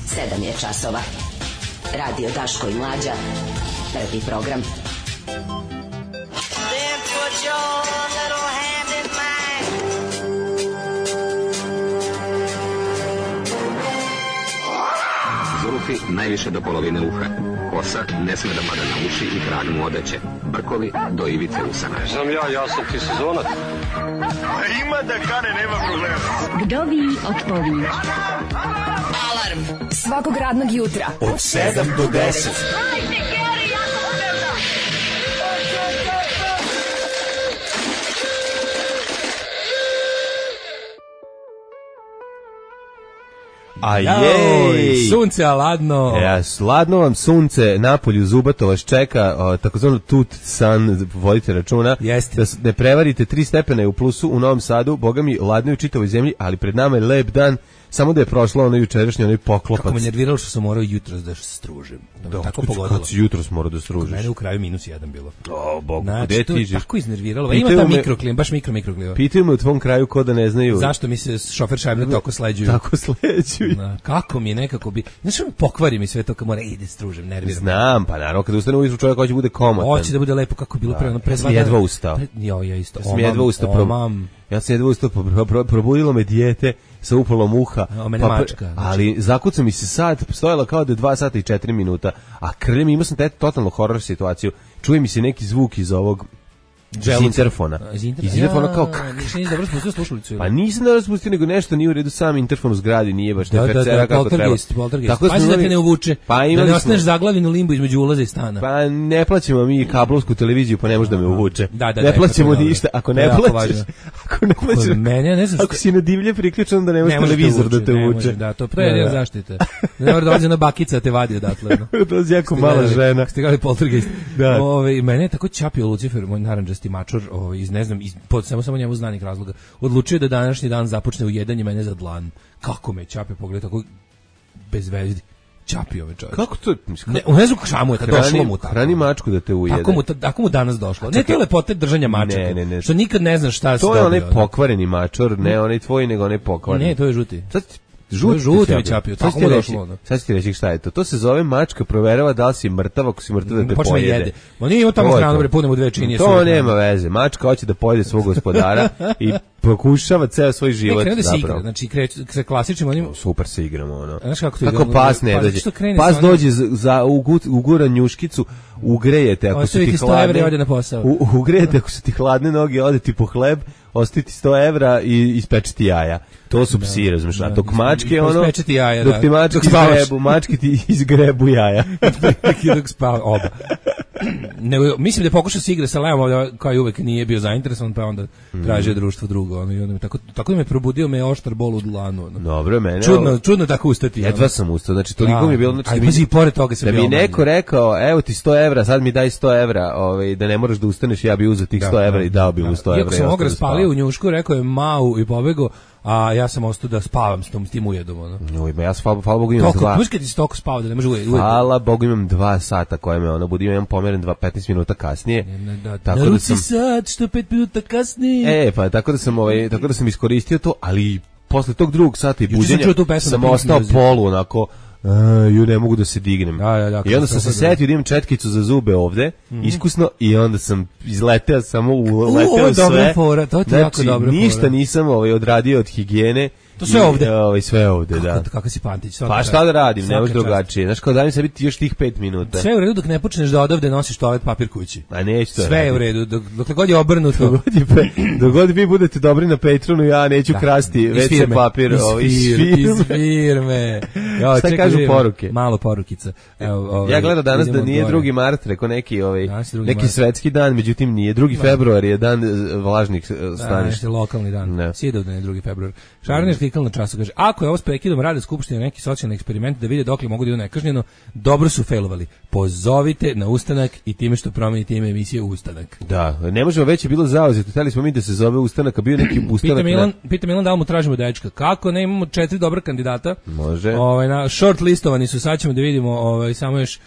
7 je časova. Radio Daško i Mlađa. Prvi program. Then put your little hand in mine. Zulufi najviše do polovine uha. Kosa ne sme da pada na uši i krag mu odeće. Brkovi do ivice usana. Znam ja sam ti sezonac. Ima da kane, nema problema. Vdovi otpovi. Alarm Svakog radnog jutra Od 7 do 10. A jej! Sunce, a ladno. Ladno vam sunce, napolju zubato vas čeka, takozvano tut san, vodite računa. Jeste. Da ne prevarite, 3 stepena je u plusu u Novom Sadu, boga mi ladno je u čitavoj zemlji, ali pred nama je lep dan, samo da je prošlo ono jučerašnji, onaj poklopac. Kako me nerviralo što sam morao jutros da stružim. Da, tako pogodilo. Kad si jutros morao da stružiš? Mene u kraju -1 bilo. O, Bog, znači, gde ti žiš? Tako iznerviralo. Ima ta mikroklima, baš mikroklima. Pitaju me u tvom kraju ko da ne znaju. Zašto mi se šofer šajbne tako sleđuju? Tako sleđuju. Kako mi je nekako bi... Znaš, pokvari mi sve to kad mora ide stružim, nerviram. Znam, pa naravno, kada ustane ujutru čovjek hoće bude komotan. Hoće da bude lepo kako je bilo pre 2 dana. Sam jedva ustao. Ja isto. Sam jedva ustao, probudilo me dijete sa upalom uha. Mačka. Ali zakuca mi se sat, stojala kao da je 2 sata i 4 minuta, a krljem, imao sam totalno horor situaciju. Čuje mi se neki zvuk iz ovog iz interfona. Iz interfona kao... Nisi dobro spustio slušalicu. Pa nisam dobro spustio, nego nešto nije u redu, sam interfon u zgradi nije baš nefercera kako treba. Tako pazi da te ne uvuče, da ne ostaneš zaglavljen u limbu između ulaza i stana. Pa ne plaćamo mi kablovsku televiziju, pa ne može da me uvuče. Da, ne plaćamo ništa, ako ne plaćaš, ako si na divlje priključen da ne može televizor da te uvuče. Da, to je zaštita. Ne mora da dođe na bakica te vadi odatle. To je jako mala žena. Ste gledali Poltergeist. Mene je tako čapio Lucifer, moj narandžasti mačor, iz ne znam, samo njemu znanih razloga, odlučio da današnji dan započne u 1 i mene za dlan. Kako me čapio, pogled tako bez vezdi. Čapio me čovjek. Kako to? Ne znam šta mu je, došlo mu tako. Hrani mačku da te ujede. Tako mu danas došlo. Ne, to je lepote držanja mačaka. Ne. Što nikad ne znaš šta se dobio. To je onaj pokvareni mačor, ne onaj tvoj, nego onaj pokvareni. Ne, to je žuti. Žuti mi čapio. Tako mu došlo. Sad ću ti reći šta je to. To se zove mačka proverava da li si mrtav, ako si mrtav da te pojede. Ma nije imao tamo hranu, bre, punemo 2 činije. To nema veze. Mačka hoće da pojede svog gospodara i pokušava ceo svoj život zapravo. Znači se klasičnim onim super se igramo ono. Znaš kako to ide? Kako pas ne dođe. Pas dođe za ugura njuškicu, ugrejete ako su ti hladne. Ode na posao. Ugrejete ako su ti hladne noge, ode ti po hleb, ostaje ti 100 evra i ispeče ti jaja. To su psi, razumiješ, a dok mačke ono, dok ti mačke ti izgrebu jaja. Dok spava, oba. Mislim da je pokušao se igra sa Leom, kao i uvek nije bio zainteresovan, pa onda tražio društvo drugo. Tako da me probudio me oštar bol u dlanu. Dobro, mene... Čudno tako ustati. Jedva sam ustao, znači toliko mi je bilo... A i pored toga se da mi neko rekao, evo ti 100 evra, sad mi daj 100 evra, da ne moraš da ustaneš, ja bi uzeo tih 100 evra i dao bi mu 100 evra. Iako sam ovog raspalio u njušku, rekao je mau i pobegao, a ja sam ostao da spavam s tim ujedom. Ja hvala Bogu imam 2. Koliko ti toliko spava da ne može ujedom? Hvala Bogu imam 2 sata koje me budim, imam pomeren 15 minuta kasnije. Tako da sam sat što 5 minuta kasnije. Pa tako da sam iskoristio to, ali posle tog drugog sata i buđenja sam ostao polu onako. Ne mogu da se dignem. I onda sam se setio da imam četkicu za zube ovde, iskusno, i onda sam izleteo samo uleteo sve. Znači, ništa nisam odradio od higijene. To sve ovde. Sve ovde, da. Kako si Pantić. Pa šta da radim, ne može drugačije. Znaš, kao da mi se biti još tih 5 minuta. Sve je u redu dok ne počneš da odavde nosiš toalet papir kući. A neću to. Sve je u redu, dok god je obrnuto. Dok god vi budete dobri na Patronu, ja neću krasti WC papir iz firme. Šta kažu poruke? Malo porukica. Ja gledam danas da nije 2. mart, rekao neki svetski dan, međutim nije. 2. februar je dan vlažnih staništa. Lokalni dan. Sjedovdan je 2. februar. Šarner klikal na času, kaže, ako je ovo s prekidom rade skupštine neki socijalni eksperiment da vide dokle mogu da idu nekažnjeno, dobro su failovali. Pozovite na ustanak i time što promenite ime emisije Ustanak. Da, ne možemo, već je bilo zauzeto. Hteli smo mi da se zove Ustanak, a bio neki ustanak. Pita Milan da li mu tražimo dečka. Kako ne, imamo 4 dobra kandidata. Može. Na short listovani su, sad ćemo da vidimo samo još.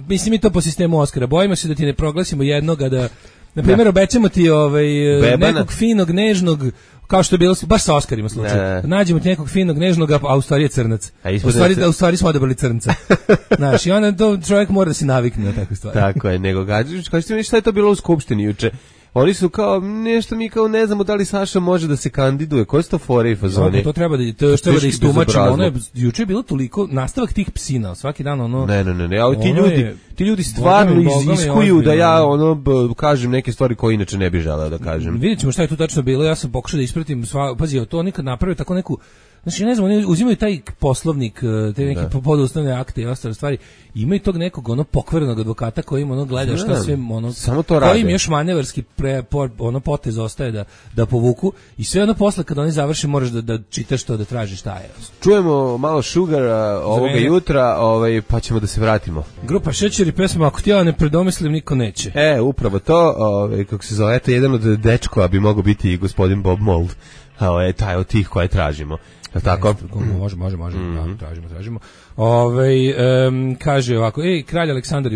Mislim mi to po sistemu Oskara. Bojimo se da ti ne proglasimo jednoga Na primjer, obećamo ti nekog finog, nežnog, kao što je bilo baš sa Oskarima slučaj. Nađemo ti nekog finog, nežnog, a u stvari je crnac. U stvari smo odabrali crnca. Znaš, i onda to čovjek mora da se navikne na takve stvari. Tako je, nego kažete mi šta je to bilo u skupštini juče? Oni su kao, nešto mi kao ne znamo da li Saša može da se kandiduje. Koje su to fore i fazone? To treba da istumačimo. Ono je, juče je bilo toliko nastavak tih psina, svaki dan ono... Ne, ali ti ljudi stvarno iziskuju da ja kažem neke stvari koje inače ne bih želeo da kažem. Vidjet ćemo šta je tu tačno bilo, ja sam pokušao da ispratim, pazi, to nikad napravio tako neku... Znači, ne znam, oni uzimaju taj poslovnik, te neke podustavne akte i ostale stvari, imaju tog nekog pokvarenog advokata koji im gleda šta sve samo to rade. Koji im još manevarski potez ostaje da povuku i sve posle kad oni završe moraš da čitaš to, da tražiš šta je. Čujemo malo Sugara ovoga jutra, pa ćemo da se vratimo. Grupa Šećer i pesma Ako ti ja ne predomislim, niko neće. Upravo to, kako se zove, eto jedan od dečkova bi mogao biti i gospodin Bob Mould. Taj od tih koje tražimo. Tako? Može, tražimo. Kaže ovako, kralj Aleksandar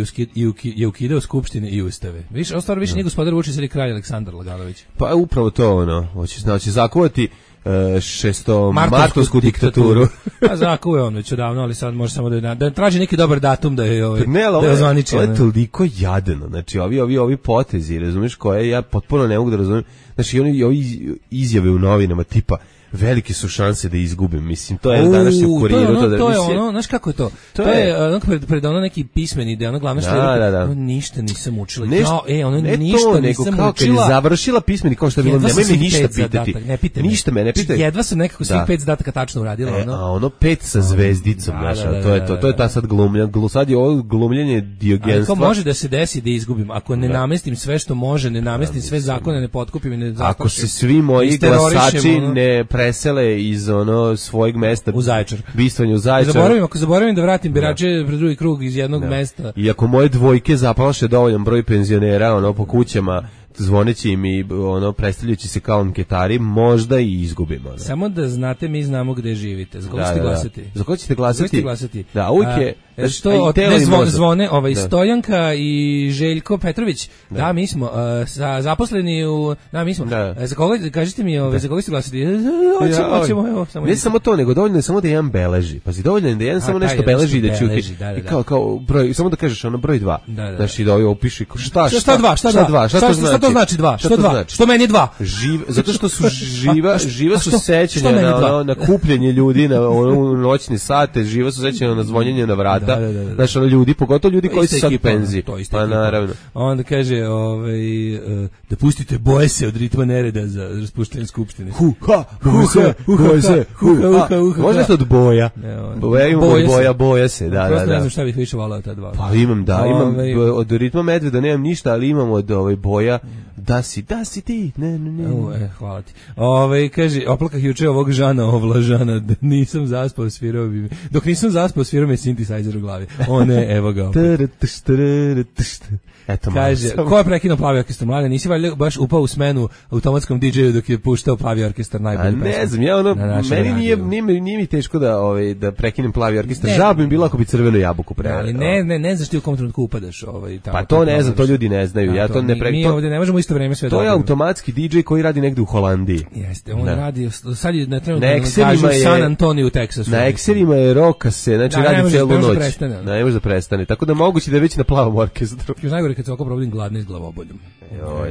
je ukidao skupštine i ustave. Više nije gospodar Vučić, ali kralj Aleksandar Laganović. Pa upravo to hoće zakovati šestomartovsku diktaturu. A zakuje on već odavno, ali sad može samo da traži neki dobar datum da je ozvaniči. Ovo je toliko jadeno, znači ovi potezi, razumiješ, koje ja potpuno ne mogu da razumim, znači ovi izjave u novinama tipa velike su šanse da izgubim, mislim, to je današnje u Kuriru. To je znaš kako je to? To je pred neki pismeni ide, glavno što je ništa nisam učila. Ništa nisam učila. Završila pismeni, kao što je bilo, nemoj me ništa pitati. Ništa me ne pitaj. Jedva sam nekako svih 5 zadataka tačno uradila. A 5 sa zvezdicom, znaš, to je ta sad glumljenje. Sad je ovo glumljenje diogenstva. Ako može da se desi da izgubim, ako ne namestim sve što može, ne namestim sve zakone, ne potkupim i ne zakošim. Ako se svi moji glasači ne presele iz svojeg mesta u Zaječar. Bistvanje u Zaječar. Ako zaboravim da vratim birače pred drugi krug iz jednog mesta. I ako moje dvojke zaplaše dovoljan broj penzionera po kućama, zvoneći im i predstavljajući se kao anketari, možda i izgubimo. Samo da znate, mi znamo gde živite. Za koga ćete glasati? Za koga ćete glasati? Da, uvijek je... Zvone Stojanka i Željko Petrović. Da, mi smo zaposleni u... Da, mi smo. Za koga, kažite mi, za koga ćete glasati? Hoćemo, evo. Ne samo to, nego dovoljno je samo da jedan beleži. Pazi, dovoljno je da jedan samo nešto beleži i da ćuti. Kao broj, samo da kažeš broj 2. Znači da ovo piše šta 2? Šta to znači 2? Što 2? Što meni 2? Zato što su živa su sećanja na kupljenje ljudi na noćne sate, živa su sećanja na zvonjenje na vrata. Znači ljudi, pogotovo ljudi koji su sad u penziji. Pa naravno. Onda kaže da pustite boje se od ritma nereda za raspuštanje skupštine. Možda ste od boja. Boja se, da. Prosto ne znam šta bih više volao ta dva. Pa imam od ritma medveda nemam ništa, ali imam od boja da si ti. Ne. Hvala ti. Kaže, oplakah juče ovog Žana Ovlažana, nisam zaspao, svirao bi mi. Dok nisam zaspao, svirao mi synthesizer u glavi. Evo ga opet. Kaže, ko je prekinuo Plavi orkestar? Mlade, nisi valjda baš upao u smenu automatskom DJ-u dok je puštao Plavi orkestar najbolji pesma? Ne znam, meni nije mi teško da prekinem Plavi orkestar. Žao bi mi bilo ako bi Crvenu jabuku preveo. Ali ne znaš ti u kom trenutku upadaš. Pa to ne znam, to ljudi ne znaju. Mi ovdje ne možemo isto vreme sve to je automatski DJ koji radi negde u Holandiji. Jeste, on radi, sad je na trenutku San Antonio u Teksasu. Na Excelima je Rokase, znači radi celu noć. Ne može da prestane. Tako da moguće da je već na Plavom orkestru. Najgore kad se oko probudim gladni s glavoboljom.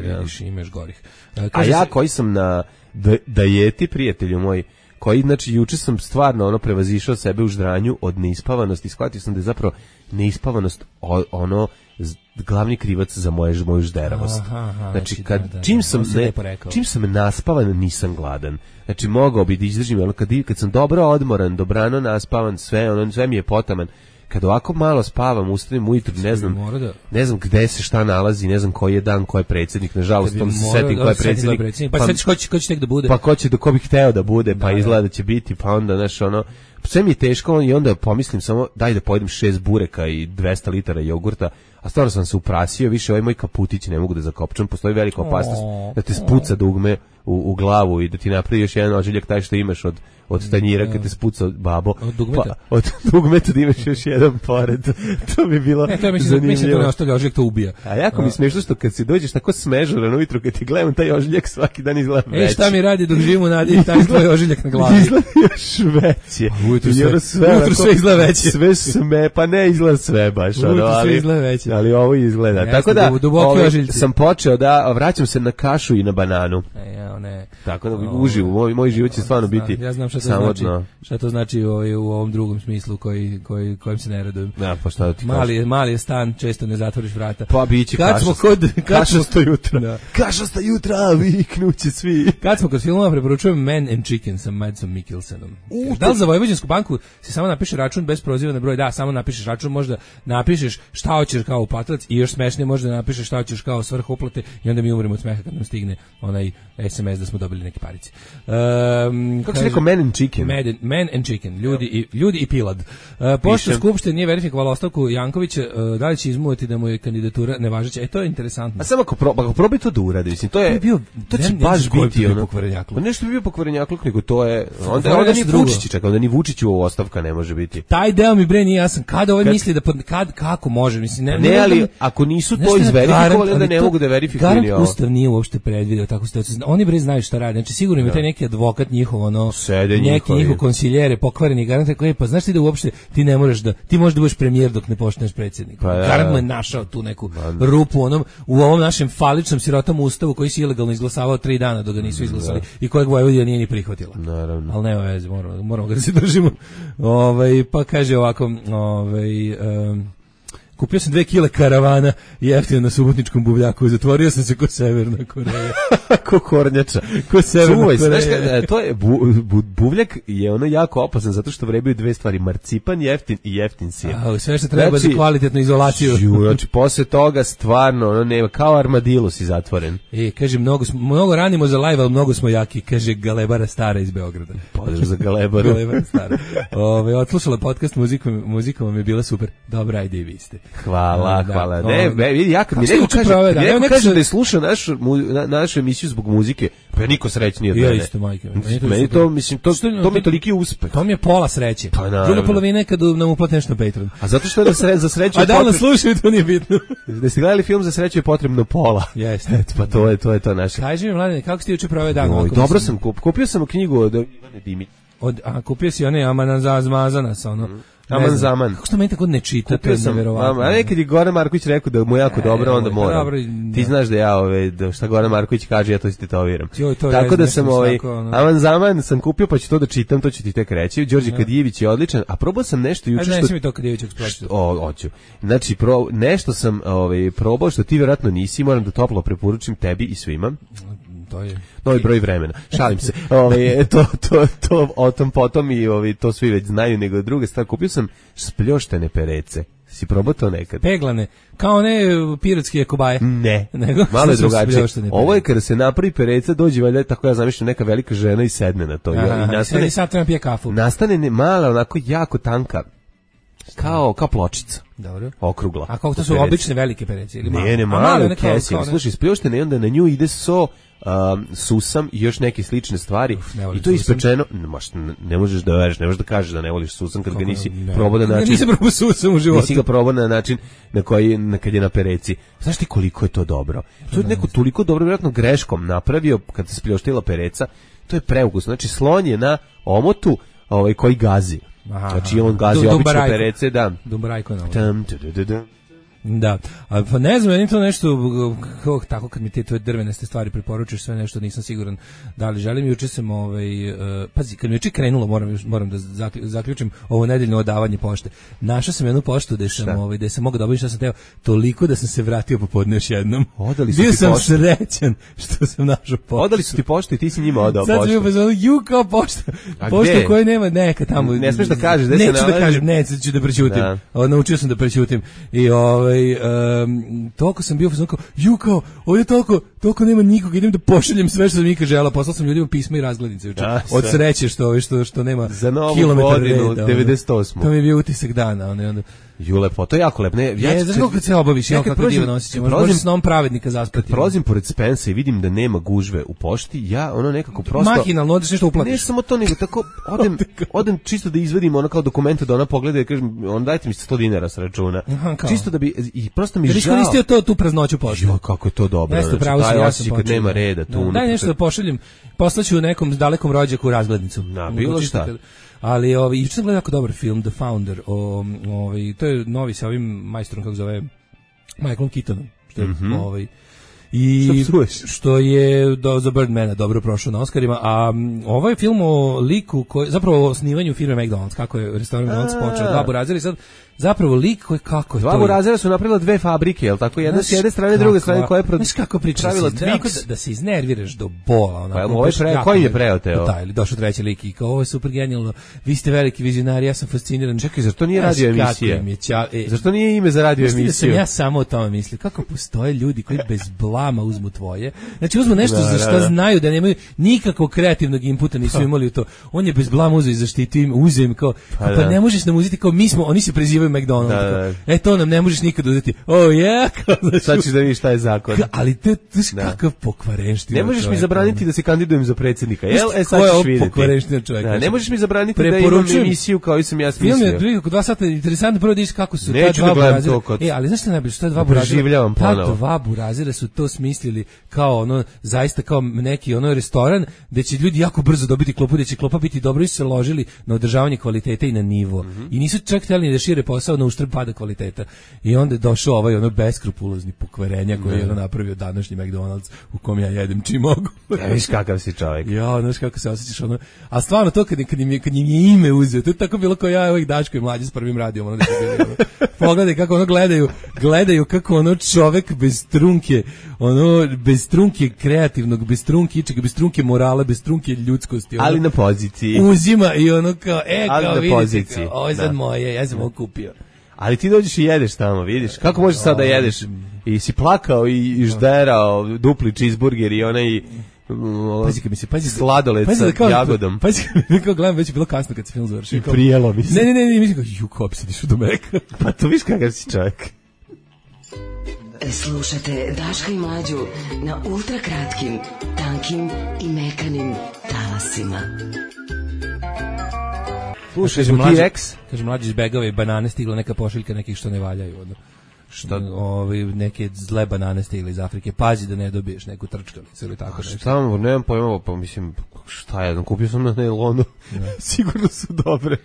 Vidiš, imaš gorih. A ja koji sam na dajeti, prijatelju moj, koji, znači, juče sam stvarno prevazišao sebe u ždranju od neispavanosti. Shvatio sam da je zapravo neispavanost glavni krivac za moju žderavost. Znači, čim sam naspavan, nisam gladan. Znači, mogao bi da izdržim, kad sam dobro odmoran, dobrano naspavan, sve mi je potaman. Kad ovako malo spavam, ustanem ujutru, ne znam gde se šta nalazi, ne znam koji je dan, ko je predsjednik, nažalost, tom se setim ko je predsjednik. Pa setiš ko će tek da bude. Pa ko bi hteo da bude, pa izgleda da će biti, pa onda, Sve mi je teško i onda pomislim samo daj da pojedem 6 bureka i 200 litara jogurta, a stvarno sam se uprasio, više ovaj moj kaputić ne mogu da zakopčam, postoji velika opasnost da te spuca dugme u glavu i da ti napravi još jedan ožiljak taj što imaš od tanjira kad te spuca babo. Od dugmeta? Od dugmeta da imaš još jedan pored. To bi bilo zanimljivo. Mislim da ne ostavlja ožiljak, to ubija. A jako mi smiješno što kad si dođeš tako smežuran ujutru, kad ti gledam taj ožiljak svaki dan izgleda veći. Šta mi radi dok živim u nadi, taj tvoj ožiljak na glavi. Izgleda još veći. Ujutru sve izgleda veći. Sve sme, pa ne izgleda sve baš. Ujutru sve izgleda veći. Ali ovo izgleda. Jeste, tako da sam počeo da vraćam se na kašu i na bananu. Ne. Tako da uživo, moj život će stvarno biti. Ja znam šta to znači u ovom drugom smislu kojim se ne radujem. Ja, pa šta da ti mali je stan, često ne zatvoriš vrata. Pa biće kašasta jutra. Da. Kašasta jutra, viknuće svi. Kad smo kod filmova, preporučujem Man and Chicken sa Madsom Mikkelsenom. Da li za Vojvođansku banku se samo napiše račun bez proziva na broj? Da, samo napišeš račun, možda napišeš šta hoćeš kao uplatilac i još smešnije možda napišeš šta hoćeš kao svrha uplate i onda mi umremo od smeha kad nam stigne onaj SMS da smo dobili neke parice. Kako se rekao Man and Chicken? Man and Chicken, ljudi i pilad. Pošto Skupština nije verifikovala ostavku Jankovića, da li će izmuvati da mu je kandidatura nevažeća? To je interesantno. A samo ako probaj to da uradi, mislim, to će baš biti ono. Pa nešto bi bio pokvarenjakluk, nego to je onda ni Vučić čeka, onda ni Vučiću ostavka ne može biti. Taj deo mi bre nije jasan. Kada ovaj misli da kako može, mislim ne, ali ako nisu to izverifikovali, onda ne mogu da verifikuju ni ovo. Ustav nije uopšte predvideo takvu situaciju. Oni bre znaju šta rade. Znači sigurno ima taj neki advokat njihov, neki njihov konsiljere pokvareni garant koji pa znaš ti da uopšte ti ne možeš da ti možeš da budeš premijer dok ne postaneš predsjednik. Garant mu je našao tu neku rupu u ovom našem faličnom sirotom ustavu koji se ilegalno izglasavao 3 dana dok ga nisu izglasali i kojeg Vojvodina nije ni prihvatila. Naravno. Ali nema veze, moramo ga da se držimo. Pa kaže ovako, kupio sam 2 kile karavana jeftino na Subotničkom buvljaku, zatvorio sam se ko Severna Koreja. Ko kornjača. Ko Severna Koreja. Znaš, to je buvljak je ono jako opasan zato što vrebaju 2 stvari, marcipan jeftin i jeftin sir. Sve što treba za kvalitetnu izolaciju. Znači, posle toga stvarno, nema, kao armadilo si zatvoren. Kaže, mnogo ranimo za live, ali mnogo smo jaki, kaže Galebara Stara iz Beograda. Pozdrav za Galebaru. Galebara Stara. Odslušala podcast muzikom vam je bila super. Dobra, ajde i vi ste. Hvala. Ne, vidi, neko kaže da je slušao našu emisiju zbog muzike, pa je niko srećniji od mene. Ja isto, majke. Meni to, mislim, to mi je toliki uspeh. To mi je pola sreće. Druga polovina je kad nam uplati nešto na Patreon. A zato što je za sreću... A da nas slušaju, to nije bitno. Da ste gledali film Za sreću je potrebno pola. Jeste. Pa to je to naše. Kaži mi, Mladene, kako si ti juče proveo dan? Dobro sam, kupio sam knjigu od Ivane Dimić. Kupio si one Amanan Zmazana sa ono... Aman zaman. Kako što meni tako ne čita, to je neverovatno. A nekad je Goran Marković rekao da mu je jako dobro, onda moram. Ti znaš da ja da šta Goran Marković kaže, ja to si tetoviram. Tako da sam Aman zaman sam kupio, pa ću to da čitam, to ću ti tek reći. Đorđe Kadijević je odličan, a probao sam nešto juče što... mi to Kadijević eksploziju. Hoću. Znači, nešto sam probao što ti vjerojatno nisi, moram da toplo preporučim tebi i svima. To je novi broj vremena. Šalim se. To o tom potom i to svi već znaju, nego druga stvar. Kupio sam spljoštene perece. Si probao to nekad? Peglane. Kao one pirotske kobaje. Ne. Malo je drugačije. Ovo je kada se napravi pereca, dođe valjda, tako ja zamišljam, neka velika žena i sedne na to. I sad treba pije kafu. Nastane mala, onako jako tanka, kao pločica. Dobro. Okrugla. A kako to su obične velike perece? Ili ne, male kesi. Slušaj, spljoštene i onda na nju ide susam i još neke slične stvari. I to je ispečeno. Ne možeš da veruješ, ne možeš da kažeš da ne voliš susam kad ga nisi probao na način. Nisam probao susam u životu. Nisi ga probao na način na koji kad je na pereci. Znaš ti koliko je to dobro? To je neko toliko dobro, vjerojatno greškom napravio kad se spljoštila pereca. To je preukusno. Znači slon je na omotu koji gazi. Znači on gazi obično perece, da. Dumbarajko na Da, a pa ne znam, je to nešto tako kad mi te drvenaste stvari preporučiš, sve nešto nisam siguran da li želim. Juče sam pazi, kad mi juče krenulo, moram da zaključim ovo nedeljno odavanje pošte. Našao sam jednu poštu gde sam mogao da obavim šta sam teo, toliko da sam se vratio popodne još jednom. Bio sam srećan što sam našao poštu. Odali su ti poštu i ti si njima odao poštu. Sad sam bio pa kao pošta. Pošta koja nema neka tamo. Ne smiješ da kažeš, neću da kažem, neću da prećutim. Naučio sam da prećutim. I toliko sam bio kao, kao, ovdje toliko nema nikoga, idem da pošaljem sve što sam nikad žela, poslao sam ljudima pisma i razglednice od sreće što nema za novu kilometar godinu, reda. 98. To mi je bio utisak dana, onda Ju lepo, to je jako lepo. Znaš kako se obaviš, kako divan osjećaj, možeš snom pravednika zaspati. Kad prolazim pored Spensa i vidim da nema gužve u pošti, ja ono nekako prosto... Mahinalno, odeš nešto uplatiš. Ne samo to, nego tako odem čisto da izvadim ono kao dokumente da ona pogleda i kažem, on dajte mi 100 dinara sa računa. Čisto da bi, i prosto mi žao. Iskoristio tu praznoću pošte. Jo, kako je to dobro. Nešto pravo sam, ja sam počeo. Kad nema reda tu. Daj nešto da pošaljem, poslaću nekom dalekom rođaku razglednicu. Na, bilo šta. Ali juče sam gledao jako dobar film The Founder, to je novi sa ovim majstorom, kako zove, Michaelom Keatonom, što je i što je za Birdmana dobro prošao na Oscarima, a ovaj film o liku koji zapravo o osnivanju firme McDonald's, kako je restoran McDonald's počeo, dva burazera i sad zapravo lik koji kako je dva burazera su napravila dve fabrike, je l' tako? Jedna s jedne strane, druge strane, koja je pravila Twix. Da se iznerviraš do bola. Onako, koji je preoteo? Da, ili došao treći lik i kao, ovo je super genijalno, vi ste veliki vizionari, ja sam fasciniran. Čekaj, zar to nije radio emisija? Zar to nije ime za radio emisiju? Sam ja samo o tome mislio, kako postoje ljudi koji bez blama uzmu tvoje, znači uzmu nešto za što znaju da nemaju nikakvog kreativnog inputa, nisu imali u to. On je bez blama uzeo i zaštitio im, uzeo im kao, pa ne možeš nam uzeti kao mi smo, oni se prezivaju McDonald's. To nam ne možeš nikad uzeti. Sad ćeš da vidiš šta je zakon. Ali to je kakav pokvarenština. Ne možeš mi zabraniti da se kandidujem za predsjednika. Sad ćeš vidjeti. Pokvarenština čovjek. Ne možeš mi zabraniti da imam emisiju kao i sam ja smislio. Film je prilike oko 2 sata, interesantno prvo da vidiš kako su ta dva burazira. Ali znaš što najbolje, što je dva burazira? Ta dva burazira su to smislili kao ono, zaista kao neki ono restoran gde će ljudi jako brzo dobiti klopu, gde će klopa biti dobro i su se ložili na održavanje kvalitete i na nivo. I nisu čak htjeli da šire posao na uštrb pada kvaliteta. I onda je došao ovaj ono beskrupulozni pokvarenja koji je ono napravio današnji McDonald's u kom ja jedem čim mogu. Viš kakav si čovjek. Ja, znaš kako se osjećaš ono. A stvarno to kad im je ime uzeo, to je tako bilo kao ja ovih Daško i mlađi s prvim radijom. Ono, pogledaj kako ono gledaju kako ono čovek bez trunke, ono bez trunke kreativnog, bez trunke ičega, bez trunke morala, bez trunke ljudskosti. Ono, ali na poziciji. Uzima i ono kao, kao vidite, poziciji. Kao, ovo je sad moje, ja sam ovo kupio. Ali ti dođeš i jedeš tamo, vidiš? Kako možeš sad da jedeš? I si plakao i žderao dupli cheeseburger i onaj sladoled sa jagodom. Pazi kad mi kao gledam, već je bilo kasno kad se film završio. I prijelo mi se. Ne, mislim kao, kako si dišu do meka. Pa to viš kakav si čovjek. Slušajte Daška i Mlađu na ultrakratkim, tankim i mekanim talasima. Slušaj, kaže mlađi izbegava i banane, stigla neka pošiljka nekih što ne valjaju. Šta? Neke zle banane stigle iz Afrike. Pazi da ne dobiješ neku trčkalicu ili tako nešto. Šta, nemam pojma, pa mislim, šta je, kupio sam na nailonu. Sigurno su dobre.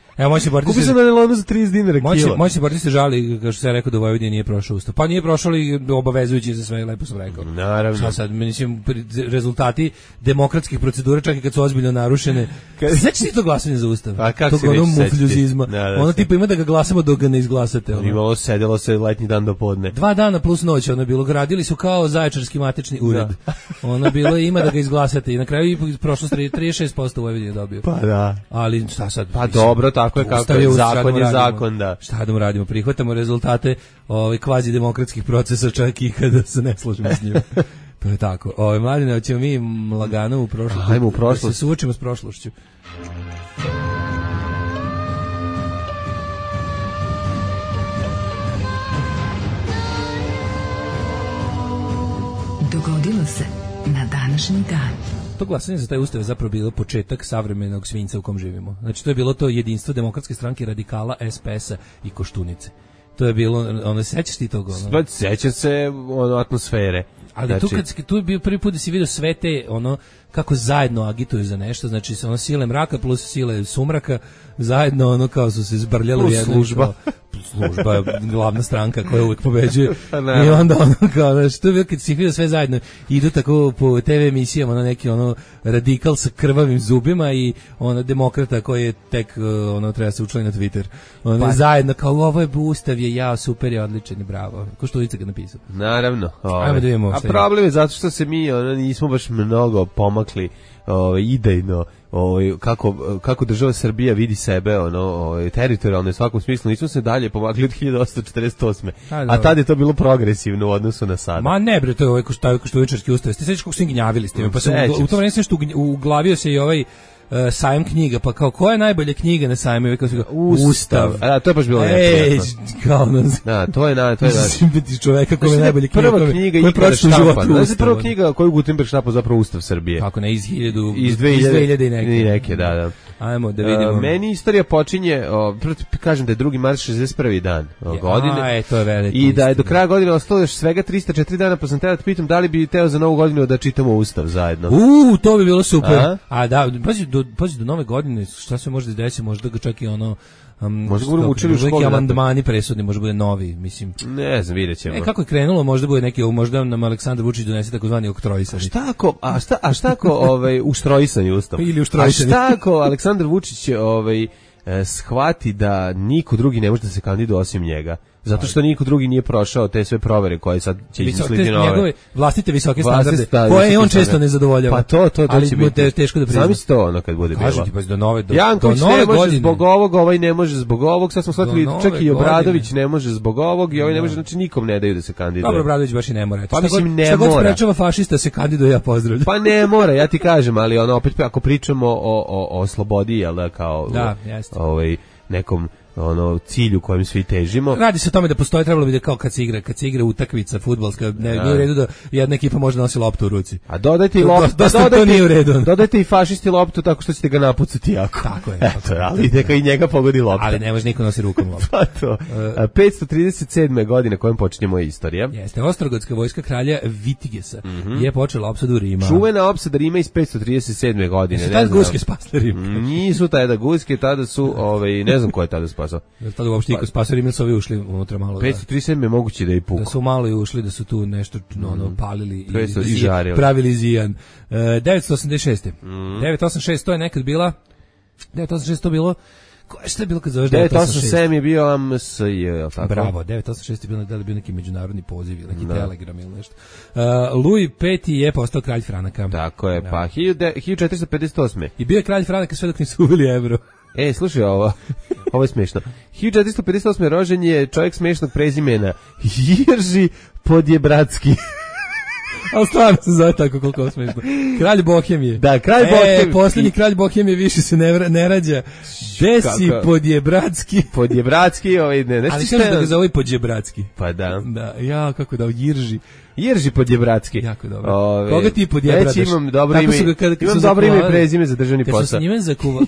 Kupio sam na nailonu za 30 dinara kilo. Moći se boriti se žali, kao što se rekao da u Vojvodini nije prošao ustav. Pa nije prošao li obavezujući za sve, lepo sam rekao. Naravno. Šta sad, mislim, rezultati demokratskih procedura, čak i kad su ozbiljno narušene. Znači ti to glasanje za ustav? A kako se neće sećati? Ono tipa ima da ga glasamo dok ga ne izglasate. Imalo sedelo se letnji dan do podne. 2 dana plus noć ono bilo, gradili su kao Zaječarski matični ured. Ono bilo ima da ga izglasate i na kraju prošlo 36% u Vojvodini dobio. Pa da. Ali šta sad? Pa dobro, tako je kako je, zakon je zakon, da. Šta da mu radimo? Prihvatamo rezultate kvazi demokratskih procesa čak i kada se ne složimo s njima. To je tako. Mladine, hoćemo mi lagano u prošlost. Ajmo u prošlost. Da se suočimo s prošlošću. Dogodilo se na današnji dan. To glasanje za taj ustav je zapravo bilo početak savremenog svinjca u kom živimo. Znači to je bilo to jedinstvo Demokratske stranke, radikala, SPS-a i Koštunice. To je bilo, sećaš ti toga? Seća se atmosfere. Ali znači, tu je bio prvi put da si vidio sve te, kako zajedno agituju za nešto, znači sile mraka plus sile sumraka, zajedno kao su se zbrljali u jednu. Služba je glavna stranka koja uvijek pobeđuje. I onda kao, znači, to je bilo kad si vidio sve zajedno, idu tako po TV emisijama, neki radikal sa krvavim zubima i demokrata koji je tek, treba se učlani na Twitter. Zajedno, kao, ovo je ustav, je super, je odličan i bravo. Ko što Ulica ga napisao. Naravno. Ajmo da vidimo. A problem je zato što se mi nismo baš mnogo pomakli idejno, kako država Srbija vidi sebe, teritorijalno u svakom smislu, nismo se dalje pomakli od 1848. A tad je to bilo progresivno u odnosu na sada. Ma ne bre, to je ovaj Koštuničarski ustav. Ste sećaš kako su gnjavili s tim? Pa sam u to vreme nešto uglavio se i ovaj sajam knjiga, pa kao koja je najbolja knjiga na sajmu? Ustav. A to je baš bilo neprijatno. Kao nas. Da, to je čoveka koja je najbolja knjiga. Prva knjiga ikada štampana. Prva knjiga koju Gutenberg štampao zapravo Ustav Srbije. Kako ne, iz 2000 i neke. Da. Ajmo da vidimo. Meni istorija počinje, kažem da je 2. mart 61. dan godine. To je veliki. I da je do kraja godine ostalo još svega 304 dana, pa sam teo da pitam da li bi teo za novu godinu da čitamo Ustav zajedno. To bi bilo super. A da, pazi do nove godine, šta se može desiti, možda ga čak i možda budemo učili u školi. Neki amandmani presudni, možda bude novi, mislim. Ne znam, vidjet ćemo. Kako je krenulo, možda bude neki, možda nam Aleksandar Vučić donese takozvani oktroisani. Šta ako uštrojisani Ustav? Ili uštrojisani. A šta ako Aleksandar Vučić shvati da niko drugi ne može da se kandiduje osim njega? Zato što niko drugi nije prošao te sve provere koje sad će izmisliti nove. Njegove vlastite visoke standarde, koje on često ne zadovoljava. Pa to će biti. Ali teško da prizna. Zamisli to ono kad bude bilo. Kažu ti, pa do nove Janković ne može zbog ovog, ovaj ne može zbog ovog, sad smo shvatili čak i Obradović ne može zbog ovog i ovaj ne može, znači nikom ne daju da se kandiduje. Dobro, Obradović baš i ne mora. Pa mislim ne mora. Šta god sprečava fašista se kandiduje, ja pozdravljam. Pa ne mora, ja ti kažem, ali ono opet ako pričamo o slobodi, jel da, kao nekom cilju kojem svi težimo. Radi se o tome da postoji, trebalo bi da kao kad se igra utakmica fudbalska, nije u redu da jedna ekipa može nosi loptu u ruci. A dodajte i loptu, dodajte i fašisti loptu tako što ćete ga napucati jako. Tako je. Eto, ali neka i njega pogodi lopta. Ali ne može niko nosi rukom loptu. Pa to. 537. godine kojom počinje moja istorija. Jeste, Ostrogotska vojska kralja Vitigesa je počela opsadu Rima. Čuvena opsada Rima iz 537. godine. Tada guske spasle Rim. Nisu tada guske, tada su, ne znam ko je tada spasao. Tada uopšte niko spasao Rim, su ovi ušli unutra malo. 537 je moguće da je puko. Da su malo i ušli, da su tu nešto palili i žarili. Pravili zijan. 986. 986, to je nekad bila 986 to bilo. Šta je bilo kad zoveš 987 je bio AMSJ, je li tako? Bravo, 986 je bilo, da li bio neki međunarodni poziv ili neki telegram ili nešto. Louis V je postao kralj Franaka. Tako je, pa 1458. I bio je kralj Franaka sve dok nisu uveli evro. Slušaj ovo je smiješno. 1458. rođen je čovjek smiješnog prezimena Jirži Podjebratski. Ali stvarno se zove tako koliko smiješno. Kralj Bohemije. Da, kralj Bohemije. Posljednji kralj Bohemije više se ne rađa. Desi Podjebratski. Podjebratski, ne. Ali kažu da ga zove Podjebratski. Pa da. Da, kako da, Jirži Podjebratski. Jako dobro. Koga ti Podjebradaš? Imam dobro ime i prezime za državni posao. Kad su s njime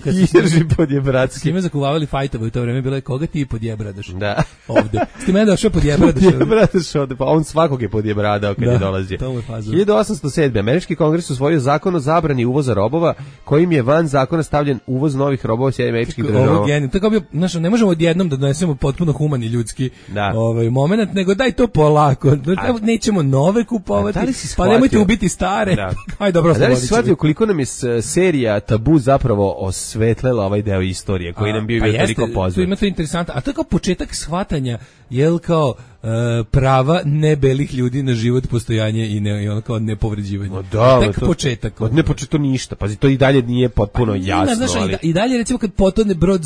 Jirži Podjebratski. S njime zakuvavali fajtove u to vreme, bilo je koga ti Podjebradaš? Da. Ovde. S ti mene došao Podjebradaš? Podjebradaš ovde, pa on svakog je podjebradao kad je dolazio. 1807. Američki kongres usvojio zakon o zabrani uvoza robova, kojim je van zakona stavljen uvoz novih robova s američkih država. Ovo genij. Tako bi, ne možemo odjednom da donesemo potpuno humani ljudski moment, nego daj to polako. Nećemo nove kupovati, pa nemojte ubiti stare. Aj dobro, da li si shvatio koliko nam je serija Tabu zapravo osvetlela ovaj deo istorije koji nam bio toliko poznat. Tu ima to interesantno, a to je kao početak shvatanja, jel kao prava nebelih ljudi na život, postojanje i ono kao nepovređivanje. Tek početak. Ne početo ništa, pazi, to i dalje nije potpuno jasno. I dalje recimo kad potone brod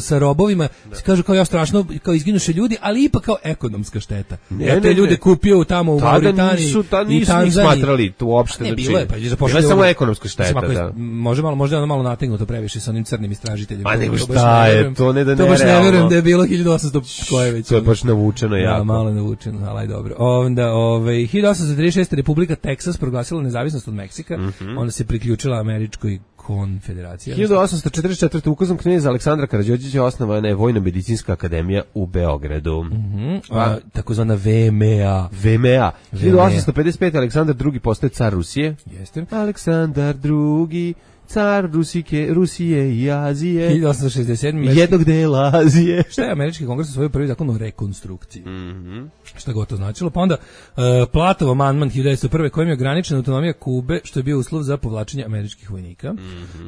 sa robovima, kažu kao strašno, kao izginuše ljudi, ali ipak kao ekonomska šteta. Te ljude kupio tamo u Mauritaniji i Tanzaniji. Nisu smatrali tu uopšte. Ne, bilo je, pa bilo je samo ekonomska šteta. Možda ono malo nategnuto previše sa onim crnim istražiteljima. A nego šta je, to ne da to baš ne verujem da je bilo 1800 koje već. To je baš navučeno jako. Malo navučeno, ali dobro. Onda 1836. Republika Teksas proglasila nezavisnost od Meksika, onda se priključila Američkoj konfederaciji. 1844. ukazom kneza Aleksandra Karađorđevića osnovana je Vojno-medicinska akademija u Beogradu. Takozvana VMA. 1855. Aleksandar II. Postaje car Rusije. Jeste. Aleksandar II. car Rusije i Azije. 1867. Jednog dela Azije. Šta je Američki kongres usvojio prvi zakon o rekonstrukciji? Šta god to značilo? Pa onda Platov amandman 1901. kojim je ograničena autonomija Kube, što je bio uslov za povlačenje američkih vojnika.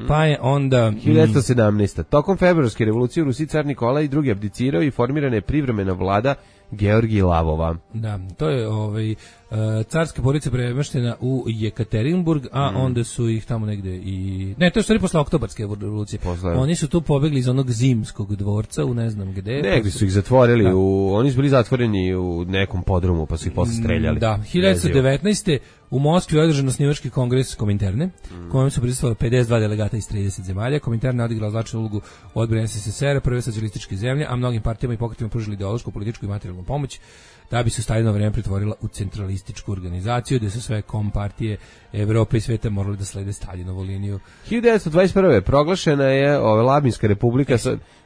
Pa je onda 1917. Tokom februarske revolucije u Rusiji car Nikolaj II. Abdicirao i formirana je privremena vlada Georgij Lavova. Da, to je carska porodica premeštena u Jekaterinburg, a onda su ih tamo negde i... Ne, to je stvari posle oktobarske revolucije. Oni su tu pobegli iz onog zimskog dvorca u ne znam gde. Negde su ih zatvorili, oni su bili zatvoreni u nekom podrumu, pa su ih posle streljali. Da, 1919. u Moskvi je održan osnivački kongres Kominterne, kojem su prisustvovali 52 delegata iz 30 zemalja. Kominterna je odigrala značajnu ulogu u odbrani SSSR, prve socijalističke zemlje, a mnogim partijama i pokretima pružili ideološku, političku i materijalnu pomoć, da bi se u Staljinovo vreme pretvorila u centralističku organizaciju, gde su sve kompartije Evrope i sveta morali da slede Staljinovu liniju. 1921. proglašena je Labinska republika.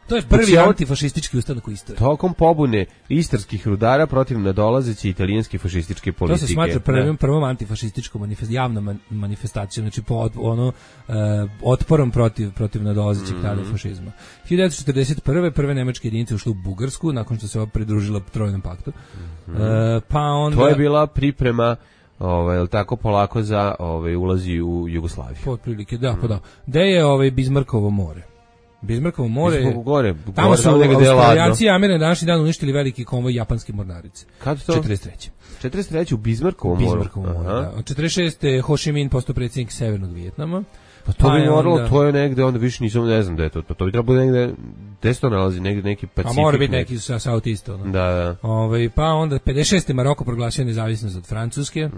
To je prvi antifašistički ustanak u istoriji. Tokom pobune istarskih rudara protiv nadolazeće italijanske fašističke politike. To se smatra prvom antifašističkom javnom manifestacijom, znači otporom protiv nadolazećeg tada fašizma. 1941. prve nemačke jedinice ušle u Bugarsku, nakon što se pridružila Trojnom paktu. Pa onda... To je bila priprema tako polako za ulazi u Jugoslaviju. Otprilike, da, pa da. Gde je Bizmarkovo more? Bizmarkovo more, tamo su Australijanci i Američani današnji dan uništili veliki konvoj japanske mornarice. Kad to? 43. u Bizmarkovom moru. Da. Od 46. Ho Chi Minh postao predsjednik Severnog Vijetnama. Pa to bi moralo, to je negde, onda više nisam, ne znam da je to. To bi trebalo negde, gde se to nalazi, negde neki Pacifik. A mora biti neki sa Southeast. Da. Pa onda 56. Maroko proglasio nezavisnost od Francuske.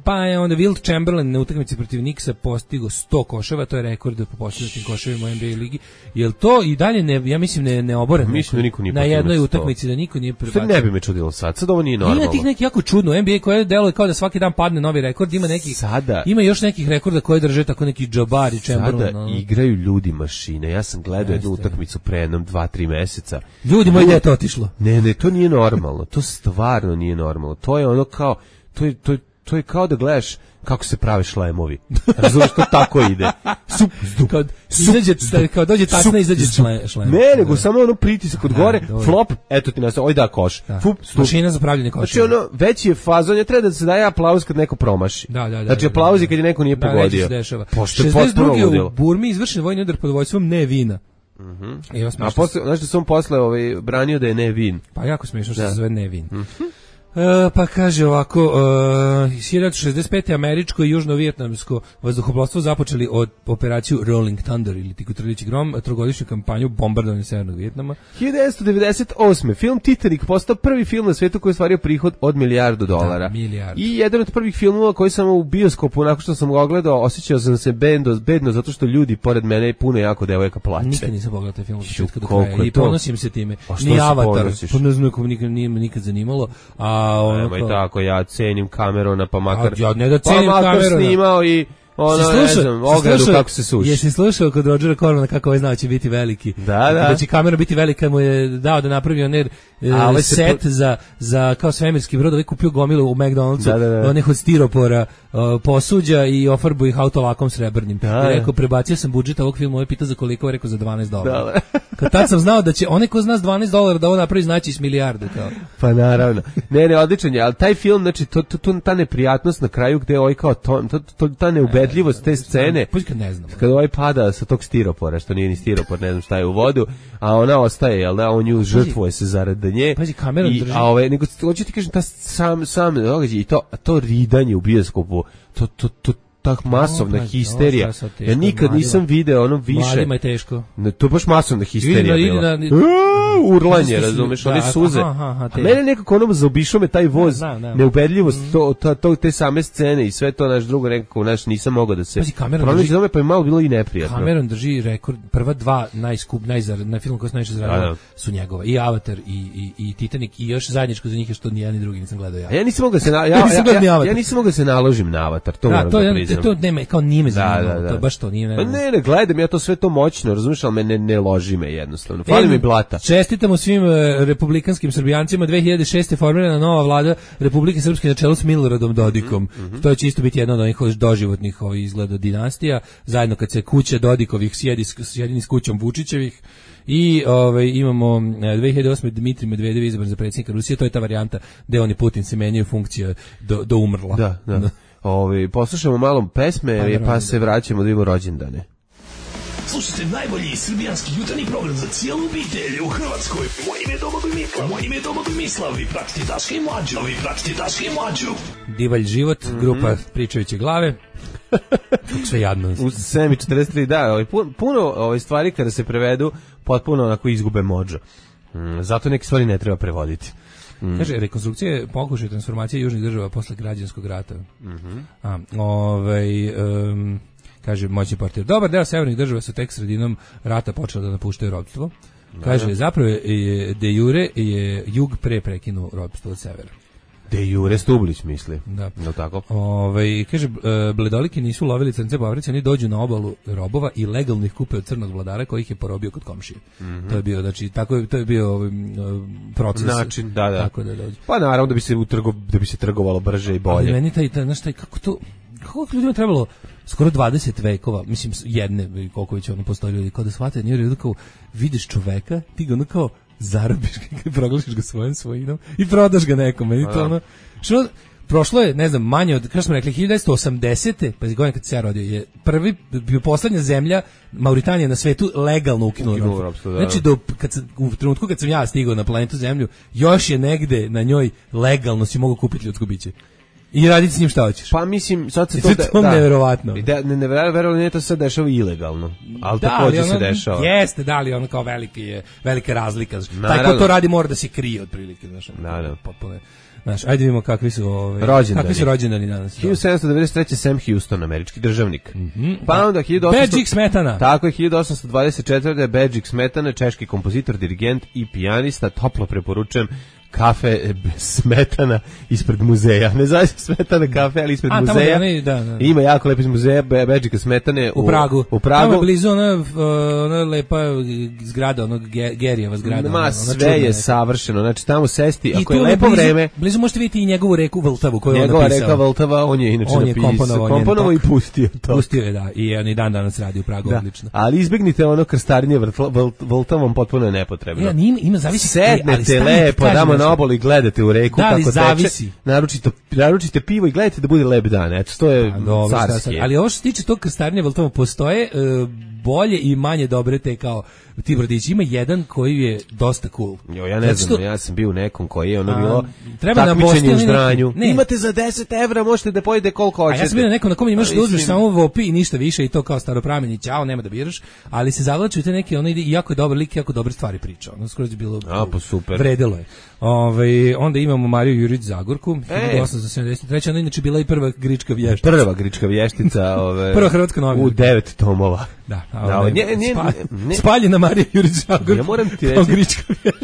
Pa je onda Wilt Chamberlain na utakmici protiv Nixa postigo 100 koševa, to je rekord po postignutim koševima u NBA ligi. Jel to i dalje, ja mislim, ne oboren? Mislim da niko nije na jednoj utakmici da niko nije prebacio. Ne bi me čudilo sad ovo nije normalno. Ima tih neki jako čudno, NBA koje deluje kao da svaki dan padne novi rekord, ima još nekih rekorda koje drže tako neki Jabbar i Chamberlain. Sada igraju ljudi mašine. Ja sam gledao jednu utakmicu pre jednom 2-3 meseca. Ljudi, moje dete otišlo. Ne, to nije normalno. To stvarno nije normalno. To je ono kao, to je kao da gledaš kako se prave šlemovi. Razumiješ, to tako ide. Kao dođe tasna, izađe šlem. Ne, nego samo ono pritisak od gore, flop, eto ti nas, oj da koš. Mašina za pravljenje koša. Znači ono, veći je fazon, je treba da se daje aplauz kad neko promaši. Znači aplauzi kad je neko nije pogodio. 62. u Burmi izvršen vojni udar pod vojstvom Nevina. A posle, znaš da sam posle branio da je Nevin. Pa jako smiješno što se zove Nevin. Pa kaže ovako, 1965. američko i južno-vijetnamsko vazduhoplovstvo započeli od operaciju Rolling Thunder ili Tikotrljići grom, trogodišnju kampanju bombardovanja Severnog Vijetnama. 1998. film Titanic postao prvi film na svijetu koji je stvario prihod od $1 milijardu. I jedan od prvih filmova koji sam u bioskopu, nakon što sam ga ogledao, osjećao sam se bedno zato što ljudi pored mene puno jako devojaka plače. Nikad nisam pogledao taj film od početka do kraja i ponosim se time. Ni Avatar, pa ne znam kako nikad zanimalo, a nemoj tako, ja cenim Camerona, pa makar ja ne da cenim Camerona, snimao i ne znam, ogradu kako se suši. Jesi slušao kod Rodgera Cormana kako ovaj znao će biti veliki? Da će Cameron biti veliki kad mu je dao da napravi oner set za kao svemirski brod, ovaj kupio gomilu u McDonald'su, onih od stiropora, posuđa i ofarbu ih autolakom srebrnim. I rekao, prebacio sam budžet ovog filma, ovaj pita za koliko, rekao za $12. Kad tad sam znao da će onaj ko zna $12 da ovo napravi znači s milijarde. Pa naravno. Ne, odličan je, ali taj film, znači, ta neprijatnost na kraju gde ovaj kao ta neubedljivost te scene, kad ovaj pada sa tog stiropora, što nije ni stiropor, ne znam šta je u vodu, a ona ostaje, jel da, on nju žrtvuje se zarad nje. Pazi, Cameron drži. Nego, hoću ti kažem, ta sam događaj i to ridanje u bioskopu, ta masovna histerija. Ja nikad nisam video ono više. Mladima je teško. To je baš masovna histerija bila. Urlanje, razumeš, one suze. A mene nekako ono zaobišao me taj voz, neubedljivost, te same scene i sve to, naš drugo nekako, nisam mogao da se... Pronaći za me, pa je malo bilo i neprijatno. Cameron drži rekord, prva dva na film koji se najviše zaradio su njegova. I Avatar i Titanic i još zajedničko za njih je što ni jedan ni drugi nisam gledao ja. Ja nisam mogao da se naložim na Avatar, to moram da priznam. To nema, kao nije me zanimalo, to baš to nije. Pa ne, gledam ja to sve to moćno, razumiješ, ali me ne loži me jednostavno. Fali mi blata. Čestitamo svim republikanskim Srbijancima, 2006. formirana nova vlada Republike Srpske na čelu s Miloradom Dodikom. To će isto biti jedna od onih doživotnih izgleda dinastija, zajedno kad se kuća Dodikovih sjedini s kućom Vučićevih. I imamo 2008. Dmitrij Medvedev izabran za predsjednika Rusije, to je ta varijanta gde oni Putin se menjaju funkcija do umrla. Da. Poslušamo malo pesme pa se vraćamo da imamo rođendane. Slušajte najbolji srbijanski jutarnji program za cijelu obitelj u Hrvatskoj. Moje ime je Domagoj Mislav. Vi pratite Daška i Mlađu. Divalj život, grupa Pričajuće glave. Sve jadno. U 7:43, da, puno stvari kada se prevedu potpuno onako izgube mođo. Zato neke stvari ne treba prevoditi. Kaže, rekonstrukcija pokušaj transformacije južnih država posle građanskog rata. Kaže, moćni portir. Dobar deo severnih država su tek sredinom rata počela da napuštaju ropstvo. Kaže, zapravo je de jure je jug pre prekinuo ropstvo od severa. De jure Stublić misli. Da. No tako. Kaže, bledoliki nisu lovili crnce po Africi, oni dođu na obalu robova i legalno ih kupe od crnog vladara koji ih je porobio kod komšije. To je bio, znači, to je bio proces. Način, da. Tako da dođu. Pa naravno da bi se trgovalo brže i bolje. Ali meni znaš, kako ljudima trebalo skoro 20 vekova, mislim jedne, koliko već ono postoji ljudi, kao da shvate, nije redu kao, vidiš čoveka, ti ga ono kao zarobiš ga, proglasiš ga svojom svojinom i prodaš ga nekom, meni to ono, što prošlo je, ne znam, manje od, kako smo rekli, 1980. pa godine kad se ja rodio, je bio poslednja zemlja, Mauritanija na svetu, legalno ukinula ropstvo. Znači, u trenutku kad sam ja stigao na planetu Zemlju, još je negde na njoj legalno si mogu kupiti ljudsko biće. I raditi s njim šta hoćeš. Pa mislim, sad se to neverovatno. Verovatno nije to sad dešava ilegalno, ali takođe se dešava. Jeste, da li ono kao velika razlika. Taj ko to radi mora da se krije otprilike, znaš. Potpuno. Znaš, ajde vidimo kakvi su rođendani danas. 1793. Sam Houston, američki državnik. Pa onda 1800... Bedžik Smetana. Tako je, 1824. Bedžik Smetana, češki kompozitor, dirigent i pijanista, toplo preporučujem kafe Smetana ispred muzeja. Ne zove se Smetana kafe, ali ispred muzeja. Da. Ima jako lepo iz muzeja Bedžika Smetane u Pragu. Tamo je blizu ona lepa zgrada, onog Gerijeva zgrada. Sve je savršeno. Znači tamo sesti, ako je lepo vreme. Blizu možete vidjeti i njegovu reku Vltavu koju on napisao. Njegova reka Vltava, on je inače napisao. Komponovao i pustio to. Pustio je, da. I on i dan danas radi u Pragu, odlično. Ali izbegnite ono krstarenje Vltavom, potpuno je nepotrebno. Ima zavisi. Sednete lepo, na obali, gledate u reku kako teče. Naručite pivo i gledajte da bude lep dan. Eto, to je carski. Ali ovo što se tiče tog krstarenja Vltava, postoje bolje i manje dobre te kao ti brodići. Ima jedan koji je dosta cool. Ja ne znam, ja sam bio u nekom koji je ono bilo takmičenje u ždranju. Imate za 10 evra, možete da pojede koliko hoćete. A ja sam bio na nekom na kom imaš da uzmeš samo vopi i ništa više i to kao staroprameni, ćao, nema da biraš, ali se zavlači u te neke, ono ide i jako je dobar lik, jako dobre stvari priča. Ono skroz je bilo super. Vredelo je. Onda imamo Mariju Jurić Zagorku, 1873. Ona inače bila i prva grička vještica. Prva grička vještica, prva hrvatska novina. U 9 tomova. Da, spaljena Marija Jurić Zagorka. Ja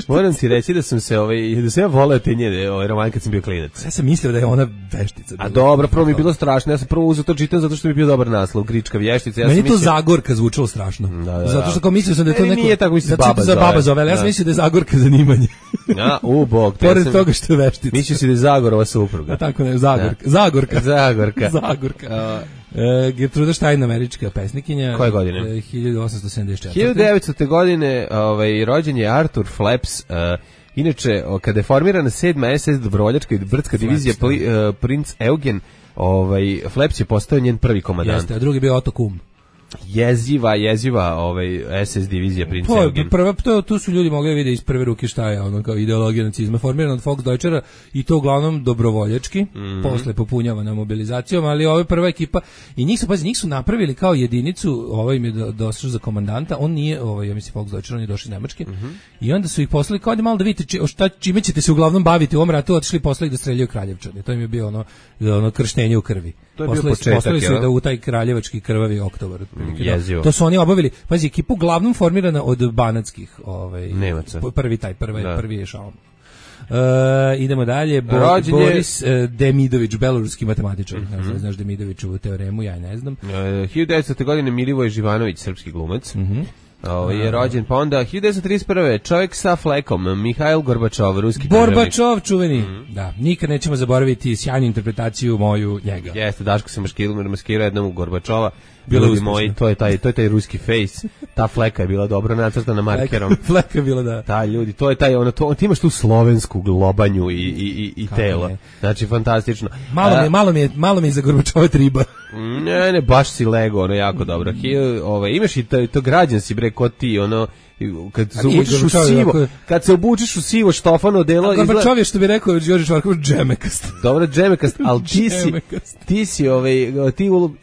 moram ti reći da sam se da sam ja voleo te njene romane kad sam bio klinac. Ja sam mislio da je ona veštica. A dobro, prvo mi je bilo strašno. Ja sam prvo uzeo to čitam zato što mi je bio dobar naslov, grička vještica. Meni to Zagorka zvučalo strašno. Zato što kao mislio sam da je to neko. Nije tako mislim baba zove, ali ja sam mislio da je Zagorka zanimanje. Bog. Pored toga što je veštica. Mislio si da je Zagorova supruga. A tako ne, Zagorka. Gertruda Stein, američka pesnikinja. Koje godine? 1874. 1900. godine rođen je Arthur Flaps. Inače, kada je formirana 7. SS dobrovoljačka i brdska divizija Princ Eugen, Flaps je postao njen prvi komandant. Jeste, a drugi bio Otto Kuhn. Jeziva SS divizija Princ Eugen. Tu su ljudi mogli vidjeti iz prve ruke šta je ono kao ideologija nacizma, formirana od Volksdeutschera i to uglavnom dobrovoljački, posle popunjavana mobilizacijom, ali ova prva ekipa i njih su napravili kao jedinicu, im je došao za komandanta, on nije, ja mislim Volksdeutscher, on je došao iz Nemačke i onda su ih poslali kao da malo da vidite čime ćete se uglavnom baviti u ovom ratu, otišli posle ih da streljaju Kraljevčane. To im je bio ono krštenje u krvi. To je bio početak, poslali su da u taj kraljevački krvavi oktobar. To su oni obavili. Pazi, ekipa uglavnom formirana od banatskih Nemaca. Prvi je šalom. Idemo dalje. Boris Demidović, beloruski matematičar. Znaš Demidovićevu teoremu, ja ne znam. 1900. godine Milivoj Živanović, srpski glumac. je rođen, pa onda 1931. čovjek sa flekom, Mihail Gorbačov, ruski državnik. Gorbačov čuveni, da, nikad nećemo zaboraviti sjajnu interpretaciju moju njega. Jeste, Daško se maskirao jednom u Gorbačova, ljudi moji, to je taj ruski face, ta fleka je bila dobro nacrtana markerom. Fleka je bila, da. Ta ljudi, to je taj, ti imaš tu slovensku globanju i telo, znači fantastično. Malo mi je za Gorbačova triba. Ne, baš si lego, ono jako dobro. Imaš i to građanski bre, kod ti, ono, kad se obučeš u sivo štofano delo, Gorbačov je, što bi rekao Đorđe Švarković, džemekast. Dobro, džemekast, ali ti si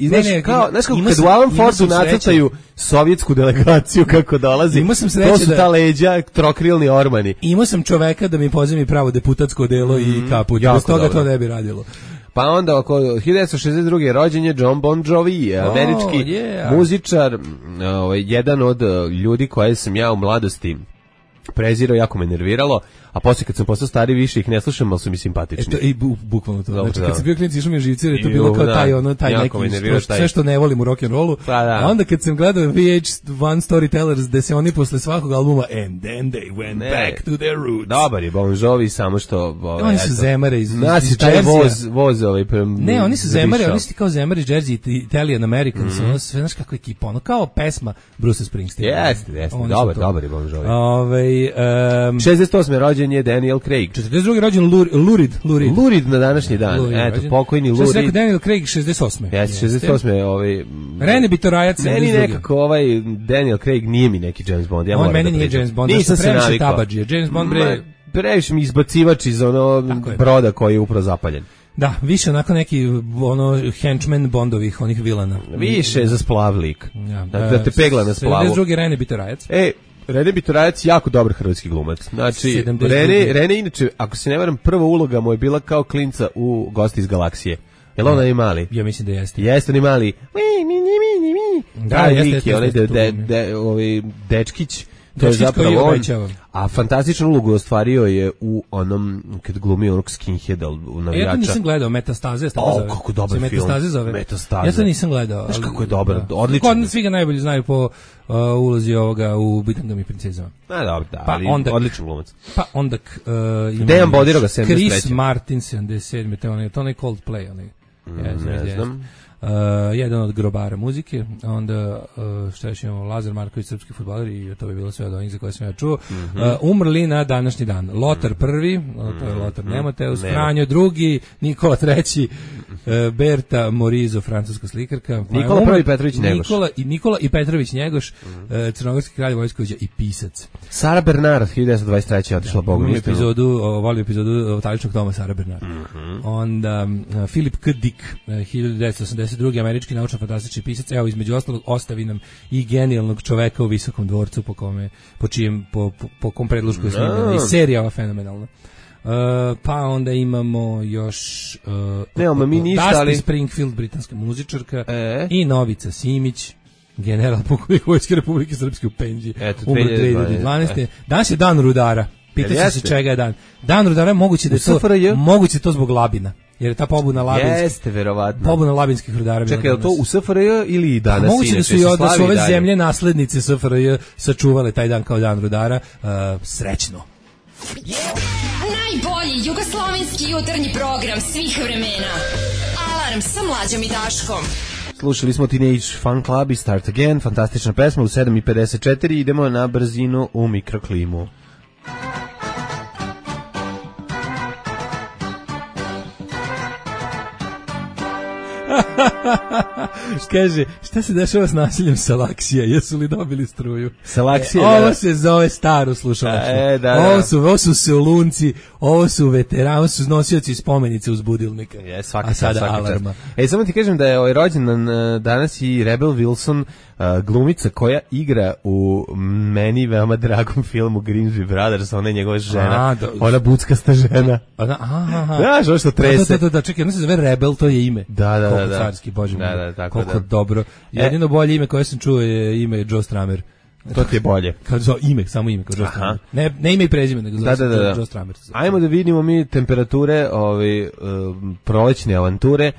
znaš kako kad u Alan Fordu nacrtaju sovjetsku delegaciju kako dolazi, to su ta leđa, trokrilni ormani. Imao sam čoveka da mi pozemi pravo deputatsko delo i kaput, bez toga to ne bi radilo. Pa onda oko 1962. rođen je John Bon Jovi, američki muzičar, jedan od ljudi koje sam ja u mladosti prezirao, jako me nerviralo, a poslije kad sam postao stari više ih ne slušam, ali su mi simpatični. I bukvalno to. Znači, kad sam bio klinac, išao mi je živci, jer je to bilo kao taj neki, sve što ne volim u rock'n'rollu. A onda kad sam gledao VH1 Storytellers, gde se oni posle svakog albuma And then they went back to their roots. Dobar je Bon Jovi, samo što... Oni su zemare iz Jersey. Ne, oni su zemare, oni su kao zemare iz Jersey, Italian Americans, ono sve, znaš kako ekipa, ono kao pesma Bruce Springsteen. Jeste, dobar je Bon Jovi. 68. rođen je Daniel Craig. 42. rođen Lurid na današnji dan. Eto, pokojni Lurid. Što se rekao Daniel Craig 68. Jeste, 68. Rene Bitorajac. Meni nekako Daniel Craig nije mi neki James Bond. On meni nije James Bond. Nisam se navikao. Tabađije. James Bond bre... Previše mi izbacivač iz broda koji je upravo zapaljen. Da, više onako neki henchman Bondovih, onih vilana. Više za splavlik. Da te pegla na splavu. 72. Rene Bitorajac. Rene Bitorajac jako dobar hrvatski glumac. Znači, Rene inače, ako se ne varam, prva uloga mu je bila kao klinca u Gosti iz galaksije. Jel ona i mali? Ja mislim da jeste. Jeste ni mali. Da, jeste. Onaj dečkić. To je zapravo on, a fantastičnu ulogu ostvario je u onom, kad glumio onog skinheada u navijača. Ja to nisam gledao, Metastaze. Kako dobar film. Metastaze. Ja to nisam gledao. Znaš kako je dobar, odlično. Kod svi ga najbolje znaju po ulozi ovoga u Bitangama i princezama. Dobro, da, ali odličan glumac. Pa onda Dejan Bodiroga, 73. Chris Martin, 77. To onaj Coldplay, onaj. Ne znam. Jedan od grobara muzike, onda šta još imamo, Lazar Marković, srpski fudbaler, i to bi bilo sve od onih za koje sam ja čuo. Umrli na današnji dan Lotar prvi, to je Lotar Nemoteus, Franjo drugi, Nikola treći, Berta Morizo, francuska slikarka, Nikola prvi Petrović Njegoš, Nikola i Petrović Njegoš, crnogorski kralj, vojskovođa i pisac. Sara Bernard, 1923. otišla Bogom istinu. Volim epizodu Taličnog Toma Sara Bernard. Onda Philip K. Dick, 1982. američki naučno-fantastični pisac, evo između ostalog ostavi nam i genijalnog čoveka u Visokom dvorcu, po kom predlošku je snimljena i serija ova fenomenalna. Pa onda imamo još Dusty Springfield, britanska muzičarka, i Novica Simić, general pukovnik Vojske Republike Srpske u Pendži, umro 2012. Danas je dan rudara. Pitajte se čega je dan. Dan rudara, moguće to zbog Labina. Jer je ta pobuna labinskih. Jeste, verovatno. Pobuna labinskih rudara. Čekaj, je to u SFRJ ili i danas? Moguće da su ove zemlje naslednice SFRJ sačuvale taj dan kao dan rudara. Srećno. Najbolji jugoslovenski jutarnji program svih vremena. Alarm sa Mlađom i Daškom. Slušali smo Teenage Fan Club i Start Again, fantastična pesma u 7:54, idemo na brzinu u mikroklimu. Kaže, šta se dešava s nasiljem Salaksija? Jesu li dobili struju? Salaksija, ovo se zove staro slušalaštvo. Ovo su seulunci, ovo su veterani, ovo su nosioci spomenice uz budilnika. A sada alarma. Samo ti kažem da je rođendan danas i Rebel Wilson, glumica koja igra u meni veoma dragom filmu Grimsby Brothers, ona je njegova žena, ona buckasta žena. Znaš, ovo što trese. Da, čekaj, ona se zove Rebel, to je ime. Da. Carski, bože moj. Koliko dobro. Jedino bolje ime koje sam čuo je ime Joe Stramer. To ti je bolje. Samo ime kao Joe Stramer. Ne ime i prezime, nego Joe Stramer. Ajmo da vidimo mi temperature prolećne avanture.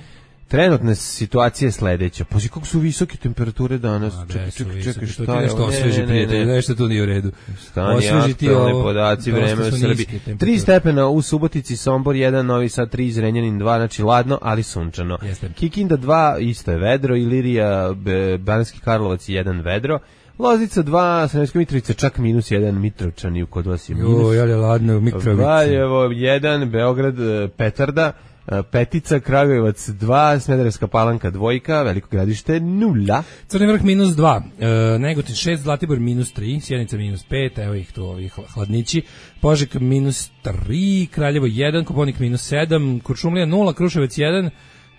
Trenutna situacija je sledeća. Pa kako su visoke temperature danas? Čekaj, šta je? Nešto osveži, prijatelj, nešto tu nije u redu. Stani aktualni podaci, vreme u Srbiji. 3 stepena u Subotici, Sombor 1, Novi Sad 3, Zrenjanin 2, znači ladno, ali sunčano. Kikinda 2, isto je vedro, Ilirija, Banski Karlovac 1 vedro. Loznica 2, Sremska Mitrovica čak -1, Mitrovčani kod vas je minus. Jo, je ladno u Mitrovici. Valjevo 1, Beograd Petarda, Petica, Kragujevac 2, Smederevska Palanka 2, Veliko Gradište 0. Crni vrh -2, Negotin 6, Zlatibor -3, Sjenica -5, evo ih tu ovi hladnići, Požega -3, Kraljevo 1, Koponik -7, Kuršumlija 0, Kruševac 1,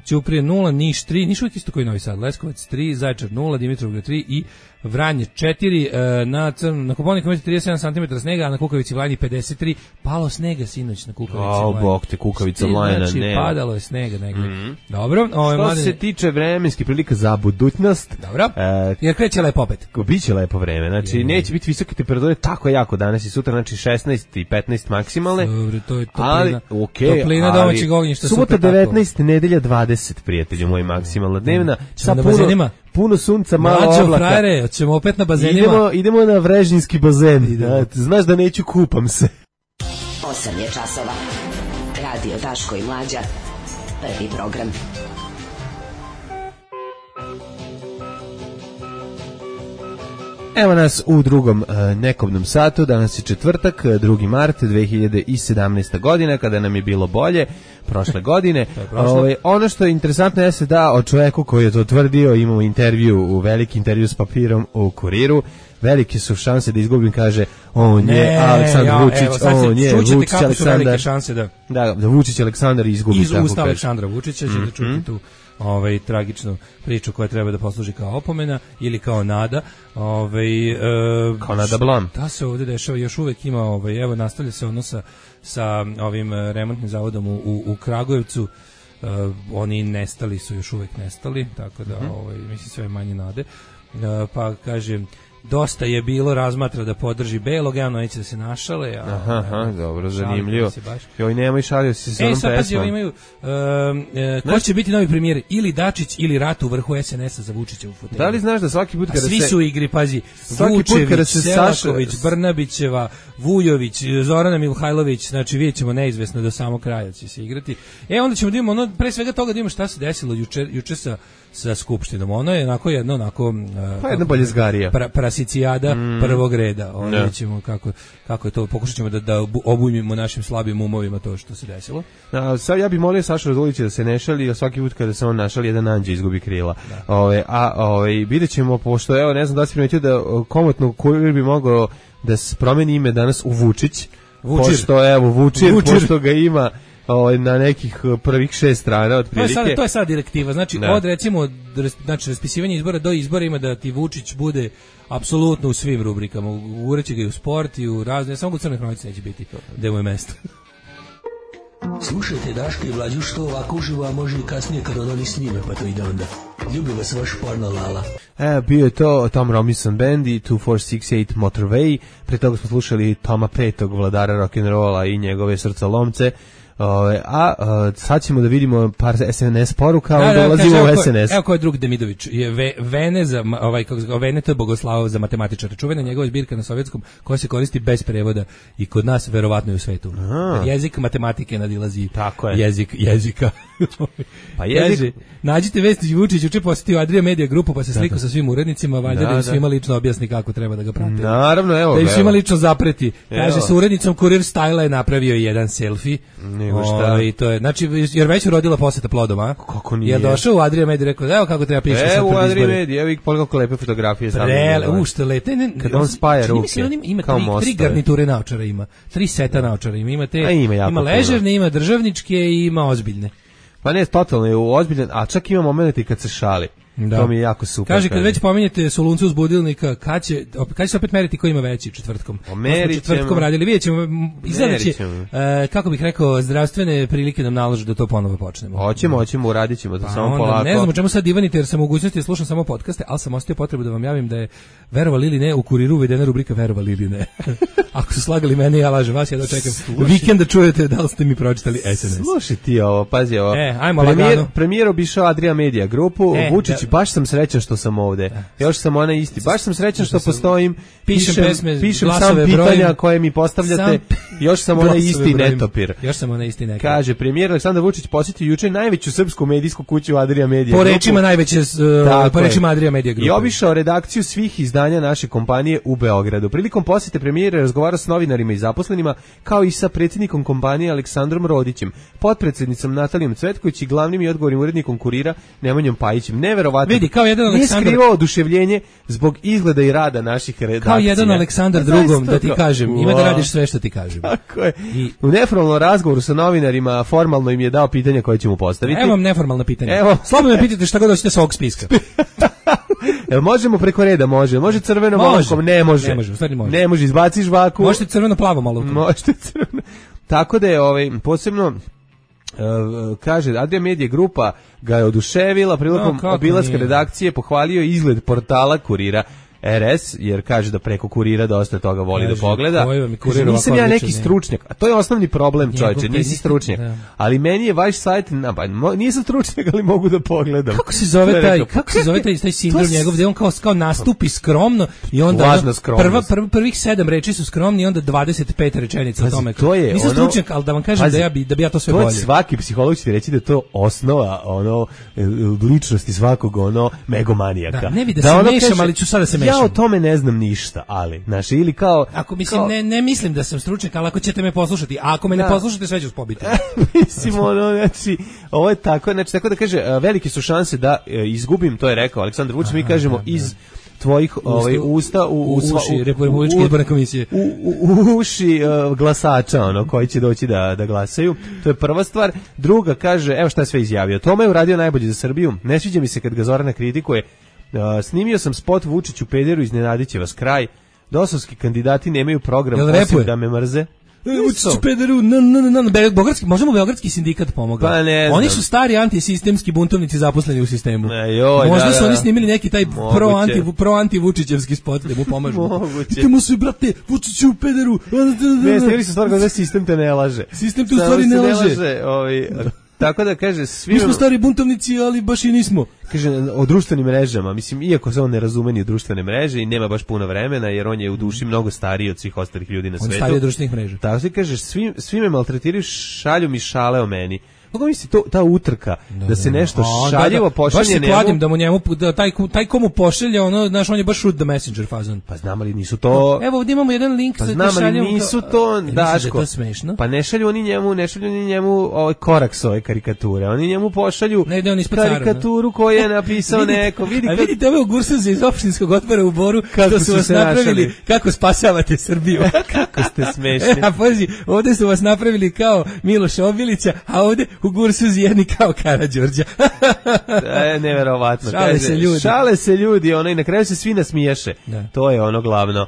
Ćuprije 0, Niš 3, Niš uvijek isto koji Novi Sad, Leskovac 3, Zaječar 0, Dimitrovgrad 3 i Vranje 4, na Koponika imate 37 cm snega, a na Kukavici Vlajni 53, palo snega sinoć na Kukavici Vlajni. Bog te, Kukavica Vlajna, znači, ne. Padalo je snega negdje. Dobro. Što se tiče vremenskih prilika za budućnost. Dobro, jer kreće lepo opet. Biće lepo vreme, znači neće biti visoke temperature tako jako danas i sutra, znači 16 i 15 maksimalne. Dobro, to je toplina. Ali, okay, toplina domaćeg ognjišta. Subota 19, nedelja 20, prijatelju moj, maksimalna dnevna. Sa puno sunca, malo oblaka. Frajere, ćemo opet na bazenima. Idemo na Vrežinski bazen. Znaš da neću, kupam se. 8 je časova. Radio Daško i Mlađa. Prvi program. Evo nas u drugom nekobnom satu, danas je četvrtak, 2. mart 2017. godina, kada nam je bilo bolje prošle godine. Ono što je interesantno jeste da o čoveku koji je to tvrdio, imamo intervju, veliki intervju s papirom u Kuriru, velike su šanse da izgubim, kaže on je Aleksandar Vučić, on je Vučić Aleksandar. Da Vučić Aleksandar izgubi. Iz usta Aleksandra Vučića ćete čuti tu tragičnu priču koja treba da posluži kao opomena ili kao nada. Kao nada blam. Da se ovdje dešava, još uvek ima, evo nastavlja se ono sa ovim remontnim zavodom u Kragujevcu. Oni nestali su, još uvek nestali, tako da mislim sve manje nade. Pa kažem, dosta je bilo razmatra da podrži Belog, javno neće da se našale. Aha, dobro, zanimljivo. Joj, nemoj, šalio si se onom pesmom. Sad pazi, imaju, ko će biti novi premijer, ili Dačić ili Rat u vrhu SNS-a za Vučića u fotelju. Da li znaš da svaki put kada svi su u igri, pazi, Vučević, Selaković, Brnabićeva, Vujović, Zorana Mihajlović, znači vidjet ćemo neizvesno do samog kraja će se igrati. Onda ćemo da imamo, pre svega toga da imamo šta se desilo juče sa Skupštinom. Ono je jedna boljezgarija. Prasicijada prvog reda. Onda ćemo kako je to, pokušat ćemo da obujmimo našim slabim umovima to što se desilo. Sad ja bih molio Sašu Radulovića da se ne šali, a svaki put kada se on našali, jedan anđe izgubi krila. Vidjet ćemo, pošto, evo, ne znam da si primetio da komotno Kurir bi mogao da se promeni ime danas u Vučić. Vučir, pošto ga ima na nekih prvih 6 strana otprilike. To je sad direktiva, znači od recimo raspisivanja izbora do izbora ima da ti Vučić bude apsolutno u svim rubrikama, ureće ga i u sport i u razne, samo u Crnoj hronici neće biti gde mu je mesto. Slušajte Daška i Mlađu što ovako uživo, a može i kasnije kad oni snime, pa to ide onda. Ljubi vas vaš porno Lala. Bio je to Tom Robinson Band i 2468 Motorway, pre toga smo slušali Toma Petog, vladara rock'n'rolla i njegove srca lomce. Sad ćemo da vidimo par SNS poruka, onda ulazimo u SNS. Evo ko je drug Demidović, je Veneta Bogoslavov za matematičara, čuvena njegova zbirka na sovjetskom koja se koristi bez prevoda i kod nas verovatno i u svetu. Jezik matematike nadilazi jezik jezika. Pa jezik. Nađite vesti, Vučić juče posjetio Adria Media grupu pa se slikao sa svim urednicima, valjda da im svima lično objasni kako treba da ga prate. Naravno, evo. Da im svima lično zapreti. Kaže, sa urednicom Kurir Style je napravio jedan selfie. I to je, znači, jer već urodila poseta plodom, a? Kako nije? Je došao u Adria Media i rekao, evo kako treba piše sad pred izbore. Evo u Adria Media, evo ih koliko lepe fotografije. Što lepe. Kad on spaja ruke. Ima tri garniture naočara ima. 3 seta naočara ima. Ima ležerne, ima državničke i ima ozbiljne. Pa ne, totalno je ozbiljan, a čak ima momenti kad se šali. To mi je jako super. Kaže, kad već pominjete Soluncu uz budilnika, kad će se opet meriti ko ima veći četvrtkom? Četvrtkom radili, vidjet ćemo, izgleda će, kako bih rekao, zdravstvene prilike nam nalože da to ponovo počnemo. Hoćemo, uradit ćemo to samo polako. Ne znam o čemu sad divanite, jer sam mogućnosti da slušam samo podcaste, ali sam ostio potrebu da vam javim da je, verovali ili ne, u Kuriru uvedena rubrika verovali ili ne. Ako su slagali mene, ja lažem vas, ja dočekam vikend da čujete da li ste mi pročitali SNS. Slušaj ti ovo, pazi ovo. Ajmo Premijer obišao Adria Media grupu, Vučić, baš sam srećan što sam ovde. Još sam ona isti. Baš sam srećan što postojim. Pišem sam pitanja koje mi postavljate. Još sam ona isti netopir. Kaže, premijer Aleksandar Vučić posjetio juče najveću srpsku medijsku kuću Adria Media. Po rečima Adria Media grupe. I obišao redakciju svih izdanja naše kompanije u Beogradu. Prilikom posjete premijera razgovarao s novinarima i zaposlenima, kao i sa predsjednikom kompanije Aleksandrom Rodićem, potpredsjednicom Natalijom Cvetković i glavnim i odgovornim urednikom Kurira Nemanjom Pajićem. Neverovatno. Vidi, kao jedan Aleksandar... Nije skrivao oduševljenje zbog izgleda i rada naših redakcija. Kao jedan Aleksandar drugom, da ti kažem. Ima da radiš sve što ti kažem. Tako je. U neformalnom razgovoru sa novinarima formalno im je dao pitanja koje će mu postaviti. Evo vam neformalna pitanja. Slobodno me pitajte šta god hoćete sa ovog spiska. Jel možemo preko reda? Može crveno olovkom? Ne može. Ne može, izbaci žvaku. Možete crveno-plavom olovkom. Možete crveno. Tako da je posebno kaže, Adria Media grupa ga je oduševila prilikom obilaska redakcije, pohvalio izgled portala Kurira RS, jer kaže da preko Kurira dosta toga voli da pogleda. Nisam ja neki stručnjak, a to je osnovni problem, čovječe, nisi stručnjak. Ali meni je vaš sajt, nisam stručnjak, ali mogu da pogledam. Kako se zove taj sindrom njegov, gde on kao nastupi skromno i onda prvih 7 reči su skromni i onda 25 rečenica o tome. Nisam stručnjak, ali da vam kažem da bi ja to sve bolje. Svaki psiholog će ti reći da je to osnova ličnosti svakog megomanijaka. Ne vidi da se mešam, ali ću sada se mešam. Ja o tome ne znam ništa, ali, znaš, ili kao... Ako mislim, ne mislim da sam stručnjak, ali ako ćete me poslušati, a ako me ne poslušate, sve ću pobiti. Mislim, znači, ovo je tako, znači, tako da kaže, velike su šanse da izgubim, to je rekao Aleksandar Vučić, mi kažemo iz tvojih usta u uši Republičke izborne komisije, u uši glasača, koji će doći da glasaju. To je prva stvar. Druga, kaže, evo šta je sve izjavio. Tome je uradio najbolje za Srbiju. Ne sviđa mi se kad ga Zorana kritikuje. Snimio sam spot Vučiću pederu, iznenadit će vas kraj. Dosovski kandidati nemaju program osim da me mrze. Vučiću pederu, možemo Beogradski sindikat pomogao. Pa ne znam. Oni su stari antisistemski buntovnici zaposleni u sistemu. Možda su oni snimili neki taj pro-anti-Vučićevski spot da mu pomažu. Idemo svi, brate, Vučiću pederu. Ne, snimili su stvar da sistem te ne laže. Sistem te u stvari ne laže. Tako da kaže mi smo stari buntovnici, ali baš i nismo. Kaže o društvenim mrežama, mislim, iako se on ne razume ni u društvene mreže i nema baš puno vremena, jer on je u duši mnogo stariji od svih ostalih ljudi na svetu. On stariji od društvenih mreža. Tako se kaže, svi me maltretiraju, šalju mi šale o meni. Kako misli ta utrka da se nešto šaljivo pošalje njemu? Baš se kladim da mu njemu taj komu pošalje, znaš, on je baš shoot the messenger fazon. Pa znam ali nisu to. Evo ovdje imamo jedan link sa te šaljem. Pa nisu to, Daško. Pa ne šalju oni njemu ovaj korak s ove karikature. Oni njemu pošalju karikaturu koju je napisao neko. A vidite ove ogursaze iz opštinskog odbora u Boru što su vas napravili kako spasavate Srbiju. Kako ste smešni. A pazi, ovdje su vas napravili kao Miloš Obilića, a ovdje u Gursuzi jedni kao Karađorđa. Neverovatno. Šale se ljudi, i na kraju se svi nasmiješe. To je ono glavno.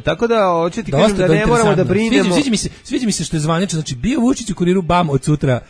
Tako da hoće ti kažem da ne moramo da brinemo. Sviđa mi se što je zvanično, znači bio Vučić u Kuriru, bam, od sutra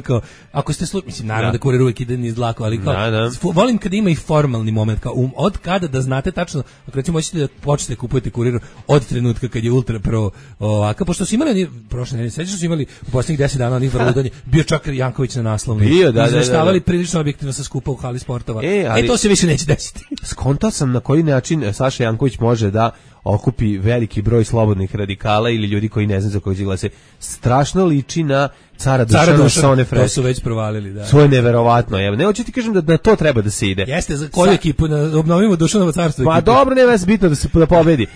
kao, ako ste mislim, naravno da Kurir uvijek ide niz dlaku, ali kao, volim kada ima i formalni moment, kao od kada da znate tačno, ako recimo hoćete da počnete kupujete Kurir od trenutka kad je ultra pro ovaka, pošto su imali prošle nedelje, sećaš su imali u posljednjih 10 dana onih vrludanje, bio čak Janković na naslovni, izveštavali prilično objektivno sa skupa u hali sportova. To se više neće desiti. Skontao sam na koji način Saša Janković može da okupi veliki broj slobodnih radikala ili ljudi koji ne znaju za kojeg će glase. Strašno liči na cara Dušana Sone Fresh. To su već provalili, da. To je neverovatno. Evo, ne hoću ti kažem da na to treba da se ide. Jeste, za koju ekipu obnovimo Dušanovo carstvo? Pa dobro, nema se bitno da pobedi.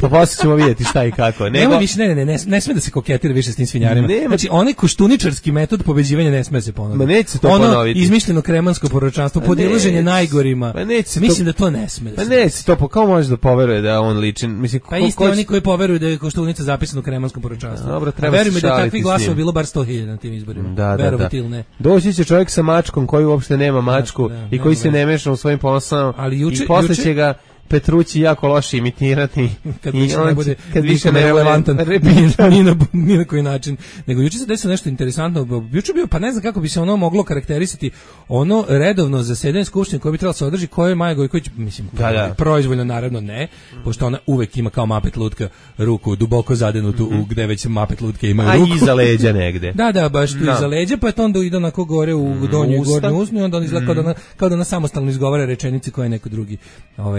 Pa posle ćemo vidjeti šta i kako. Nema više, ne sme da se koketira više s tim svinjarima. Znači, onaj koštuničarski metod pobeđivanja ne sme se ponoviti. Ma neće se to ponoviti. Izmišljeno kremansko proročanstvo, podilaženje najgorima. Mislim da to ne sme. Pa neće to, kao može da poveruje da on liči mislim, pa isti oni koji poveruju da je Koštunica zapisana u Kremanskom proročanstvu. Dobro, treba veruj mi da takvih glasova bilo bar 100.000 na tim izborima. Da. Ili ne. Doći će čovjek sa mačkom koji uopšte nema mačku i koji se ne meša u svojim posao i posle će ga Petrući jako loše imitirati kad više ne relevantan ni na koji način. Nego juče se desilo nešto interesantno. Juče bio, pa ne znam kako bi se ono moglo karakterisati, ono redovno zasedanje skupštine koje bi trebalo se održi, koje je Maja Gojković, mislim, proizvoljno naravno ne, pošto ona uvek ima kao Mapet lutka ruku duboko zadenutu u gde već Mapet lutke imaju ruku. A iza leđa negde. Da, baš tu iza leđa, pa to onda ide onako gore u donju i gornju usnu i onda on izgleda kao da ona samostalno izgovara rečenice koje neko drugi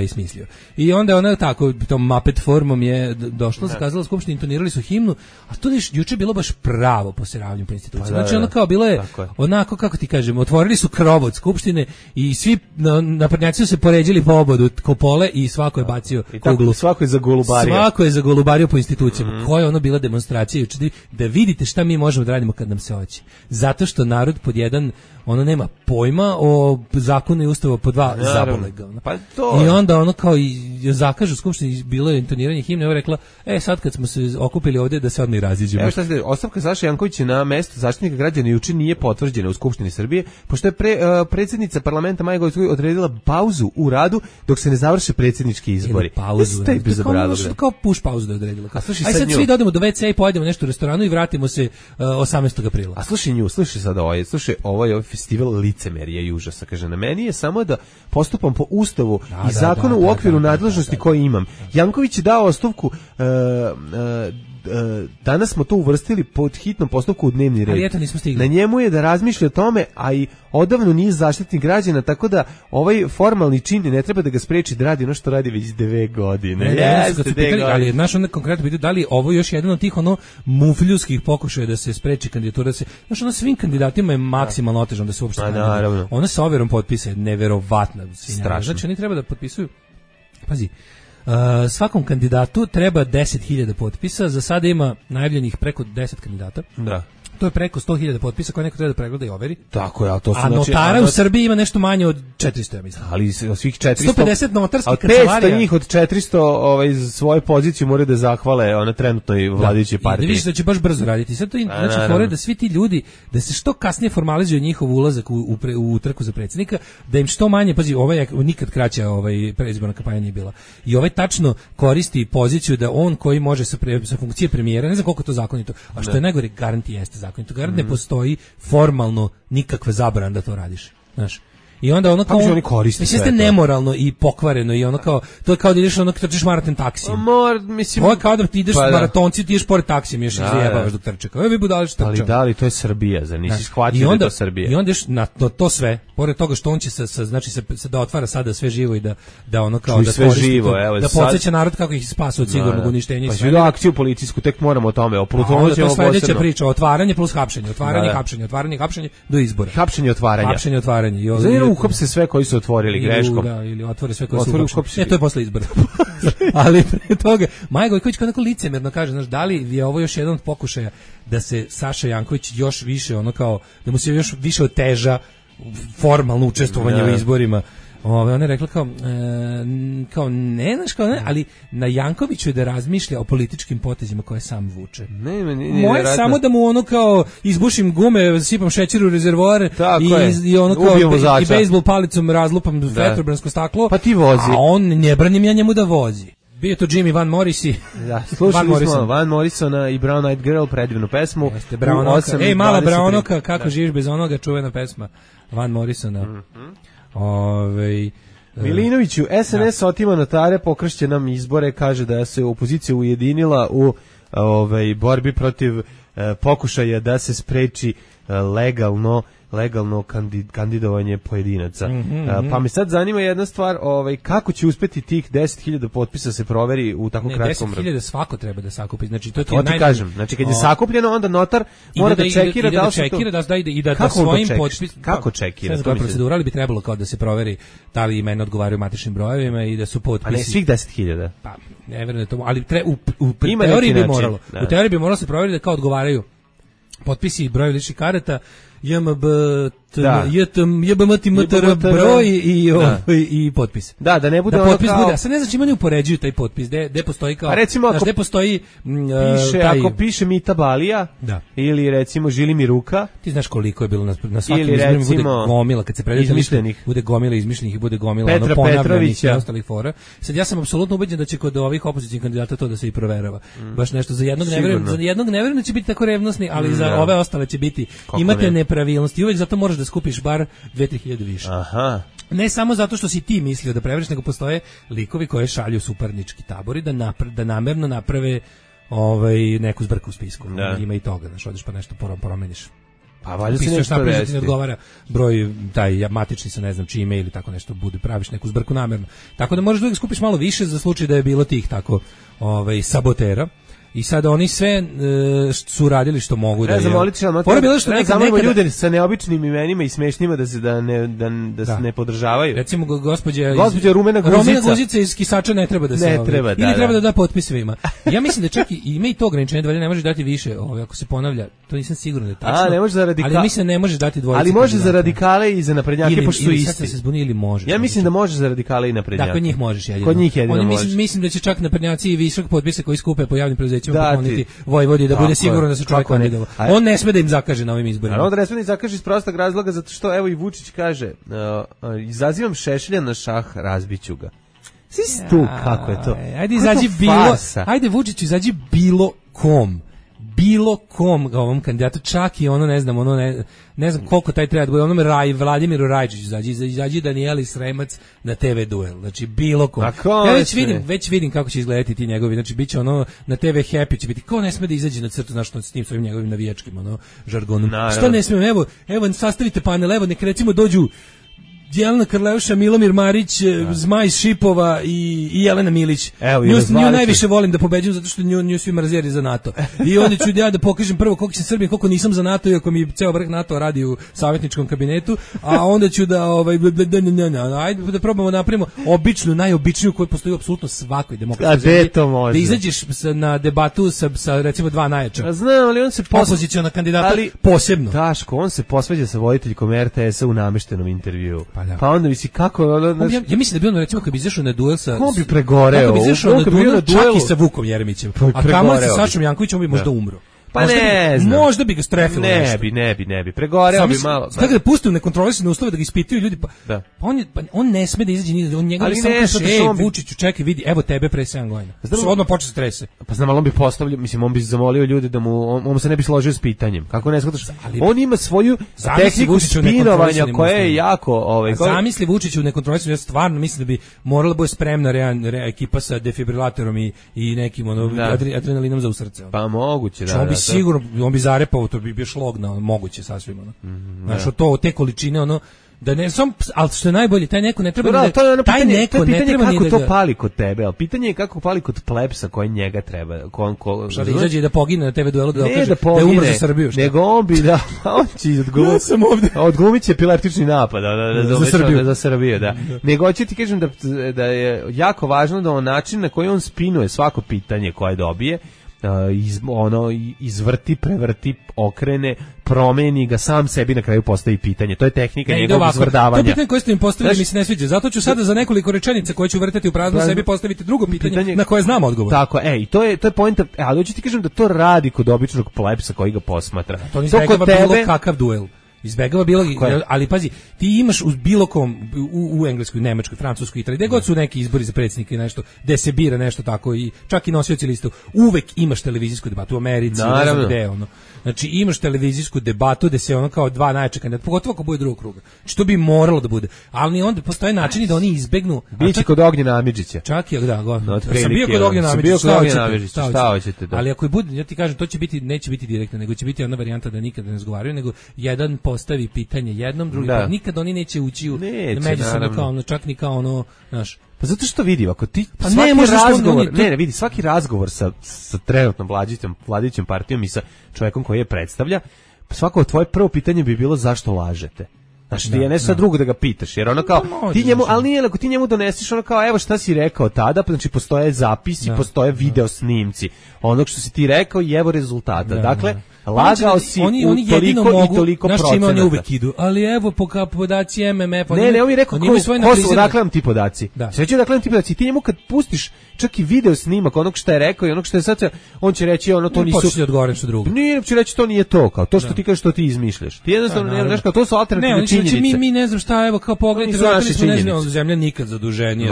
smislio. I onda ona tako tom Muppet formom je došla, zakazala skupštinu, intonirali su himnu, a to juče bilo baš pravo poseravanje po instituciji. Znači ono kao bilo je onako, kako ti kažem, otvorili su krov od skupštine i svi naprednjaci su se poređili po obodu kopole i svako je bacio kuglu. Svako je zagolubario. Svako je zagolubario po institucijama. Koja je ono bila demonstracija juče, da vidite šta mi možemo da radimo kad nam se hoće. Zato što narod pod jedan ono nema pojma o zakonu i ustavu, po dva zabolega. Pa to. I onda ono kao i zakažu u skupštini, bilo je intoniranje himne, rekla, sad kad smo se okupili ovdje da se odmah i raziđemo. Evo šta se, ostavka Saše Jankovića na mesto zaštitnika građana juče nije potvrđena u Skupštini Srbije, pošto je predsjednica parlamenta Maja Gojković odredila pauzu u radu dok se ne završe predsjednički izbori. Pauzu. Kao push pauzu da je odredila. Sad svi dodemo do WC i pojedemo nešto u restoranu i vratimo se 18. aprila. A slušaj sad ovo je festival licemerija i užasa. Kaže, na meni je samo da postupam po ustavu i zakonu u okviru nadležnosti koje imam. Janković je dao ostavku, danas smo to uvrstili pod hitnom postupku u dnevni red. Ali eto, nismo stigli. Na njemu je da razmišlja o tome, a i odavno nije zaštitnik građana, tako da ovaj formalni čin ne treba da ga spreči da radi ono što radi već 9 godine. Ali naš onda konkretno pitaju da li ovo još jedan od tih mufljuskih pokušaja da se spreči kandidatura, da se, svim kandidatima je maksimalno otežano da se uopšte kandiduju. Ona sa overom potpisa je neverovatna. Strašno. Znači oni treba da potpisuju, pazi, svakom kandidatu treba 10.000 potpisa, za sada ima najavljenih preko 10 kandidata. Da. To je preko 100.000 potpisa koje neko treba da pregleda i overi. Tako je, ali to su... A notara u Srbiji ima nešto manje od 400, ja mislim. Ali svih 400... 150 notarskih kancelarija. 500 njih od 400 svoju poziciju moraju da zahvale ona trenutnoj vladajućoj partiji. Da vidiš da će baš brzo raditi. Sad to znači fore da svi ti ljudi, da se što kasnije formalizuje njihov ulazak u trku za predsjednika, da im što manje, pazi, nikad kraća predizborna kampanja nije bila. I tačno koristi poziciju da on koji može sa funkcije premijera, ne znam koliko to zakonito, a što je najgore, garanti jeste zakonito. Garant ne postoji formalno nikakva zabrana da to radiš. Znaš. I onda ono kao mislim ste nemoralno i pokvareno i ono kao to je kao da ideš trčiš maraton taksijem. Ovo je kao da ti ideš maratonci, ti ideš pored taksijem još zajebavaš dok trče. Kao vi budali što trče. Ali da li to je Srbija, za nisi shvatio da je to Srbija. I onda na to sve, pored toga što on će znači se da otvara sada sve živo i da ono kao da sve živo, da podseća narod kako ih spasa od sigurnog uništenja. Pa sve akciju policijsku tek moramo o tome. O Plutonu ćemo sledeća priča, otvaranje plus hapšenje, otvaranje hapšenje do izbora. Hapšenje, otvaranje. Uhapse sve koji su otvorili greškom. Ili otvore sve koji su uhapšeni. To je posle izbora. Ali pre toga, Maja Gojković kao neko licemerno kaže, znaš, da li je ovo još jedan od pokušaja da se Saša Janković još više ono kao, da mu se još više oteža formalno učestvovanje u izborima. Ona je rekla kao ne, znaš, kao ne, ali na Jankoviću je da razmišlja o političkim potezima koje sam vuče. Moje samo da mu ono kao izbušim gume, sipam šećer u rezervoar i ono kao i bejzbol palicom razlupam vetrobransko staklo, pa ti vozi. A on ne branim ja njemu da vozi. Bio to Jimmy Van Morrisi. Da, slušali smo Van Morrisona i Brown Eyed Girl, predivnu pesmu. Ej, mala Brownoka, kako živiš bez onoga, čuvena pesma Van Morrisona. Milinoviću, SNS otima notare, pokrašće nam izbore, kaže da se opozicija ujedinila u borbi protiv pokušaja da se spreči legalno kandidovanje pojedinaca. Pa me sad zanima jedna stvar, kako će uspeti tih 10.000 potpisa se proveri u tako kratkom roku? 10.000 svako treba da sakupi. Znači to ti kažem. Znači kad je sakupljeno, onda notar mora da čekira da li se to... I da svojim potpisom... Kako čekira? Koja procedura, ali bi trebalo kao da se proveri da li imena odgovaraju matičnim brojevima i da su potpisi... A ne svih 10.000? Pa, ne verujem da to... Ali u teoriji bi moralo. U teoriji bi moralo se proveriti da kao odgovaraju potpisi i brojevi ličnih karata JMB, JBMTMTR broj i potpis. Da ne bude da potpis kao... bude. A sad ne znači ima ne upoređuju taj potpis, gde postoji kao... A recimo ako gde postoji... ako piše Mita Balija, ili recimo Žili mi ruka... Ti znaš koliko je bilo na svakim izborima bude gomila, kad se predstavlja bude gomila izmišljenih i bude gomila Petra Petrovića i ostalih fora. Sad ja sam apsolutno ubeđen da će kod ovih opozicionih kandidata to da se i proverava. Baš nešto za jednog ne verujem da će biti tako revnosni, ali za ove ostale će biti. Imate nepravilnosti, uvek zato moraš da skupiš bar 2-3 hiljade više. Aha. Ne samo zato što si ti mislio da prevariš, nego postoje likovi koje šalju suparnički tabori da namerno naprave neku zbrku u spisku. Ima i toga, znaš, odeš pa nešto promeniš. Pa valjda se nešto desiti. Ne odgovara broj, taj matični sa ne znam čime ili tako nešto, praviš neku zbrku namerno. Tako da možeš da skupiš malo više za slučaj da je bilo tih tako sabotera. I sad oni sve su radili što mogu da zamolimo ljude sa neobičnim imenima i smešnjima da se ne podržavaju. Recimo gospođa Rumena Guzica iz Kisača ne treba da se ili treba da da potpis svima. Ja mislim da čak i ima i to ograničenje da ne možeš dati više, ako se ponavlja. To nisam siguran da je tačno. Ne može za ali mislim da ne može dati dvojice. Ali može za radikale i za naprednjake pošto su isti. Sad se zbuni ili može. Ja mislim da može za radikale i naprednjake. Da, kod njih možeš jedino. Kod njih jedino možeš. Mislim da će čak naprednjaci i višak potpisa koji skupe po javnim preduzećima pokloniti Vojvodi da bude siguran da se čovjek kandidovao. On ne sme da im zakaže na ovim izborima. On ne sme da im zakaže iz prostog razloga zato što evo i Vučić kaže izazivam Šešelja na šah, razbiću ga. Svi tu kako je to. Ajde izađi ajde Vučiću izađi bilo kom ovom kandidatu, čak i ne znam koliko taj treba da bude, onome Vladimiru Rajčiću izađi Danijeli Sremac na TV duel, znači bilo kom. Ja već vidim kako će izgledati ti njegovi, znači bit će na TV Happy će biti, ko ne sme da izađe na crtu, znaš, s tim svojim njegovim navijačkim žargonom. Što ne smije, evo sastavite panel, evo nek recimo dođu Jelena Karleuša, Milomir Marić, Zmaj iz Šipova i Jelena Milić. Nju najviše volim da pobeđujem zato što nju svi mrzeri za NATO. I onda ću ja da pokažem prvo koliko sam Srbin, koliko nisam za NATO, iako mi ceo vrh NATO radi u savjetničkom kabinetu, a onda ću ajde da probamo napravimo najobičniju koju postoji u apsolutno svakoj demokratskoj zemlji. Da izađeš na debatu sa recimo dva najjača. Znam, ali on se opoziciona kandidata posebno. Daško, on se posvađa sa voditeljkom RTS-a u nameštenom intervjuu. Pa onda misli kako ja mislim da bi on recimo kad bi izašao na duel sa on bi pregoreo, bi izašao na duel čak i sa Vukom Jeremićem, a kamoli sa Sašom Jankovićem bi možda umro. Pa ne znam. Možda bi ga strefilo nešto. Ne bi. Pregoreo bi malo. Tako da pusti u nekontrolisane uslove da ga ispituju ljudi. On ne sme da izađe ni on njega samo Vučiću, čekaj, vidi, evo tebe pre 7 godina. Odmah počne strese. Pa znam, ali on bi postavljao, mislim, on bi zamolio ljude da on se ne bi složio s pitanjem. Kako ne shvataš? On ima svoju tehniku spinovanja koja je jako zamisli Vučiću u nekontrolisanu, ja stvarno mislim da bi morala biti spremna ekipa sa defibrilatorom i nekim adrenalinom za u srce. Pa moguće, da. Sigurno, on bi zarepao, to bi bio šlog na moguće sasvim, znaš, te količine, da ne, ali što je najbolje, taj neko ne treba pitanje kako to pali kod tebe, ali pitanje je kako pali kod plebsa koji njega treba. Šta da izađe i da pogine na TV duelu da je umro za Srbiju? Nego on bi on će odglumit će epileptični napad za Srbiju, da. Nego hoću ti kažem da je jako važno da on način na koji on spinuje svako pitanje koje dobije, izvrti, prevrti, okrene, promeni ga, sam sebi na kraju postavi pitanje. To je tehnika njegovog izvrdavanja. To pitanje koje ste im postavili mi se ne sviđa. Zato ću sada za nekoliko rečenica koje ću vrteti u prazno sebi postaviti drugo pitanje na koje znam odgovor. Tako, i to je poenta. Ali hoću ti kažem da to radi kod običnog plebsa koji ga posmatra. To izbegava bilo kakav duel. Izbegava bilo, ali pazi, ti imaš uz bilo kom u Engleskoj, Nemačkoj, Francuskoj, Italiji, gde god su neki izbori za predsjednika i nešto, gde se bira nešto tako i čak i nosioci liste, uvek imaš televizijsku debatu u Americi, ne znam gde, Znači imaš televizijsku debatu gde se kao dva najjača kandidata, pogotovo ako bude drugog kruga. Što bi moralo da bude. Ali onda postoje načini da oni izbegnu. Biće kod Ognjena Amidžića. Čak i sam bio kod Ognjena Amidžića. Šta hoćete da. Ali ako i bude, ja ti kažem, to će biti, neće biti direktno, nego će biti ona varijanta da nikada ne razgovaraju, nego jedan postavi pitanje jednom, drugi pa nikad oni neće ući u međusobno kao čak ni kao znaš. Pa zato što vidi, ako ti svaki razgovor, vidi, svaki razgovor sa trenutnom vladajućom partijom i sa čovjekom koji je predstavlja, svako tvoje prvo pitanje bi bilo zašto lažete. Znaš, ti je nešto drugo da ga pitaš, jer ono kao, ti njemu, ali nije, ako ti njemu doneseš ono kao, evo šta si rekao tada, znači postoje zapisi, postoje video snimci onog što si ti rekao i evo rezultata. Dakle, lagao si oni toliko i toliko procenata. Znaš čime oni uvek idu, ali evo podaci MMF-a. Ne, on mi rekao, ko su, odakle vam ti podaci? Sveće odakle vam ti podaci? Ti njemu kad pustiš čak i video snimak onog što je rekao i onog što je sad, on će reći ono to nisu... Početi odgovorim što drugo. Nije, će reći to nije to, kao to što ti kažeš što ti izmišljaš. Ti jednostavno ne znaš kao to su alternativne činjenice. Ne, mi ne znam šta, evo kao pogledajte, vratili smo ne znam, zemlja nikad zaduženije,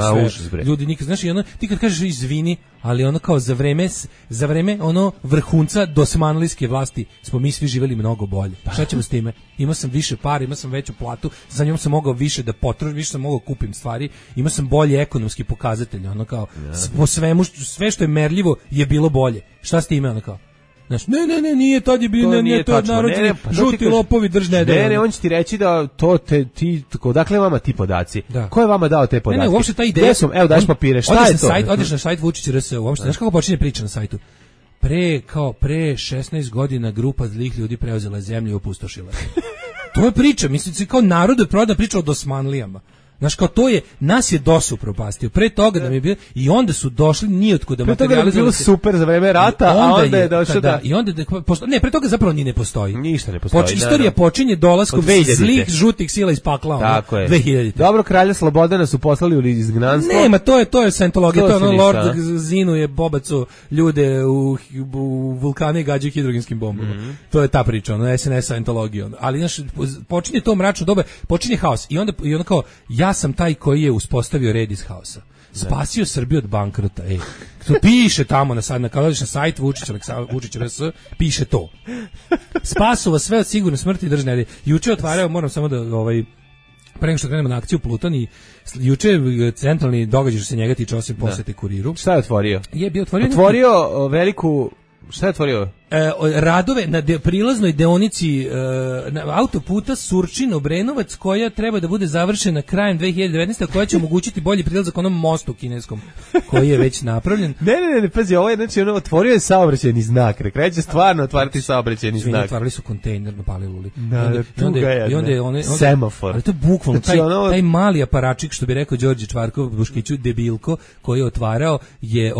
sve. Ljudi nikad, znaš, i ono, ti kad kažeš izvini, ali ono kao za vreme ono vrhunca dosmanlijske vlasti smo mi svi živeli mnogo bolje. Šta ćemo s time? Imao sam više para, imao sam veću platu, za njom sam mogao više da potrošim, više sam mogao kupim stvari, imao sam bolje ekonomski pokazatelj, ono kao po svemu, sve što je merljivo je bilo bolje. Šta s time, ono kao? Znaš, ne, nije, tad je bilo, nije to narod, žuti lopovi držne. Ne, on će ti reći da to ti, odakle vama ti podaci? Ko je vama dao te podatke? Ne, uopšte ta ideja, evo daš papire, šta je to? Odeš na sajt Vučić.rs, uopšte, znaš kako počinje priča na sajtu? Pre 16 godina grupa zlih ljudi preuzela zemlju i opustošila. To je priča, mislim, kao narod je proda priča o dosmanlijama. Znaš, kao to je, nas je DOS upropastio. Pre toga da mi je bilo, i onda su došli nijotko da materijalizovali. Pre toga je bilo super za vreme rata, a onda je došao da... I onda ne, pre toga zapravo ni ne postoji. Ništa ne postoji. Istorija počinje dolaskom zlih žutih sila iz pakla. Tako je. 2000. Dobro, kralja Slobodana su poslali u izgnanstvo. Nema, to je scientologija, to je ono Lord Zinu je bobacu ljude u vulkane i gađaju hidrogenskim bombama. To je ta priča, ono SNS scientologija. Ali znaš, počinje to mračno doba, počinje haos i onda kao ja sam taj koji je uspostavio red iz haosa. Spasio Srbiju od bankrota. To piše tamo kada odeš na sajt Vučić.rs, piše to. Spasu vas sve od sigurne smrti i držne. Juče otvarao, moram samo da pre nego što krenemo na akciju Pluton i juče centralni događaj što se njega tiče osim posete Kuriru. Šta je otvorio? Otvorio veliku... Šta je otvorio? Radove na prilaznoj deonici autoputa Surčin-Obrenovac koja treba da bude završena krajem 2019. koja će omogućiti bolji prilazak onom mostu kineskom koji je već napravljen. Ne, pazi, ovo je, znači, otvorio je saobraćajni znak, kreće stvarno otvarati saobraćajni znak. Otvarali su kontejner na Paliluli. I onda je semafor. Ali to je bukvalno, taj mali aparačik, što bi rekao Đorđe Čvarkov, Buškiću, debilko, koji je otvarao, je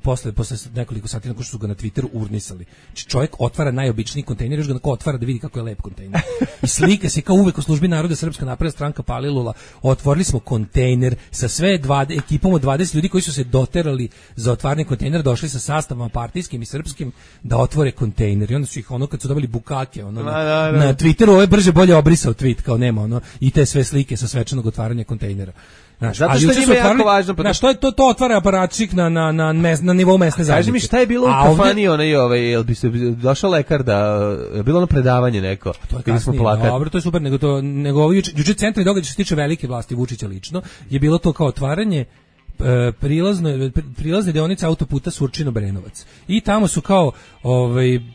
posle nekoliko sati nakon što su ga na Twitteru urnisali. Čovjek otvara najobičniji kontejner, još ga otvara da vidi kako je lep kontejner. I slika se kao uvek u službi naroda Srpska napredna stranka Palilula. Otvorili smo kontejner sa sve ekipom od 20 ljudi koji su se doterali za otvaranje kontejnera, došli sa sastavama partijskim i srpskim da otvore kontejner. I onda su ih kad su dobili bukake na Twitteru, ovo je brže bolje obrisao tweet, kao nema i te sve slike sa svečanog otvaranja kontejnera. Zato što je jako važno. Što je to otvara aparačik na nivou mesne zajednice. Kaži mi šta je bilo u kafani, jel bi se došao lekar da je bilo ono predavanje neko. To je kasnije, dobro, to je super, nego juče centralni događaj što se tiče velike vlasti Vučića lično, je bilo to kao otvaranje prilazne deonice autoputa Surčin-Obrenovac. I tamo su kao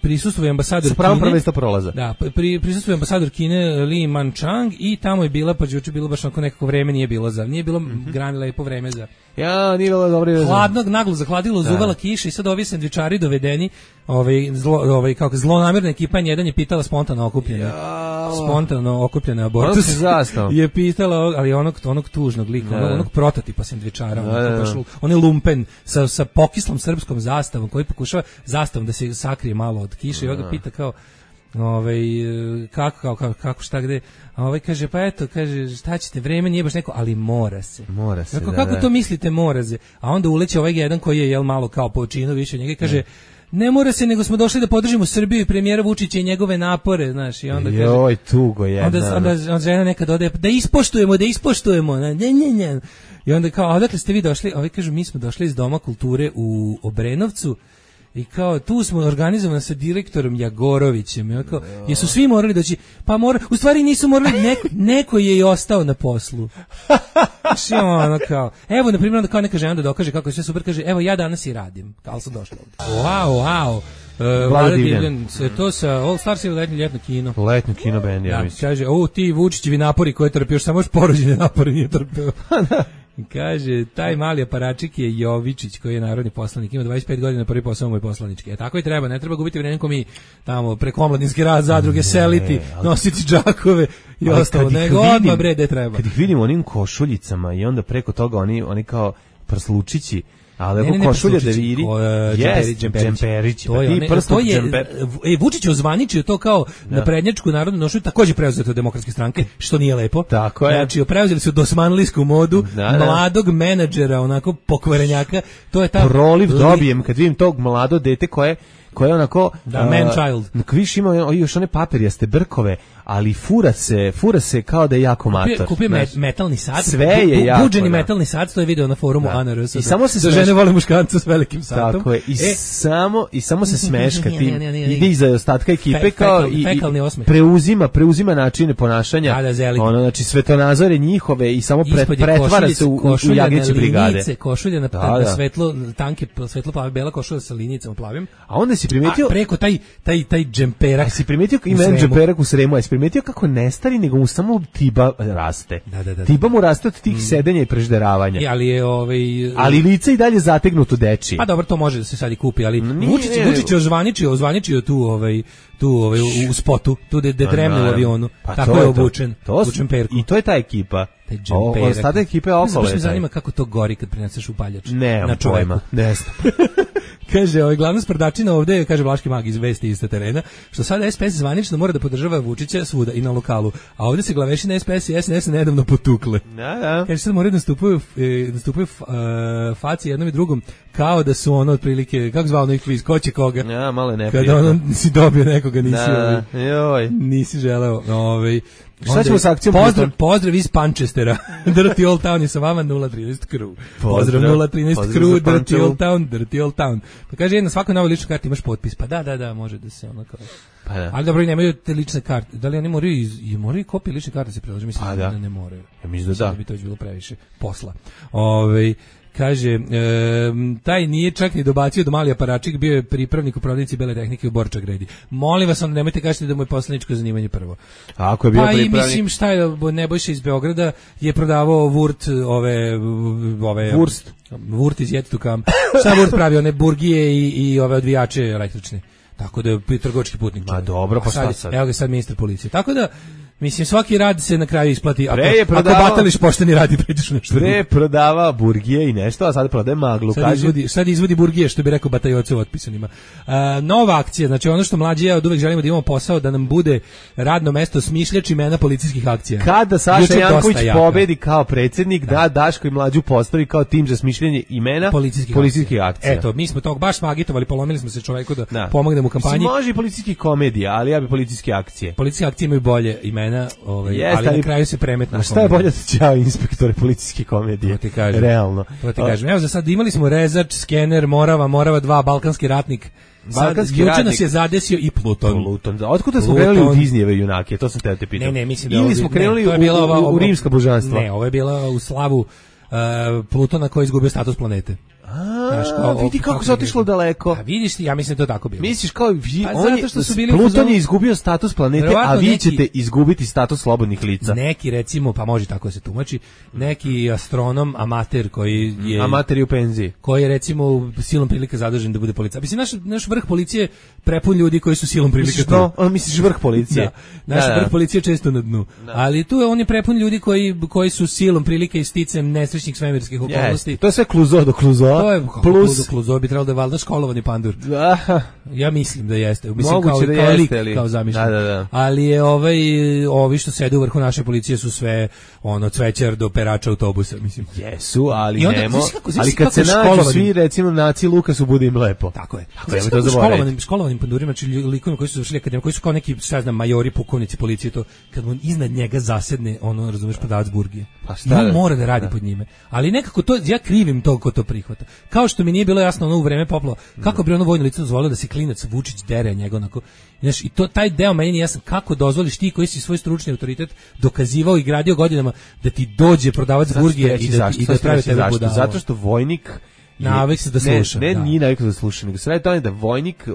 prisustvuje ambasador Kine. Sa pravom prvenstva prolaza. Da, prisustvuje ambasador Kine Li Manchang i tamo je bila, pa juče bilo baš nekako vreme nije bilo grani lepo vreme za. Ja, nije bilo dobro. Hladnog, naglo zahladilo, zuvela kiša i sad ovi sendvičari dovedeni, kako zlonamerna ekipa jedan je pitala spontano okupljena abortus. Je pitala, ali onog tužnog lika, onog prototipa sendvičara, on je lumpen sa pokislom srpskom zastavom koji pokušava zastavom da se sakrije malo od kiše i ovaj ga pita kao kako šta gde, a kaže pa eto, kaže šta ćete, vreme nije baš neko, ali mora se. Kako to mislite mora se? A onda uleće ovaj jedan koji je malo kao po činu više od njega i kaže ne mora se, nego smo došli da podržimo Srbiju i premijera Vučića i njegove napore, znaš, i onda kaže tugo jedna. Onda žena nekad ode da ispoštujemo, ne. I onda kao, odakle ste vi došli? Ovi kažu, mi smo došli iz Doma kulture u Obrenovcu i kao, tu smo organizovani sa direktorom Jagorovićem. Ja kao, jesu svi morali doći? Pa u stvari nisu morali, neko je i ostao na poslu. Znači, ono kao, evo, na primjer, onda kao neka žena da dokaže kako je sve super, kaže, evo, ja danas i radim, kao sam došla ovdje. Wow. Vlada Divljan, to sa All Stars ili ljetno kino? Letnjo kino band, ja mislim. Kaže, ti Vučićevi napori koje trpio, još samo još porođene napori nije trpio. Kaže, taj mali aparačik je Jovičić, koji je narodni poslanik, ima 25 godina, prvi posao mu je poslanički. Tako i treba, ne treba gubiti vreme ko mi tamo preko omladinski rad, zadruge, seliti, nositi džakove i ostalo. Nego odmah bre, gde treba. Kad ih vidimo onim košuljicama i onda preko toga oni kao prslučići, ali ne, košulja da vidi, džemperić. Vučić je ozvaničio to kao na prednjačku narodnu nošu, takođe preuzeto od Demokratske stranke, što nije lepo. Tako je. Znači, preuzeli su dosmanlijsku modu, mladog menadžera, onako pokvarenjaka. To je ta proliv dobijem kad vidim tog mlado dete koje onako man child. Viš ima još one papirjaste brkove, ali fura se kao da je jako mator. Kupio metalni sat. Sve je jako. Buđeni metalni sat, to je video na forumu ANRS. I samo se žene vole muškarca s velikim satom. Tako je. I samo se smeška tim. Ide iza ostatka ekipe kao i preuzima načine ponašanja. Ono, znači svetonazore njihove i samo pretvara se u jagnjeće brigade. Košulja na svetlo, tanke, svetlo plave, bela košulja sa linijicama plavim. A onda si primetio preko taj džemperak. Si primetio ima džemperak u Sremu, a si primetio kako ne stari, nego mu samo tiba raste. Da. Tiba mu raste od tih sedenja i prežderavanja. Ali je ali lice i dalje zategnuto dečije. Pa dobro, to može da se sad i kupi, ali Vučić je ozvaničio tu u spotu, tu de dremne u avionu. Pa tako je obučen. I to je ta ekipa. Ostatak ekipe okolo je. Me zanima kako to gori kad prineseš upaljač na čovjeka. Ne znam. Kaže, glavna sprdačina ovde, kaže Vlaški mag iz vesti iz terena, što sada SPS zvanično mora da podržava Vučića svuda i na lokalu. A ovde se glavešina SPS i SNS nedavno potukle. Da. Kaže, sad moraju nastupaju faci jednom i drugom, kao da su ono otprilike, kako zvao onaj kviz, ko će koga? Ja, malo neprijatno. Kada ono si dobio nekoga, nisi želeo. Šta ćemo s akcijom? Pozdrav iz Panchestera. Dirty Old Town je sa vama 013 Crew. Pozdrav 013 Crew, Dirty Old Town. Pa kaže, jedna svakoj novoj ličnoj karti imaš potpis. Pa da, može da se ono kao... Pa da. Ali dobro, nemaju te lične karte. Da li oni moraju kopije lične karte se priloži? Mislim da ne moraju. Ja mislim da bi to već bilo previše posla. Kaže, taj nije čak ni dobacio do mali aparačik, bio je pripravnik u prodavnici bele tehnike u Borča gredi. Molim vas, onda nemojte kažete da mu je poslaničko zanimanje prvo. A ako je bio pripravnik? Pa i mislim šta je, Nebojša iz Beograda je prodavao Wurt, Wurt iz Yet to Come. Šta Wurt pravi, one burgije i ove odvijače električne. Tako da je trgovački putnik. Ma dobro, pa šta sad? Evo ga sad ministar policije. Tako da, mislim, svaki rad se na kraju isplati. Ako batališ pošteni rad i pređeš nešto. Prodava burgije i nešto, a sad prodaje maglu. Sad izvodi burgije, što bi rekao Batajoce u otpisanima. Nova akcija, znači ono što mlađi ja od uvek želimo da imamo posao, da nam bude radno mesto smišljač imena policijskih akcija. Kada Saša Janković pobedi kao predsjednik, da Daško i Mlađu postavi kao tim za smišljanje imena policijskih akcija. Eto, mi smo tog baš smo agitovali, polomili smo se čoveku da pomognemo u kampanji. Može i policijskih komedija, ali ja bi policijske akcije. Policijske akcije imaju bolje imena. Ali na kraju se premetno. Šta je bolje da ćao inspektore policijske komedije? To ti kažem. Realno. To ti kažem. Evo za sad imali smo Rezač, Skener, Morava 2, Balkanski ratnik. Juče nas je zadesio i Pluton. Otkuda smo krenuli u Disneyjeve junake? To sam te pitao. Ne, mislim da ili smo krenuli u rimska božanstva? Ne, ovo je bila u slavu Plutona koji je izgubio status planete. Vidi kako se otišlo daleko. A vidiš, ja mislim da to tako bilo. Misliš kao Pluton je izgubio status planete, a vi ćete izgubiti status slobodnih lica. Neki recimo, pa može tako se tumači, neki astronom, amater koji je amater u penziji, koji je recimo silom prilika zadužen da bude policajac. Mislim naš vrh policije prepun ljudi koji su silom prilika tu. Misliš vrh policije? Da. Naš vrh policije često na dnu. Ali tu on je prepun ljudi koji su silom prilika i sticem nesrećnih svemirskih okolnosti. To je sve Kluzo do Kluzo. To je Kluzo bi trebalo da je valjda školovani pandur. Ja mislim da jeste. Mislim kao zamišljen. Da. Ali je ovi što sede u vrhu naše policije su sve cvećar do perača autobusa, mislim. Jesu, ali ali kad se nađu svi, recimo naci Lukasu, bude im lepo. Tako je. Školovanim pandurima, znači likovima koji su završili akademiju, koji su kao neki, šta znam, majori, pukovnici policije, to kad on iznad njega zasedne, razumeš, prodavac burgije. On mora da radi pod njime. Ali nekako to, ja krivim to ko to prihvata. Kao što mi nije bilo jasno u vreme poplava, kako bi ono vojno lice dozvolilo da se klinac Vučić dere njega onako. Znaš, i taj deo meni nije jasan, kako dozvoliš ti koji si svoj stručni autoritet dokazivao i gradio godinama da ti dođe prodavac burgije i da pravi tebe budalo. Zato što vojnik navik se da sluša. Nije navik da sluša, nego sve to je da vojnik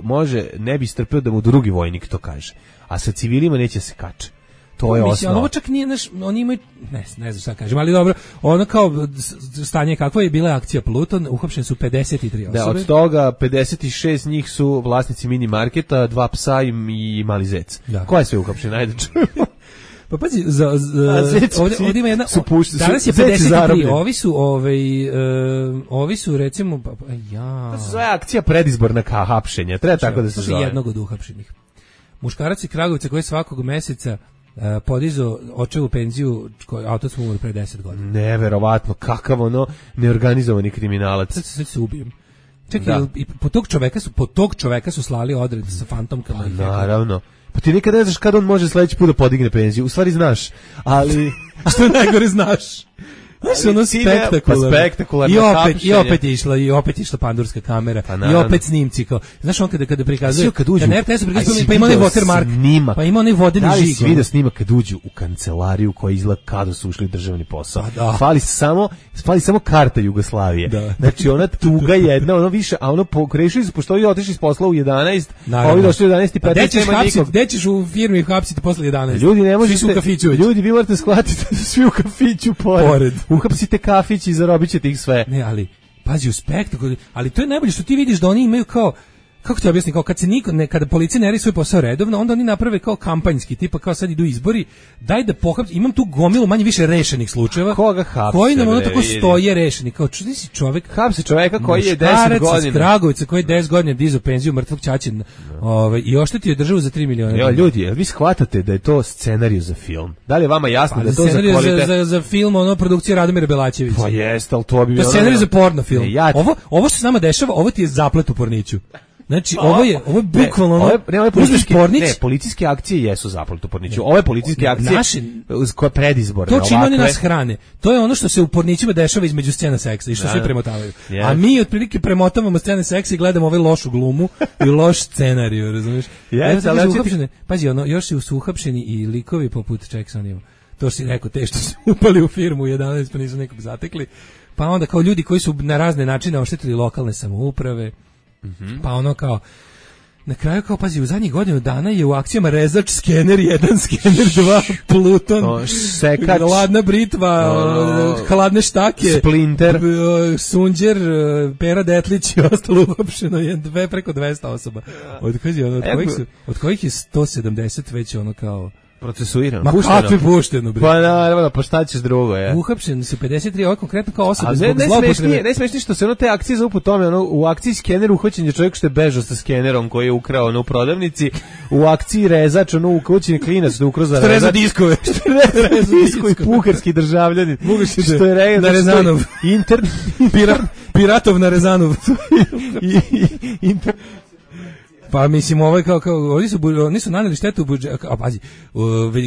ne bi strpeo da mu drugi vojnik to kaže. A sa civilima neće se kače. To je osnova. Ovo čak nije oni imaju ne znam šta kažem, ali dobro, ono kao stanje kakvo je bila akcija Pluton, uhapšene su 53 osobe. Da, od toga 56 njih su vlasnici mini marketa, 2 psa i mali zec. Ko je sve uhapšen? Ajde čujemo. Pa pazi, ovdje ima jedna, danas je 53, ovi su recimo, to se zove akcija predizborna hapšenja, treba tako da se zove. Jednog od uhapšenih. Muškarac iz Kragujevca koji svakog meseca podizao očevu penziju, otac mu umro pre 10 godina. Neverovatno, kakav ono neorganizovani kriminalac. Sad se ubijem. Čekaj, i po tog čoveka su slali odred sa fantomkama. Naravno. Pa ti nikad ne znaš kada on može sledeći put da podigne penziju. U stvari znaš, ali... Što je najgore znaš. Znaš, ono spektakularno. I opet je išla pandurska kamera. I opet snimci. Znaš, on kada prikazuje... Pa ima onaj watermark. Pa ima onaj vodeni žig. Da li si vidio snimak kad uđu u kancelariju koja izgleda kada su ušli u državni posao? Fali samo karta Jugoslavije. Znači, ona tuga jedna, ono više, a ono rešili su, pošto ovi otišli iz posla u 11, a ovi došli u 11 i 15 nema nikog. Gde ćeš u firmi hapsiti posle 11? Ljudi, ne možete... Ljudi, vi morate shvatiti da su svi u kafiću pored. Uhapsite kafić i zarobit ćete ih sve. Ne, ali, pazi, u spektaklu, ali to je najbolje što ti vidiš da oni imaju kao, kako ti objasnim, kao kada policija ne radi svoj posao redovno, onda oni naprave kao kampanjski, tipa kao sad idu izbori, daj da imam tu gomilu manje više rešenih slučajeva. Koga hapse? Koji nam ono tako stoje rešeni, kao čudi si čovek. Hapse čoveka koji je 10 godina. Iz Kragujevca koji je 10 godina dizao penziju mrtvog ćaćina, i oštetio državu za 3 miliona. Jo, ljudi, jel vi shvatate da je to scenarij za film? Da li je vama jasno da je to za kvalitet? Za film, ono, produkcija Radomira Belačevića. Pa jeste, al to bi... To je scenarij za porno film. Ovo što se nama dešava, ovo ti je zaplet u porniću. Znači, ovo je bukvalno policijske akcije jesu zaplet u porniću. Ove policijske akcije koje predizborne. To čime oni nas hrane. To je ono što se u pornićima dešava između scena seksa i što svi premotavaju. A mi otprilike premotavamo scene seksa i gledamo ove lošu glumu i loš scenariju, razumiješ? Pazi, ono, još su uhapšeni i likovi poput Jacksonima. To si rekao, te što su upali u firmu u 11 pa nisu nekog zatekli. Pa onda kao ljudi koji su na razne načine oštetili lokalne samouprave. Pa ono kao, na kraju kao, pazi, u zadnjih godinu dana je u akcijama rezač, skener 1, skener 2, Pluton, sekač, hladna britva, hladne štake, Splinter, Sunđer, Pera Detlić i ostalo uopšteno je preko 200 osoba. Od kojih je 170 već ono kao... procesuirano. Ma kakvi pušteno, bre. Pa naravno, pa šta ćeš drugo, je. Uhapšeni su 53, ovo konkretno kao osobe zbog zloupotrebe. Ne smiješ ništa, se ono te akcije zovu po tome, ono, u akciji skener uhvaćen je čovjek što je bežao sa skenerom koji je ukrao ono, u prodavnici, u akciji rezač, ono, uhvaćen klinac što je ukrao za rezač. Diskove. Disko i puharski državljanin. Što je rezač. Na Rezanov. Piratov na Rezanov. Pa mislim, ovo je kao oni su naneli štetu u budžetu, a pazi,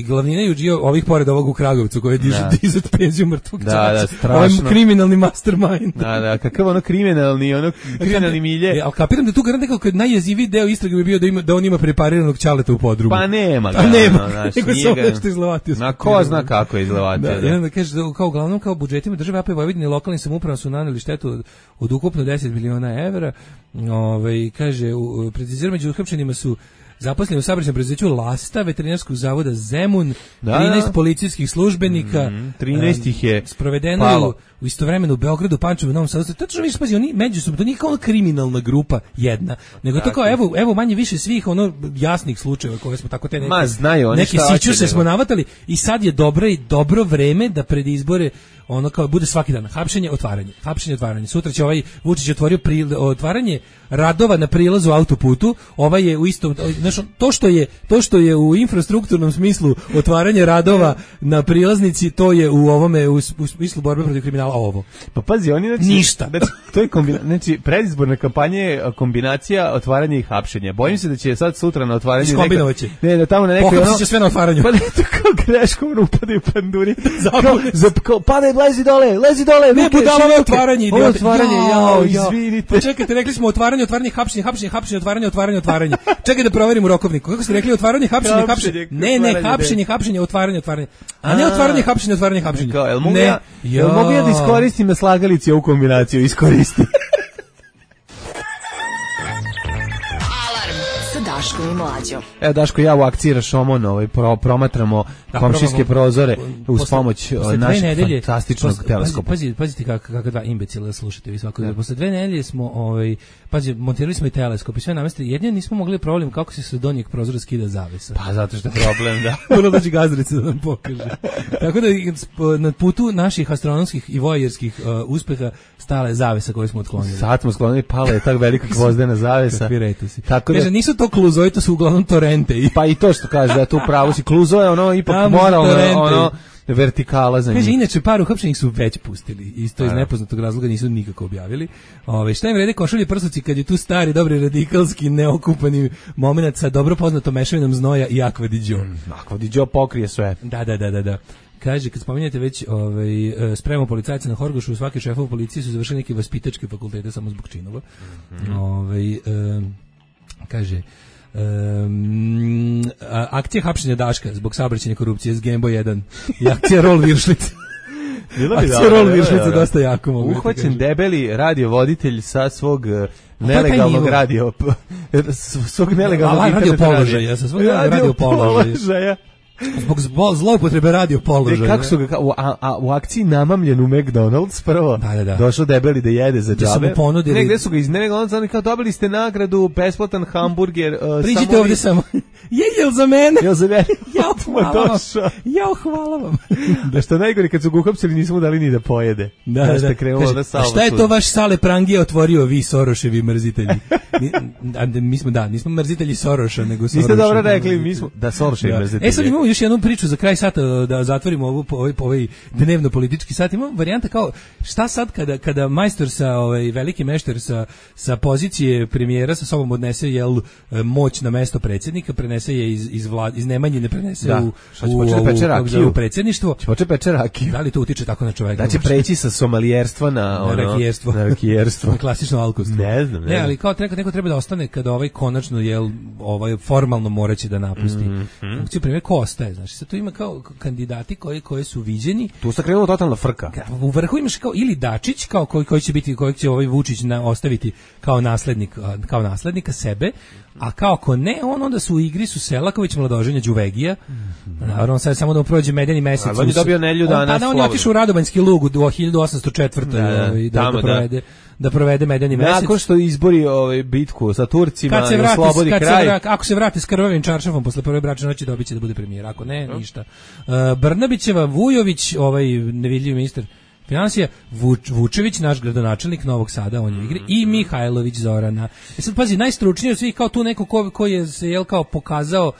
glavnina je ovih pored ovog u Kragovcu koji je dizat penziju mrtvog čača. Ovaj kriminalni mastermind. Da, kakav ono kriminalni milje. Ali kapiram da tu garant nekako najjeziviji deo istrage bi bio da on ima prepariranog ćaleta u podrumu. Pa nema ga. Nego se ovdje što izlevatio. Na ko zna kako je izlevatio. I onda kaže, kao uglavnom kao budžetima države AP Vojvodine i lokalnim samoupravama su naneli štetu od ukupno 10 miliona evra. Kaže, precizirano među uhapšenima su zaposleni u saobraćajnom preduzeću Lasta, veterinarskog zavoda Zemun, 13 policijskih službenika, 13 ih je sprovedeno u istovremeno u Beogradu, Pančevu, Novom Sadu. Tačno vidiš, pazi, oni međusobno, to nije kao ona kriminalna grupa jedna, nego to kao evo manje više svih ono jasnih slučajeva koje smo tako te neke sićuse smo navatali i sad je dobro vreme da pred izbore ono kao bude svaki dan hapšenje, otvaranje. Sutra će ovaj Vučić otvorio otvaranje radova na prilazu autoputu, ovaj je u istom, znači to što je u infrastrukturnom smislu otvaranje radova na prilaznici, to je u ovome u smislu borbe protiv kriminala ovo. Pa pazi, oni ništa. To je znači predizborna kampanja je kombinacija otvaranja i hapšenja. Bojim se da će sad sutra na otvaranju kombinovaće. Da tamo na nekoj će sve na otvaranju. Pa ne, to kao greškom upadaju panduri. Padaj, lezi dole. Ne budalo ovo otvaranje, izvinite. Pa čekajte, rekli smo otvaranje, hapšenje, otvaranje. Čekaj da proverim u rokovniku. Kako ste rekli, otvaranje, hapšenje. Ne, hapšenje, otvaranje. A ne otvaranje, hapšenje. Jel mogu ja da iskoristim na slagalici ovu kombinaciju? Iskoristi. Alarm sa Daškom i Mlađom. Evo Daško, ja u akciji Rašomon promatramo komšijske prozore uz pomoć našeg fantastičnog teleskopa. Pazite kako dva imbecila slušate vi svako. Posle 2 nedelje smo montirali smo i teleskop i sve namestili. Jedino nismo mogli problem kako se sa donjeg prozora skida zavesa. Pa zato što je problem, da. Ono dođe Gazdarica da nam pokaže. Tako da na putu naših astronomskih i voajerskih uspeha stala je zavesa koju smo otklonili. Sad smo sklonili, pala je tako velika gvozdena zavesa. Tako da, kaže, nisu to kluzoji, to su uglavnom torente. Pa i to što kaže, da tu pravo si kluzo je ono ipak moralno, vertikala za njih. Kaže, inače par uhapšenih su već pustili. Isto iz nepoznatog razloga nisu nikako objavili. Šta im vrede košulje prsluci kad je tu stari, dobri radikalski, neokupani moment sa dobro poznatom mešavinom znoja i akvadiđo. Akvadiđo pokrije sve. Da. Kaže, kad spominjete već spremu policajca na Horgošu, svaki šefov policije su završili neke vaspitačke fakultete samo zbog činova. Kaže, akcija hapšenja Daška zbog saobraćajne korupcije s Gembo 1 i akcija Rol Viršlica. Akcija Rol Viršlica dosta jako mogu. Uhvaćen debeli radiovoditelj sa svog nelegalnog svog nelegalnog radio položaja, sa svog radio položaja. Zbog zloupotrebe radio položaja. Kako su ga u akciji namamljen u McDonald's prvo. Došao debeli da jede za džabe. Negde su ga iz McDonald'sa, oni kao dobili ste nagradu, besplatan hamburger. Priđite ovdje samo. Jel za mene? Jel za mene? Hvala vam. Da što najgore kad su ga uhapsili nismo mu dali ni da pojede. Da. Šta je to vaš Sale Prangija otvorio, vi Soroševi mrzitelji? Nismo mrzitelji Soroša, nego Soroša. Niste dobro rekli, mi smo Soroševi mrzitelji. Sad imamo još jednu priču za kraj sata da zatvorimo ovaj dnevno politički sat. Imamo varijanta kao šta sad kada majstor veliki mešter sa pozicije premijera sa sobom odnese moć na mesto predsjednika, prenese je iz Nemanjine, prenese u predsjedništvo. Će peče rakiju. Da li to utiče tako na čoveka? Da će preći sa somalijerstva na rakijerstvo. Na klasično alkostvo. Ne znam. Ne, ali kao neko treba da ostane kada konačno formalno moraće da napusti. Funkciju premijera ko ostaje, znači sad tu ima kao kandidati koji su viđeni. Tu se krenula totalna frka. U vrhu imaš kao ili Dačić kao koji će Vučić Ostaviti kao naslednika sebe, a kao ako ne, onda su u igri Selaković, Mladoženja, Đuvegija. Naravno sad samo da mu prođe medeni mesec. On je dobio nedelju dana. On je otišao u Radobanjski lug u 1804. Da provede medeni mesec. Nakon što izbori bitku sa Turcima i oslobodi kraj. Ako se vrati s krvavim čaršafom posle prve bračne noći, dobit će da bude premijer. Ako ne, ništa. Brnabićeva, Vujović, nevidljivi ministar finansija, Vučević, naš gradonačelnik Novog Sada, on je u igri, i Mihajlović Zorana. Sad pazi, najstručniji od svih kao tu neko ko je se kao pokazao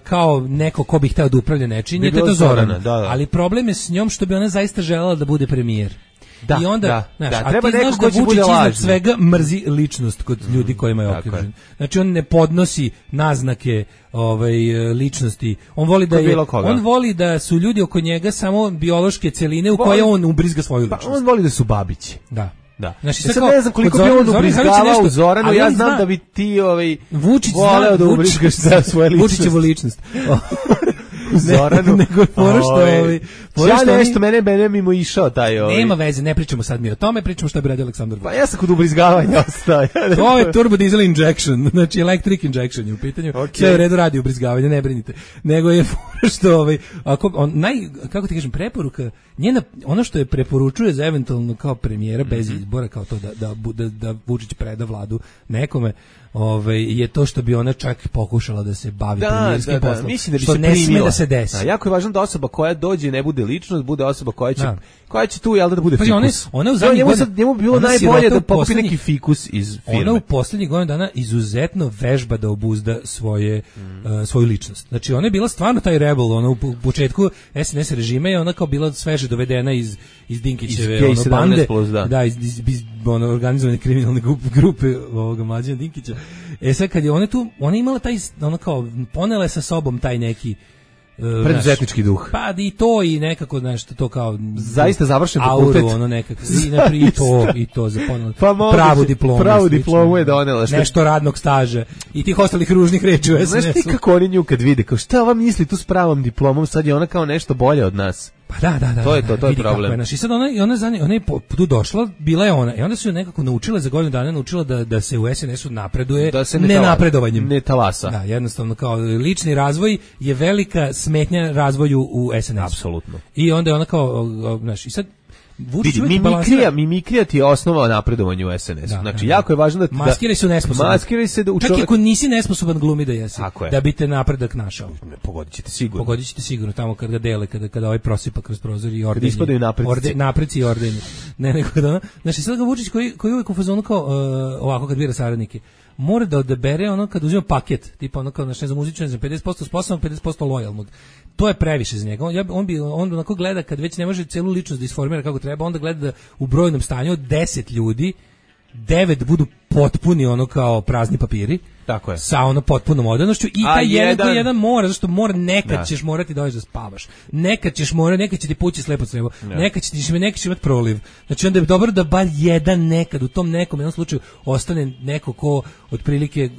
kao neko ko bi hteo da upravlja nečim, je to Zorana. Ali problem je s njom što bi ona zaista želela da bude premijer. I onda, treba neko ko će bude lažni. Iznad svega mrzi ličnost kod ljudi kojima je okružen. Znači on ne podnosi naznake ličnosti. On voli da su ljudi oko njega samo biološke celine u koje on ubrizga svoju ličnost. On voli da su babići. Da. Znači, sad ne znam koliko bi on ubrizgavao u Zoranu, ja znam da bi ti voleo da ubrizgaš svoje ličnosti. Vučićevu ličnost. Zoranu. Nego mene mimo išao taj Nema veze, ne pričamo sad mi o tome, pričamo šta bi radio Aleksandar Vučić. Pa ja sam kod ubrizgavanja ostao. To je turbo diesel injection, znači electric injection je u pitanju. Sve u redu radi ubrizgavanje, ne brinite. Nego je što kako ti kažem, preporuka, ono što je preporučuje za eventualno kao premijera bez izbora, kao to da Vučić preda vladu nekome, je to što bi ona čak pokušala da se bavi premijerskim poslom. Mislim da bi što se ne sme da se desi. Jako je važno da osoba koja dođe ne bude ličnost, bude osoba koja će tu da bude fikus. Ona u zadnjih godina, njemu bilo najbolje da pokupi neki fikus iz firme. Ona u posljednjih godina dana izuzetno vežba da obuzda svoju ličnost. Znači ona je bila stvarno taj rebel, ona u početku SNS režima je ona kao bila sveže dovedena iz Dinkićeve bande, iz organizovane kriminalne grupe ovoga Mlađana Dinkića. Sad kad je ona tu, ona imala taj, ona kao ponela sa sobom taj neki preduzetnički duh. Pa i to i nekako nešto to kao zaista završen fakultet. Auru, ono nekako. I to za ponela. Pravu diplomu je donela. Nešto radnog staža i tih ostalih ružnih reči u SNS-u. Znaš ti kako oni nju kad vide, kao šta ova misli tu s pravom diplomom, sad je ona kao nešto bolje od nas. Da. To je problem. I sad ona je tu došla, bila je ona, i onda su nekako naučila za godinu dana, da se u SNS-u napreduje nenapredovanjem. Ne talasa. Da, jednostavno kao lični razvoj je velika smetnja razvoju u SNS-u. Apsolutno. I onda je ona kao, znaš, i sad mimikrija ti je osnova napredovanja u SNS-u. Znači, jako je važno da... Maskiraj se nesposoban. Maskiraj se da u čak i ako nisi nesposoban glumi da jesi. Da bi te napredak našao. Pogodit ćete sigurno. Tamo kad ga dele, kada ovaj prosipa kroz prozor i ordenje. Kad ispadaju napredici. Napredici i ordenje. Ne, nego da... Znači, sad ga Vučić koji uvijek u fazonu kao ovako kad bira saradnike, mora da odabere ono kad uzima paket, tipa ono kao, ne znam, muzičan, 50% sposobnog, 50% lojalnog. To je previše za njega. On onako gleda kad već ne može celu ličnost da isformira kako treba, onda gleda da u brojnom stanju od 10 ljudi 9 budu potpuni ono kao prazni papiri. Tako je. Sa ono potpunom odanošću i taj jedan mora, zašto nekad ćeš morati doći da spavaš. Nekad će ti pući slepo crevo. Nekad ćeš imati proliv. Znači onda je dobro da bar jedan nekad u tom jednom slučaju ostane neko ko otprilike,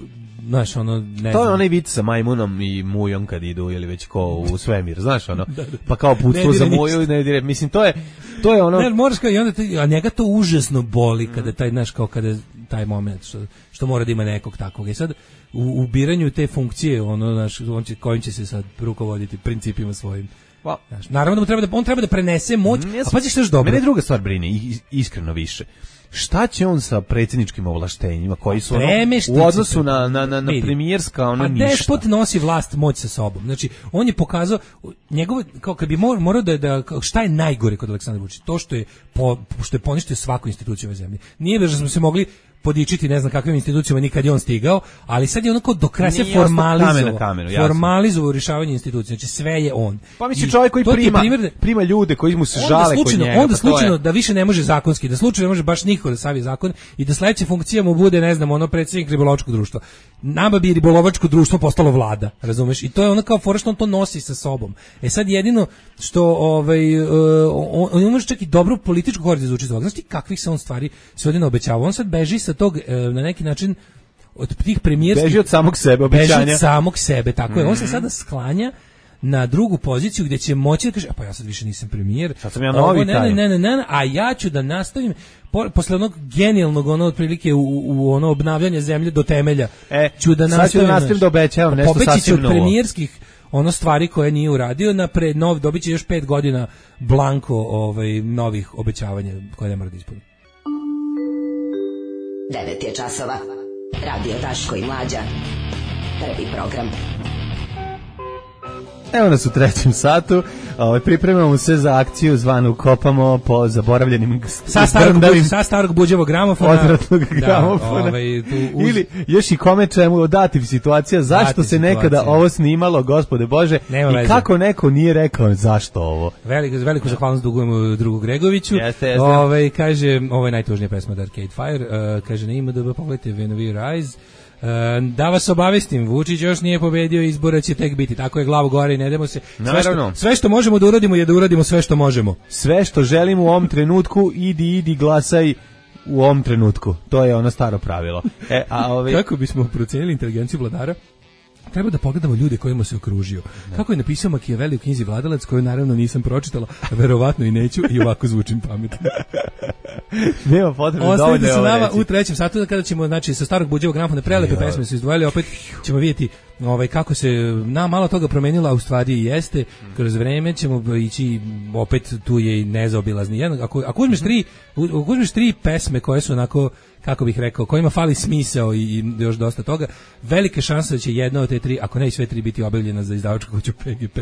znaš, ono, ne znam. To je onaj vic sa majmunom i mujom kad idu, ili već ko u svemir, znaš, ono, pa kao putstvo za muju, ne dire, mislim, to je ono... Ne, moraš kao, i onda a njega to užasno boli kada taj, znaš, kao kada taj moment, što mora da ima nekog takvog. I sad, u biranju te funkcije, ono, znaš, kojim će se sad rukovoditi principima svojim. Znaš, naravno da on treba da prenese moć, a pa ćeš što još dobro. Mene druga stvar brine, iskreno više. Šta će on sa predsjedničkim ovlaštenjima koji su u odnosu na premijerska ništa? Despot nosi vlast, moć sa sobom. Znači, on je pokazao njegovo, kao kad bi morao da šta je najgore kod Aleksandra Vučića? To što je poništio svaku instituciju ove zemlje. Nije da smo se mogli podičiti ne znam kakvim institucijama nikad je on stigao, ali sad je onako do kraja se formalizovao rješavanje institucija, znači sve je on. Pa misli čovjek koji prima ljude koji mu se žale kod njega. Onda slučajno da više ne može zakonski, da slučajno ne može baš niko da savi zakon i da sledeća funkcija mu bude, ne znam, ono predsjednik ribolovačkog društva. Nama bi ribolovačko društvo postalo vlada, razumeš? I to je ono kao fora što on to nosi sa sobom. Sad jedino što on ima čak i dobru političku korist izvuči iz ovoga. Znaš ti kakvih se on stvari sve ovdje naobećava? On sad beži sa tog, na neki način, od tih premijerskih... Beži od samog sebe, obećanja. Beži od samog sebe, tako je. On se sada sklanja na drugu poziciju gdje će moći da kaže, pa ja sad više nisam premijer. Sad sam ja novi taj. Ne, a ja ću da nastavim posle onog genijalnog otprilike u ono obnavljanje zemlje do temelja. Ću da nastavim da obećavam nešto sasvim novo. Od premijerskih stvari koje nije uradio dobit će još 5 godina blanko novih obećavanja koje ne mora da ispuni. 9 je časova. Radio Daško i Mlađa. Prvi program. Evo nas u 3. satu. Pripremamo se za akciju zvanu Kopamo po zaboravljenim sa starog buđevog gramofona. Odvratnog gramofona. Ili još i kome čemu dati situacija zašto se nekada ovo snimalo, gospode Bože, i kako neko nije rekao zašto ovo. Veliku zahvalnost dugujemo drugu Gregoviću. Jeste. Kaže, ovo je najtužnija pesma od Arcade Fire. Kaže, na IMDb pogledajte When We Rise. Da vas obavestim, Vučić još nije pobedio, izbora će tek biti. Tako je, glavu gore i ne demo se. Sve što možemo da uradimo je da uradimo sve što možemo. Sve što želimo u ovom trenutku, idi glasaj u ovom trenutku. To je ono staro pravilo. Kako bismo procenili inteligenciju vladara? Treba da pogledamo ljude kojima se okružio. Kako je napisao Machiavelli u knjizi Vladalac, koju naravno nisam pročitala, verovatno i neću, i ovako zvučim pametno. Nema potrebe dovoljno. Ostavite se nama u 3. satu kada ćemo, znači, sa starog buđevog gramofona prelepe pesme su izdvojili, opet ćemo vidjeti kako se malo toga promenila, a u stvari jeste. Kroz vreme ćemo ići, opet tu je i nezaobilazni. Ako uzmeš 3 pesme koje su onako, kako bih rekao, kojima fali smisao i još dosta toga, velike šanse da će jedna od te 3, ako ne i sve 3, biti objavljena za izdavačku kuću PGP,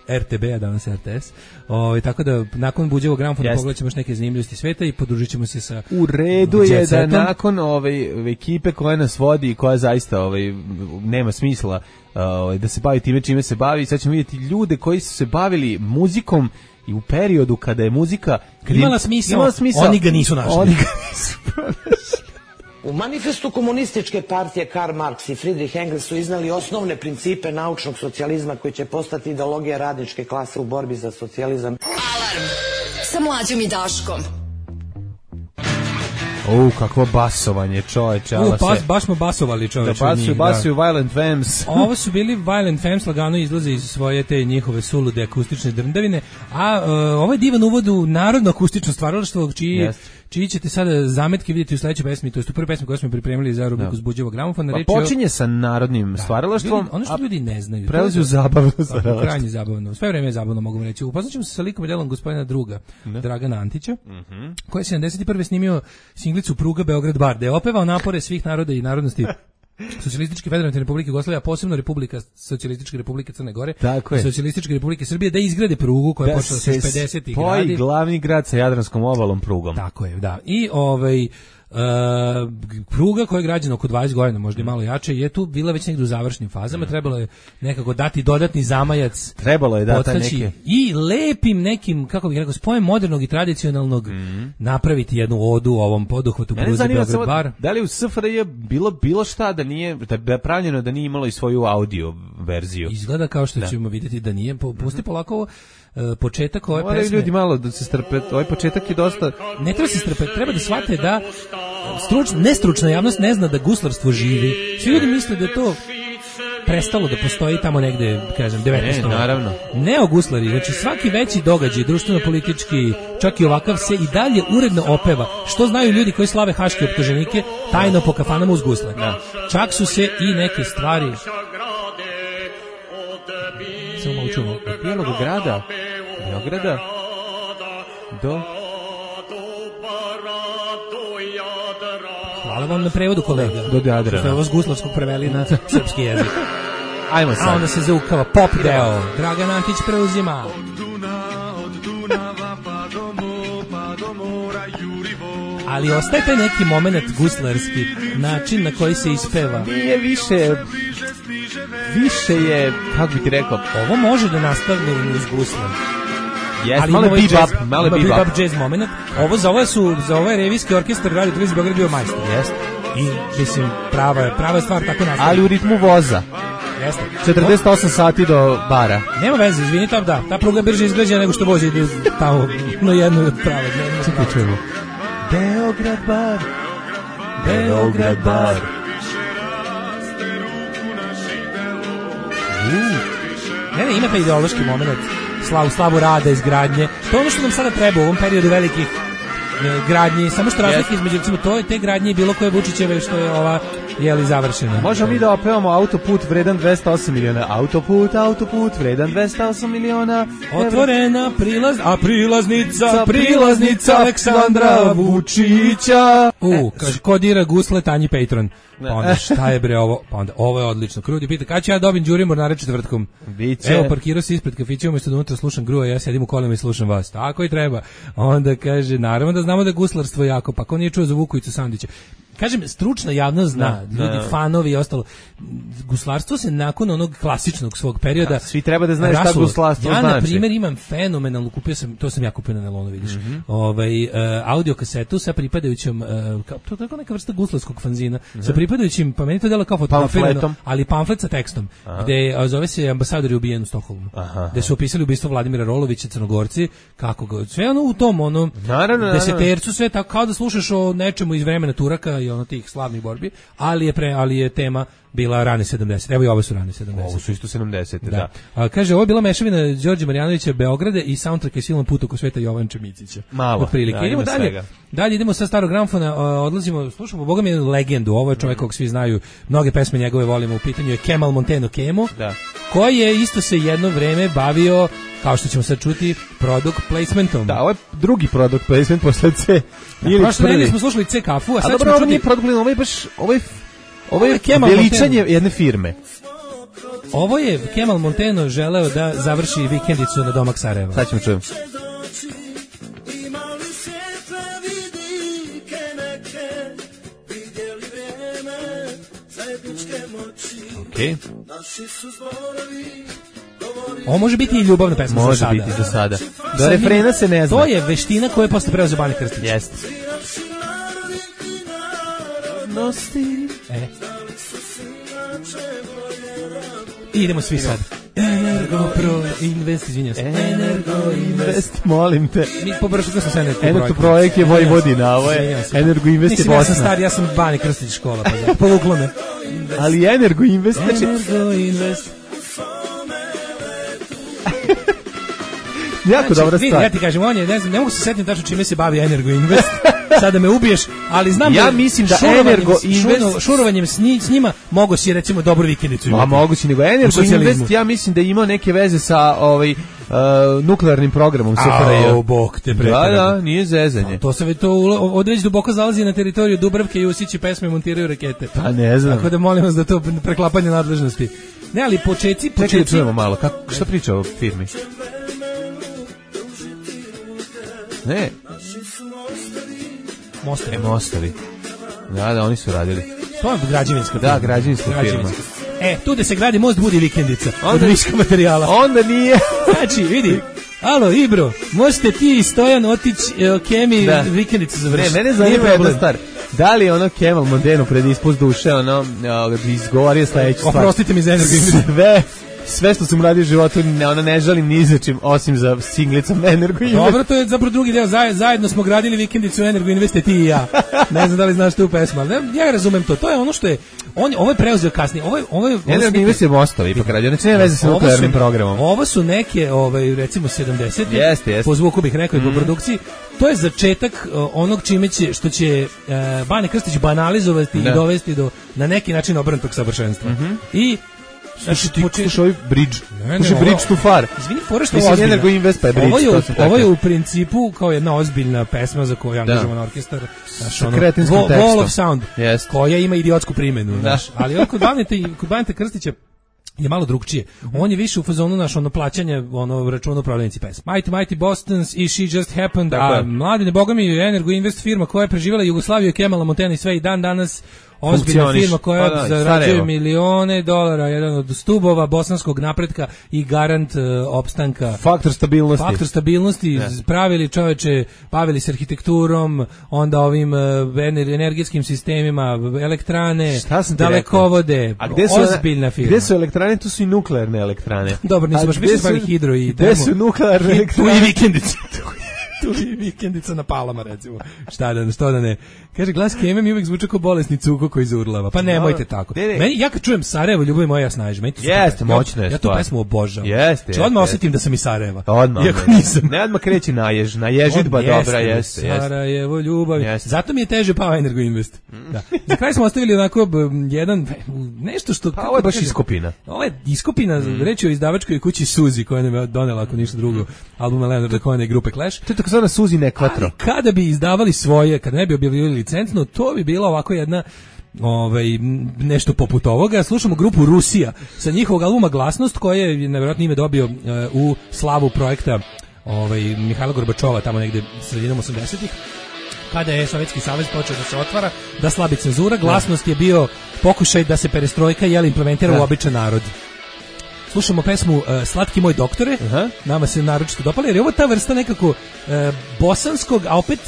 RTB, a danas RTS. Tako da nakon buđevog gramofona pogledat ćemo još neke zanimljivosti sveta i podružit ćemo se sa u redu je da nakon ekipe koja nas vodi i koja zaista nema smisla da se bavi time čime se bavi, sad ćemo vidjeti ljude koji su se bavili muzikom i u periodu kada je muzika imala smisao, oni ga nisu našli. U manifestu komunističke partije Karl Marx i Friedrich Engels su iznali osnovne principe naučnog socijalizma koji će postati ideologija radničke klase u borbi za socijalizam. Alarm sa Mlađom i Daškom. Kakvo basovanje, čoveče. Baš smo basovali, čoveče. Basuju Violent Femmes. Ovo su bili Violent Femmes, lagano izlaze iz svoje te njihove sulude akustične drndavine, a ovo je divan uvod u narodno akustično stvaralaštvo, čiji ćete sada zametke vidjeti u sledećoj pesmi, to je u prvoj pesmi koju smo pripremili za rubriku Zbuđivog gramofona. Počinje sa narodnim stvaralaštvom, ono što ljudi ne znaju. Prelazi u zabavno stvaralaštvo. Krajnje zabavno. Sve vreme je zabavno, mogu vam reći. Upoznaćemo se sa likom i delom gospodina druga, Dragana Antića, koji je 71. snimio singlicu Pruga Beograd-Bar, gde je opevao napore svih naroda i narodnosti Socijalističke federativne republike Jugoslavije, a posebno Socijalističke republike Crne Gore i Socijalističke republike Srbije, da izgrade prugu koja je počela sa 50-ih gradi. Spoji glavni grad sa Jadranskom obalom prugom. Tako je, da. I pruga koja je građena oko 20 godina, možda i malo jače, je tu bila već negdje u završnim fazama, trebalo je nekako dati dodatni zamajac. Trebalo je dati neke. I lepim nekim, kako bih rekao, spojem modernog i tradicionalnog napraviti jednu odu u ovom poduhvatu pruze Beograd Bar. Da li u SFRJ bilo šta da nije, da je pravljeno da nije imalo i svoju audio verziju? Izgleda kao što ćemo vidjeti da nije. Pusti polako ovo. Početak ove pesme. Moraju ljudi malo da se strpe, ovaj početak je dosta... Ne treba se strpe, treba da shvate da nestručna javnost ne zna da guslarstvo živi. Svi ljudi misle da je to prestalo da postoji tamo negde, kažem, 19. Naravno. Neoguslari, znači svaki veći događaj, društveno-politički, čak i ovakav, se i dalje uredno opeva. Što znaju ljudi koji slave haške optuženike tajno po kafanama uz gusle. Čak su se i neke stvari... Samo malo čujemo. Od Bijelog grada, Beograda, do... Hvala vam na prevodu, kolega. Do Jadrana. Što je ovo s guslavskog preveli na srpski jezik. Ajmo sad. A onda se zaukava pop deo. Dragan Antić preuzima. Ali ostaje taj neki moment guslarski, način na koji se ispeva. Nije više je, kako bi ti rekao, ovo može da nastavne uz gusle. Ali malo bebop jazz moment. Za ovaj revijski orkestar Radio Televizije Beograd bio majstor. Jeste. I mislim prava stvar tako nastavlja. Ali u ritmu voza. Jeste. 48 sati do bara. Nema veze, izvini, ta pruga je brže izgrađena nego što vozi ide tamo na jednu od prave. Čekaj, čujemo. Beograd bar. Beograd bar. Ne, ima taj ideološki moment, slavu rada, izgradnje. To je ono što nam sada treba u ovom periodu velikih gradnji, samo što razlike između, recimo, te gradnje i bilo koje Vučićeve što je ova završena. Možemo mi da opevamo autoput vredan 208 miliona. Autoput vredan 208 miliona. Otvorena prilaznica Aleksandra Vučića. Kaže, kodira gusle Tanji Patron. Pa onda šta je bre ovo? Pa onda ovo je odlično. Krudi pita, kada ću ja dobim đurim mornare četvrtkom? Biće. Evo, parkirao se ispred kafića, umjesto da unutra slušam gruje, ja sedim u kolima i slušam vas. Tako i treba. Onda kaže, naravno da znamo da je guslarstvo jako, pa ko nije čuo za Vukovicu Sandića. Kažem, stručna javnost zna, ljudi, fanovi i ostalo. Guslarstvo se nakon onog klasičnog svog perioda... Svi treba da znaju šta guslarstvo znači. Ja, na primjer, imam fenomenalnu, to sam ja kupio na Nelonu, vidiš, audio kasetu sa pripadajućom, to je tako neka vrsta guslarskog fanzina, sa pripadajućim, pa meni to dela kao fotografirano, ali pamflet sa tekstom, gde zove se Ambasador je ubijen u Stokholmu, gde su opisali ubistvo Vladimira Rolovića, Crnogorci, kako ga, sve ono u tom, desetercu, sve tako, kao da slušaš o nečemu iz vremena Turaka i ono tih slavnih borbi, ali je tema bila rane 70. Evo i ovo su rane 70. Ovo su isto 70. Da. Kaže, ovo je bila mešavina Đorđe Marjanovića Beograde i soundtrack je silnom put oko sveta Jovan Čemićića. Malo. Otprilike. Idemo dalje. Dalje idemo sa starog gramfona, odlazimo, slušamo, Boga mi jednu legendu, ovo je čovjek kog svi znaju, mnoge pesme njegove volimo, u pitanju je Kemal Monteno Kemo, koji je isto se jedno vreme bavio, kao što ćemo sad čuti, product placementom. Da, ovo je drugi product placement posle C. Prošle nedelje smo slušali C kafu, a sad ćemo čuti... Ovo je veličanje jedne firme. Ovo je Kemal Monteno želeo da završi vikendicu na domak Sarajeva. Sad ćemo čujem. Okay. Ovo može biti i ljubavna pesma za sada. Može biti za sada. Do refrena se ne zna. To je veština koja je posle preuzeo Bane Krstić. Jeste. I idemo svi sad. Energopro Invest, izvinjam se. Energo Invest, molim te. Mi pobršali smo se Energo projekt je Vojvodina, ovo je Energo Invest je Bosna. Ja sam stari, ja sam Bani Krstić škola, pa da, povuklo me. Ali Energo Invest, znači... Energo Invest. Jako dobra stvar. Ja ti kažem, on je, ne mogu se setiti tačno čime se bavi Energo Invest. Sada me ubiješ, ali znam ja mislim da Energo Invest šurovanjem s njima mogu si recimo dobru vikendicu imati. A mogu si, nego Energo Invest ja mislim da ima neke veze sa nuklearnim programom SFRJ. A, bog te preterano. Da, nije zezanje. To se već to odveć duboko zalazi na teritoriju Dubravke i Usići pesme montiraju rakete. Pa ne znam. Tako da molim vas da to preklapanje nadležnosti. Ne, ali počeci... Čekaj, čujemo malo, šta priča o firmi? Ne. Mostovi. Da, oni su radili. To je građevinska firma. Da, građevinska firma. Tu da se gradi most budi vikendica. Od viška materijala. Onda nije. Znači, vidi. Alo, Ibro, možete ti i Stojan otići Kemi vikendicu završiti. Ne, mene zanima jedna stvar. Da li ono Kemal Mondeno pred ispust duše, izgovorio sledeću stvar? Oprostite mi za Energo Invest. Sve što sam radio u životu, ona ne žalim ni za čim, osim za singlicom Energo Invest. Dobro, to je zapravo drugi deo. Zajedno smo gradili vikendicu Energo Invest, ti i ja. Ne znam da li znaš tu pesmu, ali ja razumem to. To je ono što je... Ovo je preuzeo kasnije. Energo Invest je mostovi ipak radio. Znači ne veze sa nuklearnim programom. Ovo su neke, recimo 70. Jeste. Po zvuku bih rekao i po produkciji. To je začetak onog što će Bane Krstić banalizovati i dovesti do na neki način obrnutog savršenstva. I slušaj ovaj bridge. Slušaj bridge too far. Izvini, fora što je ozbiljna. Energo Invest pa je bridge. Ovo je u principu kao jedna ozbiljna pesma za koju je angažovan orkestar. Wall of Sound, koja ima idiotsku primjenu. Ali kod Baneta Krstića je malo drugčije. On je više u fazonu plaćanje računa upravljenici pesma. Mighty Bostons i She Just Happened, a Mladine, boga mi, Energo Invest firma koja je preživjela Jugoslaviju i Kemala Montena i sve i dan danas ozbiljna firma koja zarađuje milione dolara, jedan od stubova bosanskog napretka i garant opstanka. Faktor stabilnosti. Pravili čoveče, bavili se arhitekturom, onda ovim energetskim sistemima, elektrane, dalekovode, ozbiljna firma. Gde su elektrane? Tu su i nuklearne elektrane. Dobro, nisu baš više zvali hidro i gde su nuklearne elektrane? Tu i vikendice. Tu i vikendica na Palama, recimo. Što da ne. Kaže, glas Keme mi uvijek zvuče kao bolesni cuko koji zurlava. Pa nemojte tako. Ja kad čujem Sarajevo, ljubav moja, snaži. Jeste, moćno je. Ja tu pesmu obožavam. Jeste. Odmah osjetim da sam iz Sarajeva. Odmah. Iako nisam. Ne odmah kreći na ježitba dobra, jeste. Sarajevo, ljubav. Zato mi je teže pao Energo Invest. Za kraj smo ostavili onako jedan, nešto što... Pa ovo je baš iskopina. Ovo je iskopina, reći o izdavačkoj kući Suzi, koja nam je donela, ako ništa drugo, albuma Leonarda Cohena i grupe Clash. To je tako zvana Suzi Nekvatro. Kada bi izdavali svoje, kada ne bi objavljivali licencno, to bi bila ovako jedna nešto poput ovoga. Slušamo grupu Rusija sa njihovog albuma Glasnost, koji je nevjerojatno ime dobio u slavu projekta Mihajla Gorbačova, tamo negde sredinom 80-ih, kada je Sovjetski savez počeo da se otvara, da slabi cenzura. Glasnost je bio pokušaj da se perestrojka implementira u običan narod. Slušamo pesmu Slatki moj doktore, nama se naročito dopala, jer je ovo ta vrsta nekako bosanskog, a opet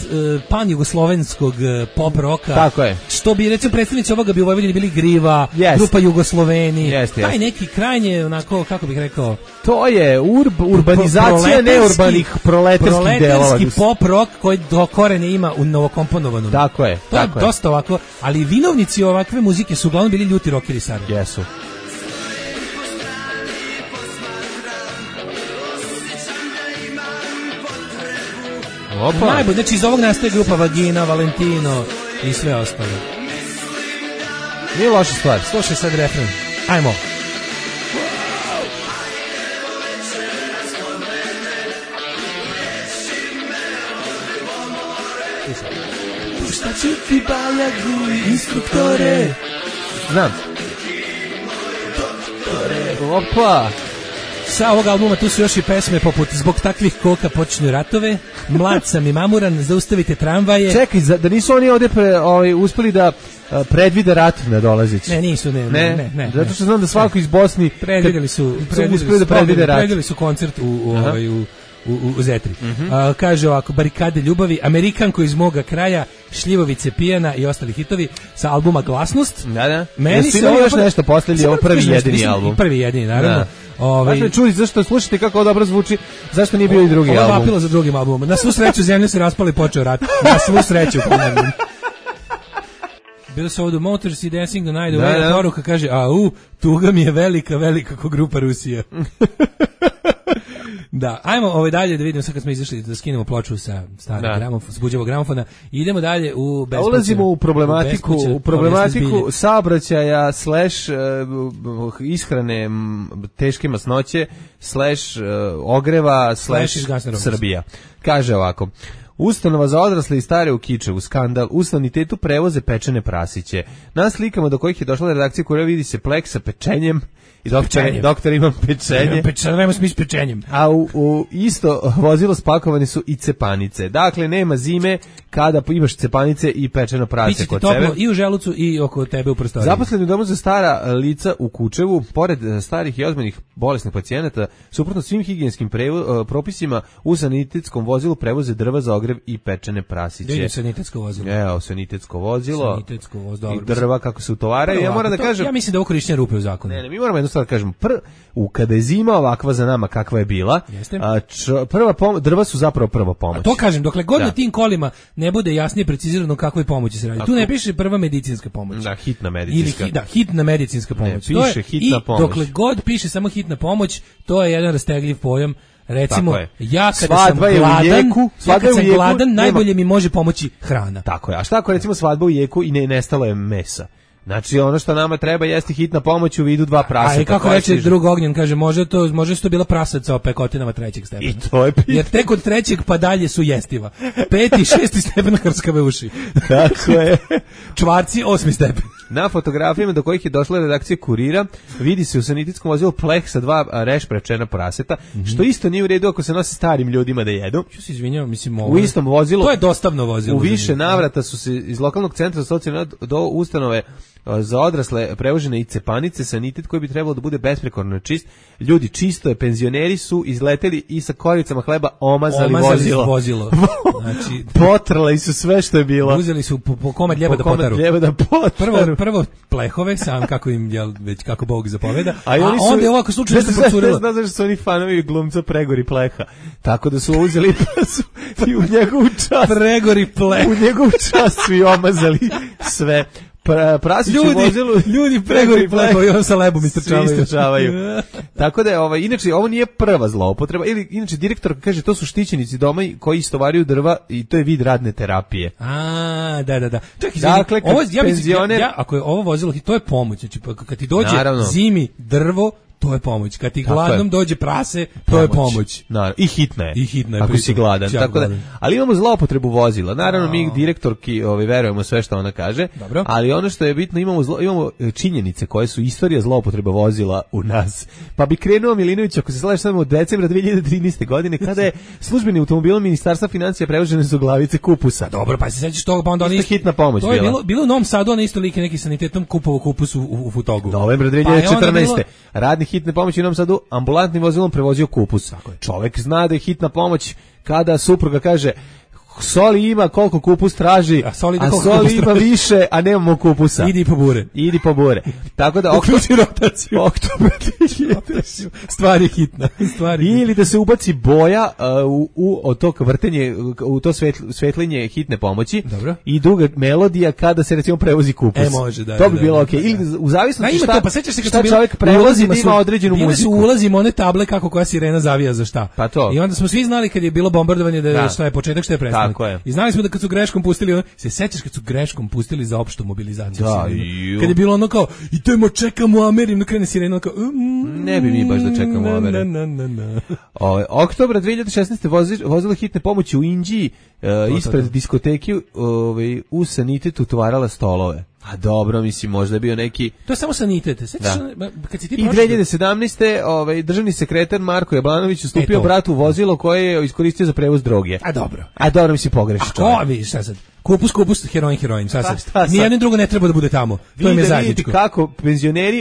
pan-jugoslovenskog pop roka. Tako je. Što bi, recimo, predstavnici ovoga bi u Vojvodini bili Griva, grupa Jugosloveni, taj neki krajnje, onako, kako bih rekao... To je urbanizacija neurbanih proletarskih delova. Proletarski pop rock koji do korene ima u novokomponovanom. Tako je. To je dosta ovako, ali vinovnici ovakve muzike su uglavnom bili ljuti rockeri Sarajeva. Jesu. Najbolje, znači iz ovog nastaje grupa Vagina, Valentino i sve ostalo. Nije loša stvar. Slušaj sad refren. Ajmo. Pušta ću ti baljagu, instruktore. Znam. Opa. Sa ovog albuma tu su još i pesme poput Zbog takvih koka počinju ratove, Mlad sam i mamuran, Zaustavite tramvaje. Čekaj, da nisu oni ovdje uspeli da predvide rat na dolazeći? Ne, nisu, ne. Zato što znam da svako iz Bosni predvideli su koncert u Zetri. Kaže ovako, Barikade ljubavi, Amerikanko iz moga kraja, Šljivovice pijana i ostali hitovi sa albuma Glasnost. Da. Meni se ovo još nešto posljednji, ovo prvi jedini album. Prvi jedini, naravno. Dakle, čuli, zašto slušate kako dobro zvuči, zašto nije bio i drugi album? Ovo je vapilo za drugim albumom. Na svu sreću zemlja se raspala i počeo rat. Na svu sreću, ponavljam. Bilo se ovdje Motors i Dancing the Night Away, poruka kaže, tuga mi je velika ko grupa Rusija. Da, ajmo dalje da vidimo sad kad smo izašli da skinemo ploču sa starog gramofona, s buđevog gramofona i idemo dalje u bespuće. Ulazimo u problematiku saobraćaja / ishrane teške masnoće / ogreva / Srbija. Kaže ovako: Ustanova za odrasle i stare u Kičevu, skandal, u sanitetu prevoze pečene prasiće. Na slikama do kojih je došla redakcija Kurira vidi se plek sa pečenjem i doktor ima pečenje. Pečenje, s pečenjem. A u isto vozilo spakovane su i cepanice. Dakle, nema zime kada imaš cepanice i pečeno prase kod sebe. I u želucu i oko tebe u prostoriji. Zaposleni u domu za stara lica u Kučevu, pored starih i ozbiljnih bolesnih pacijenata, suprotno svim higijenskim propisima, u sanitetskom vozilu prevoze drva za ogrev i pečene prasiće. Gdje je sanitetsko vozilo? Evo, sanitetsko vozilo. I drva kako se utovaraju. Ja moram da kažem... Ja mislim da ovo korišćenje rupe u zakonu. Ne, mi moramo jednu stvar da kažemo. Kada je zima ovakva za nama kakva je bila, drva su zapravo prva pomoć. A to kažem, dokle god na tim kolima ne bude jasnije precizirano kakvoj pomoći se radi. Tu ne piše prva medicinska pomoć. Da, hitna medicinska. Hitna medicinska pomoć. Ne, piše hitna pomoć. I dokle god piše samo hitna pomoć, to je jedan rastegljiv pojam. Recimo, ja kada sam gladan, najbolje mi može pomoći hrana. Tako je. A šta ako recimo svadba u jeku i nestalo je mesa? Znači, ono što nama treba jeste hitna pomoć u vidu 2 praseta. A i kako reče drug Ognjen, kaže, može to bila prasaca o pekotinama 3. stepena. I to je pitanje. Jer tek od 3. pa dalje su jestiva. 5. i 6. stepen krskave uši. Tako je. Čvarci 8. stepen. Na fotografijama do kojih je došla redakcija Kurira vidi se u sanitetskom vozilu pleh sa 2 rešprečena praseta, što isto nije u redu ako se nosi starim ljudima da jedu. Što se izvinjavam, mislim u istom vozilu. To je dostavno vozilo. U više navrata su se iz lokalnog centra za socijalnu do ustanove za odrasle prevožene i cepanice, sanitet koji bi trebalo da bude besprekorno čist. Ljudi čisto je, penzioneri su izleteli i sa koricama hleba omazali vozilo. Znači, potrali su sve što je bilo. Uzeli su po komad ljeba da potaru. Prvo plehove, sam kako im već kako Bog zapoveda, a onda je ovako slučajno se procurilo. Znaš zašto su oni fanovi glumca Pregori Pleha. Tako da su uzeli i u njegovu čast. Pregori Pleh. U njegovu čast su i omazali sve. Ljudi Pregori Plehovi, on sa lebom istrčavaju. Tako da je, inače, ovo nije prva zloupotreba, ili inače direktor kaže to su štićenici doma koji istovaraju drva i to je vid radne terapije. Da. Dakle, ako je ovo vozilo, to je pomoć, znači kad ti dođe zimi drvo, to je pomoć. Kad ti gladnom dođe prase, to je pomoć. Naravno, i hitna je. Ako si gladan. Tako da, ali imamo zloupotrebu vozila. Naravno, mi direktorki verujemo sve što ona kaže. Dobro. Ali ono što je bitno, imamo činjenice koje su istorija zloupotreba vozila u nas. Pa bi krenuo Milinović, ako se slažeš samo od decembra 2013. godine, kada je službeni automobilom Ministarstva financija prevožene su glavice kupusa. Dobro, pa se sećaš toga, pa onda oni hitna pomoć to bila. Bilo u Novom Sadu, ona isto like neki sanitetom kupovao kupus u Futogu. Novembra 2014. Radni hitne pomoći u Novom Sadu ambulantnim vozilom prevozio kupus. Čovjek zna da je hitna pomoć kada supruga kaže soli ima koliko kupus traži, a soli ima više, a nemamo kupusa. Idi po bure. Tako da uključi rotaciju. Stvar je hitna. Ili da se ubaci boja u tog vrtenje, u to svetlinje hitne pomoći. Dobro. I druga melodija kada se recimo prevozi kupus. Može, da. To bi bilo okej. Ili u zavisnosti šta. Pa sećaš se kad šta čovjek prevozi ima određenu muziku. Ulazimo one table kako koja sirena zavija za šta. Pa to. I onda smo svi znali kad je bilo bombardovanje da šta je početak, šta je prestanak. I znali smo da kad su greškom pustili, se sećaš kad su greškom pustili za opštu mobilizaciju sirenu. Kad je bilo ono kao, idemo čekamo Amerim, krene sirena kao, ne bi mi baš da čekamo Amerim. Oktobra 2016. vozilo hitne pomoći u Inđiji ispred diskoteke u sanitetu tovarala stolove. A dobro, mislim, možda je bio neki... To je samo sanitet. Kad si ti i 2017. Državni sekretar Marko Jablanović ustupio bratu vozilo koje je iskoristio za prevoz droge. A dobro, mislim, pogrešno. A ko, vidiš, šta sad? Kupus, heroin, sad. Nijedno drugo ne treba da bude tamo. To im je zajedničko. Vidite kako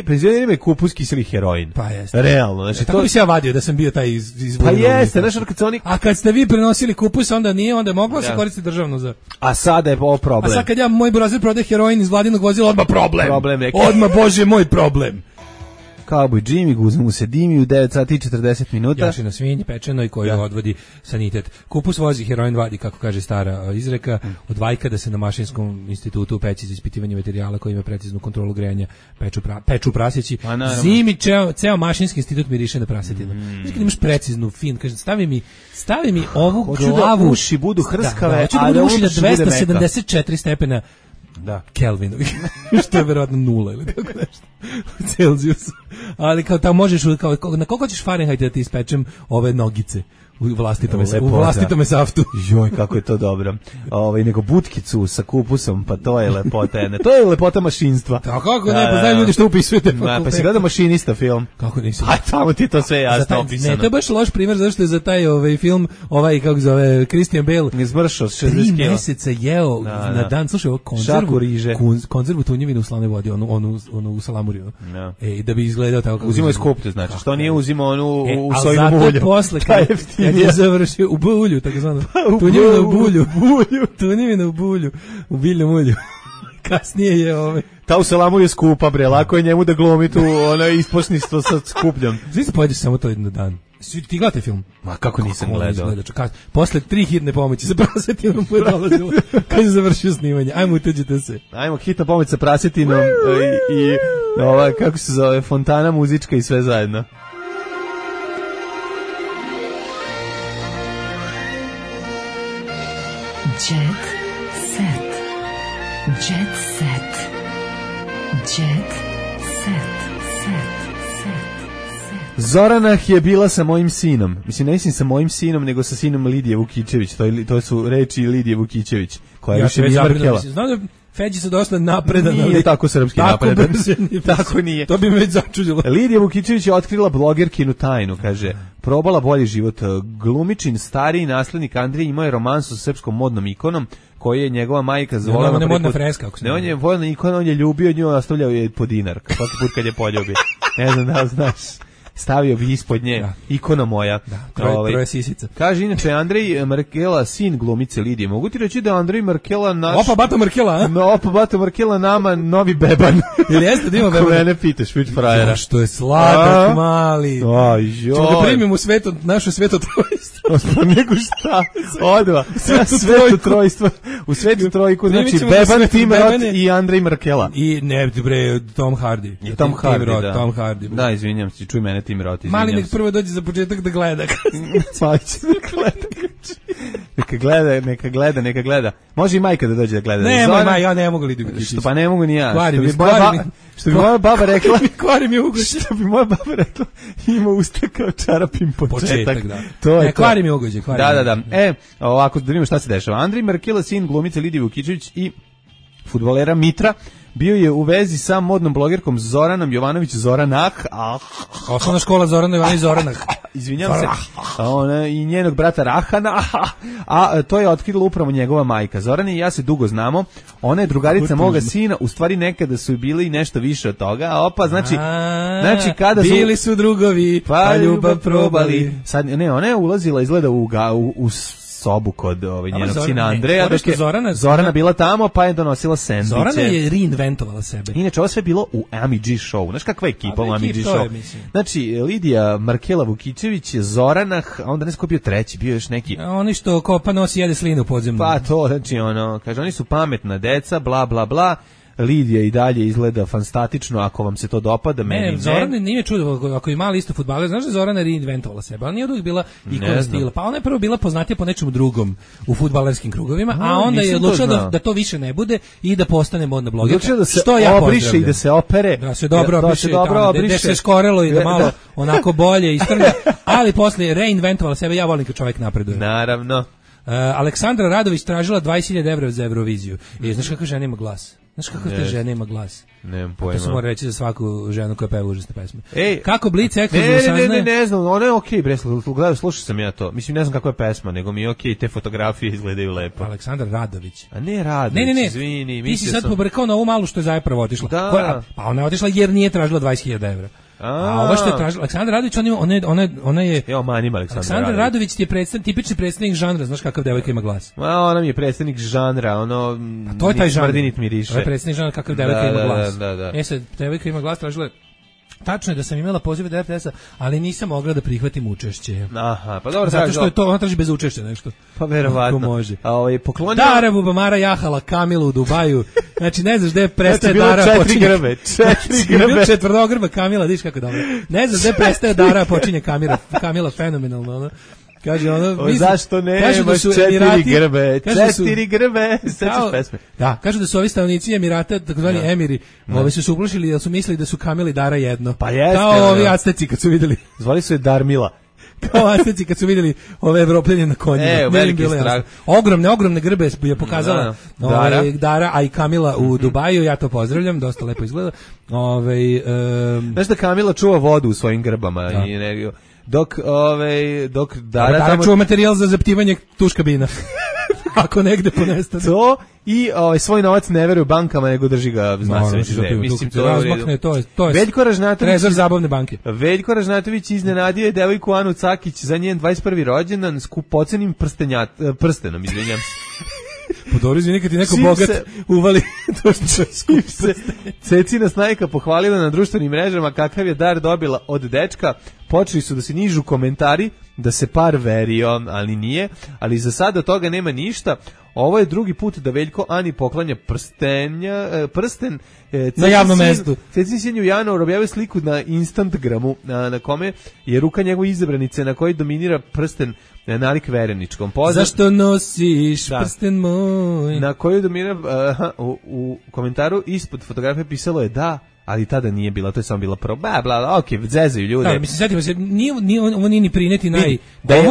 penzionerima je kupus kiseli heroin. Pa jeste. Realno. Znači, tako bi se ja vadio da sam bio taj iz pa jeste, znaš, kad se oni... A kad ste vi prenosili kupus, onda nije, onda je moglo se koristiti državno za... A sada je ovo problem. A sad kad moj burazer prodaje heroin iz vladinog vozila, odmah problem. Neki. Odmah, bože moj problem. Cowboy Jimmy, guza mu se dimi u 9 sati i 40 minuta. Jaši na svinji pečenoj koju odvodi sanitet. Kupus vozi, heroin vadi, kako kaže stara izreka, od vajka da se na Mašinskom institutu u peći za ispitivanje materijala koji ima preciznu kontrolu grejanja peču prasjeći. Zimi ceo Mašinski institut miriše na prasetinu. Znači kad imaš preciznu fin, kaže stavi mi ovu glavu, da uši budu hrskave, a da uši na 274 stepena Kelvinovi, što je verovatno 0 ili tako nešto u Celzijusu. Ali kao tamo možeš, na koliko ćeš Fahrenheit da ti ispečem ove nogice u vlastitome saftu. Joj, kako je to dobro. Nego butkicu sa kupusom, pa to je lepota jedne. To je lepota mašinstva. Tako kako ne, pa znaju ljudi što upisujete. Pa si gleda Mašinista film. Kako nisam? Aj, tamo ti to sve jasno opisano. Ne, to je baš loš primjer, zašto je za taj film, kako zove, Christian Bale, izmršao 60 kg. 3 meseca jeo na dan, slušaj, ovo konzervu tunjevinu u slanoj vodi, onu u salamuriju. Da bi izgledao tako kako. Uzimao je skuplje, znači, što nije uzimao onu u sojinom ulju. A zato posle, kad je završio u bulju, tako zvano. Tunjevina u bulju. Tunjevina u bulju. U biljnom ulju. Kasnije je ta u salamu je skupa, bre, lako je njemu da glomi tu ispošništvo sa skupljom. Svi se pojedeš samo to jedan dan. Ti gledate film? Ma kako nisam gledao. Posle 3 hitne pomoći sa prasetinom mu je dolazilo kad je završio snimanje. Ajmo, utuđite se. Ajmo, hitna pomoć sa prasetinom i kako se zove, fontana muzička i sve zajedno. Jet set. Jet set. Jet set. Zoranah je bila sa mojim sinom. Mislim sa mojim sinom, nego sa sinom Lidije Vukićević. To su reči Lidije Vukićević, koja više nije Markela. Znam da Feđi se dosta napredan. Nije tako srpski napredan. Tako nije. To bi me već začudilo. Lidija Vukićević je otkrila blogerkinu tajnu, kaže, probala bolji život. Glumičin, stariji naslednik Andrije, imao je romansu sa srpskom modnom ikonom, koji je njegova majka zvolila. On je modna freska. Ne, on je modna ikona, on je ljubio nju, ostavljao je po dinar. Svaki put kad je poljubi. Ne znam da znaš. Stavio bi ispod nje, ikona moja. Troje sisica. Kaže, inače, Andrej Markela, sin glumice Lidije. Mogu ti reći da Andrej Markela naš... Opa, Bato Markela, a? Opa, Bato Markela nama novi beban. Ili jeste da ima beban? Ako mene pitaš, vić frajera. Što je sladak, mali. Aj, joj. Čemo da primim u naše svetotrojstvo. Nego šta? Odva. Svetotrojstvo. U svetu trojku, znači beban, Tim Roth i Andrej Markela. I ne, bre, Tom Hardy. I Tom Hardy. Da, izvinjam se, čuj mene Tim Roth, izvinjam se. Mali nek prvo dođe za početak da gleda. Pa će da gleda. Neka gleda. Može i majka da dođe da gleda. Ne, ja ne mogu Lidiju. Što pa ne mogu ni ja. Što bi moja baba rekla, kvari mi ugođe. Što bi moja baba rekla, ima usta kao čarapim početak. Da. To je kvari mi ugođe. Da. Ovako, da vidimo šta se dešava. Andrej Markela, sin glumice Lidije Vukićević i fudbalera Mitra, bio je u vezi sa modnom blogerkom Zoranom Jovanović Zoranah. Osnovna škola Zorana Jovanović Zoranah. Izvinjam se. I njenog brata Rahana. A to je otkrila upravo njegova majka. Zorana i ja se dugo znamo. Ona je drugarica moga sina. U stvari nekada su bili nešto više od toga. Opa, znači kada su... Bili su drugovi, pa ljubav probali. Sad, ne, ona je ulazila, izgleda u sobu kod njenog sina Andreja, dok je Zorana bila tamo, pa je donosila sendviče. Zorana je reinventovala sebe. Inače, ovo sve bilo u Ami G show. Znaš kakva je ekipa u Ami G show? Znači, Lidija Markela Vukićević, Zoranah, a onda ne znam ko bio treći, bio još neki... Oni što kopa nosi jede slinu podzemno. Pa to, znači, kaže, oni su pametna deca, bla, bla, bla. Lidija i dalje izgleda fantastično, ako vam se to dopada, meni ne. Zorana nije čudo, ako je mali isto fudbaler, znaš da Zorana reinventovala sebe, ona nije uvijek bila ikona stila, pa ona je prvo bila poznatija po nečemu drugom u fudbalerskim krugovima, a onda je odlučila da to više ne bude i da postane modna blogerka. Odlučila da se obriše i da se opere. Da se dobro obriše, da se skorelo i da malo onako bolje istrlja, ali posle reinventovala sebe, ja volim kad čovjek napreduje. Naravno. Aleksandra Radović tražila 20.000 evra za Euroviziju. Znaš kakva žena ima glas? Znaš kako te žena ima glas? Nemam pojma. To se mora reći za svaku ženu koja peva užasne pesme. Kako Blic ekskluzivno saznaje? Ne znam, ona je okej, gledaj, slušao sam ja to. Mislim, ne znam kakva je pesma, nego mi je okej, te fotografije izgledaju lepo. Aleksandar Radović. A ne Radović, ne. Izvini. Ti si sad pobrkao na ovu malu što je zapravo otišla. Pa ona je otišla jer nije tražila 20.000 evra. A ovo što je tražila Aleksandar Radović, ona je Aleksandar Radović je tipični predstavnik žanra, znaš kakav devojka ima glas. Ona mi je predstavnik žanra, to je taj žanr. Mrdinit miriše. To je predstavnik žanra kakav devojka ima glas. Da. Sad devojka ima glas, tražila tačno je da sam imala poziv od RTS-a, ali nisam mogla da prihvatim učešće. Aha, pa dobro. Zato što je to, on traži bez učešća nešto. Pa verovatno. Ako može. A poklonio... Dara Bubamara jahala Kamilu u Dubaju. Znači, ne znaš gde prestaje Dara... Znači, bilo 4 grbe. 4 grbe. Četvrtogrba Kamila, vidiš kako dobro. Ne znaš gde prestaje Dara, počinje Kamila fenomenalno, ono. Kaže ono, zašto ne, imaš 4 grbe, 4 grbe, sećaš pesme. Da, kažu da su ovi stanovnici Emirata, takozvani emiri, ovi su se uplošili da su mislili da su Kamili Dara jedno. Pa jeste. Kao ovi Azteci kad su videli. Zvali su je Darmila. Kao Azteci kad su videli ove Evropljanje na konjima. Veliki strah. Ogromne grbe je pokazala Dara, a i Kamila u Dubaju, ja to pozdravljam, dosta lepo izgleda. Znaš da Kamila čuva vodu u svojim grbama i dok Dara tamo čuva materijal za zaptivanje tuškabina. Ako negde ponestane. To i svoj novac ne veruje bankama, nego drži ga mislim to je Veljko Ražnatović, trezor zabavne banke. Veljko Ražnatović iznenadio je devojku Anu Cakić za njen 21. rođendan skupocenim prstenom, izvinjam se. Podorizi nikad i neko bogat uvali to što se Cecina Snajka pohvalila na društvenim mrežama kakav je dar dobila od dečka. Počeli su da se nižu komentari da se par verio, ali nije, ali za sada od toga nema ništa. Ovo je drugi put da Veljko Ani poklanja prsten na javnom mestu. Cecin sin u januaru objavio sliku na Instagramu na kome je ruka njegove izabranice na kojoj dominira prsten nalik vereničkom. Zašto nosiš prsten moj? Na kojoj dominira u komentaru ispod fotografije pisalo je da, ali tada nije bila, to je samo bila okej, zezaju ljude. Da, mislim, setimo se, ovo nije ni prineti da je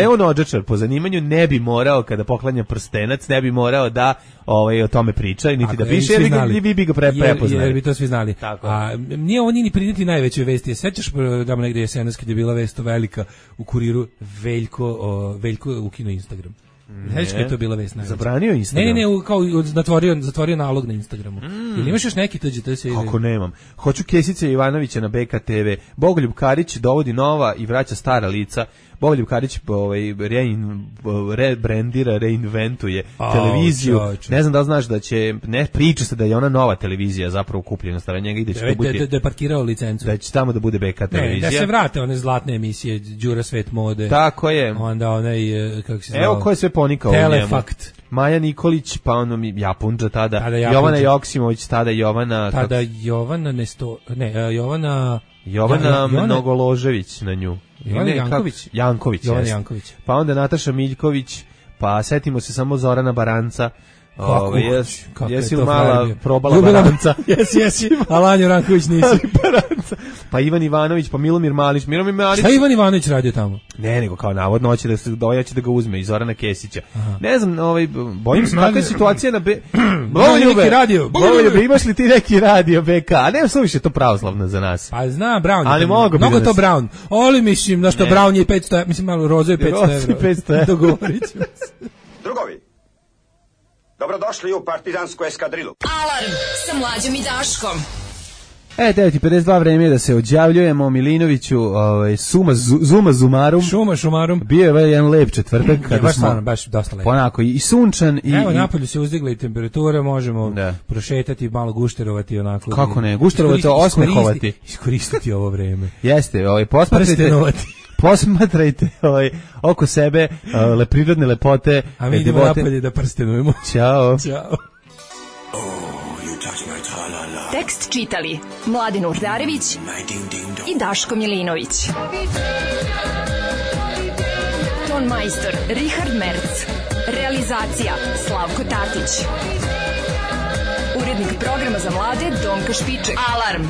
on odžačar po zanimanju, ne bi morao kada poklanja prstenac, ne bi morao da o tome priča, niti da piše, jer vi bi ga prepoznali. Jer bi to svi znali. A nije ovo ni prineti najveće vesti. Sećaš da negde jesenas kad je bila vest velika u Kuriru, Veljko ukino Instagram. Znaš kada je to bila vest najveća? Zabranio Instagram? Ne, kao zatvorio nalog na Instagramu. Ili imaš još neki tuđi? Kako nemam. Hoću Kesića Ivanovića na BKTV. Bogoljub Karić dovodi nova i vraća stara lica. Bogoljub Karić reinventuje televiziju. Ne znam da li znaš da će, ne priča se da je ona nova televizija zapravo kupljena stara njega i da će to bude... Da je parkirao licencu. Da će tamo da bude BK televizija. Da se vrate one zlatne emisije, Đura Svet mode. Tako je. Onda onaj, kako se zvao? Evo ko je sve ponikao Telefakt. u njemu. Maja Nikolić, pa ono Japunđa tada. Jovana Joksimović, tada Jovana... Jovana Mnogoložević na nju. Janković. Pa onda Nataša Miljković, pa setimo se samo Zorana Baranca. Jesi li mala probala Baranca? Jesi, Alanju Ranković nisi. Pa Ivan Ivanović, pa Milomir Malić. Šta Ivan Ivanović radio tamo? Ne, nego kao navodno hoće da ga uzme iz Zorana Kesića. Ne znam, bojim se kakva je situacija na Bogoljube, imaš li ti neki radio BK? A ne su više to pravoslavno za nas. Pa znam, Brown. Mnogo to Brown. Ali mislim, da što Brown je 500, mislim malo Rozo je 500 evra. Dogovorit ćemo se. Drugovi, dobrodošli u partizansku eskadrilu. Alarm sa Mlađom i Daškom. 9:52 vreme je da se odjavljujemo. Milinoviću, Zuma Zumarum. Bio je jedan lep četvrtak. Baš dosta lep. Onako, i sunčan. Evo, napolju se uzdigla i temperatura, možemo prošetati, malo gušterovati onako. Kako ne, gušterovati, osmehovati. Iskoristiti ovo vreme. Jeste, posmatrajte oko sebe prirodne lepote. A mi idemo napolje da prstenujemo. Ćao. Tekst čitali Mladin Urdarević i Daško Milinović. Ton majstor Richard Merc. Realizacija Slavko Tatić. Urednik programa za mlade Donka Špiček. Alarm.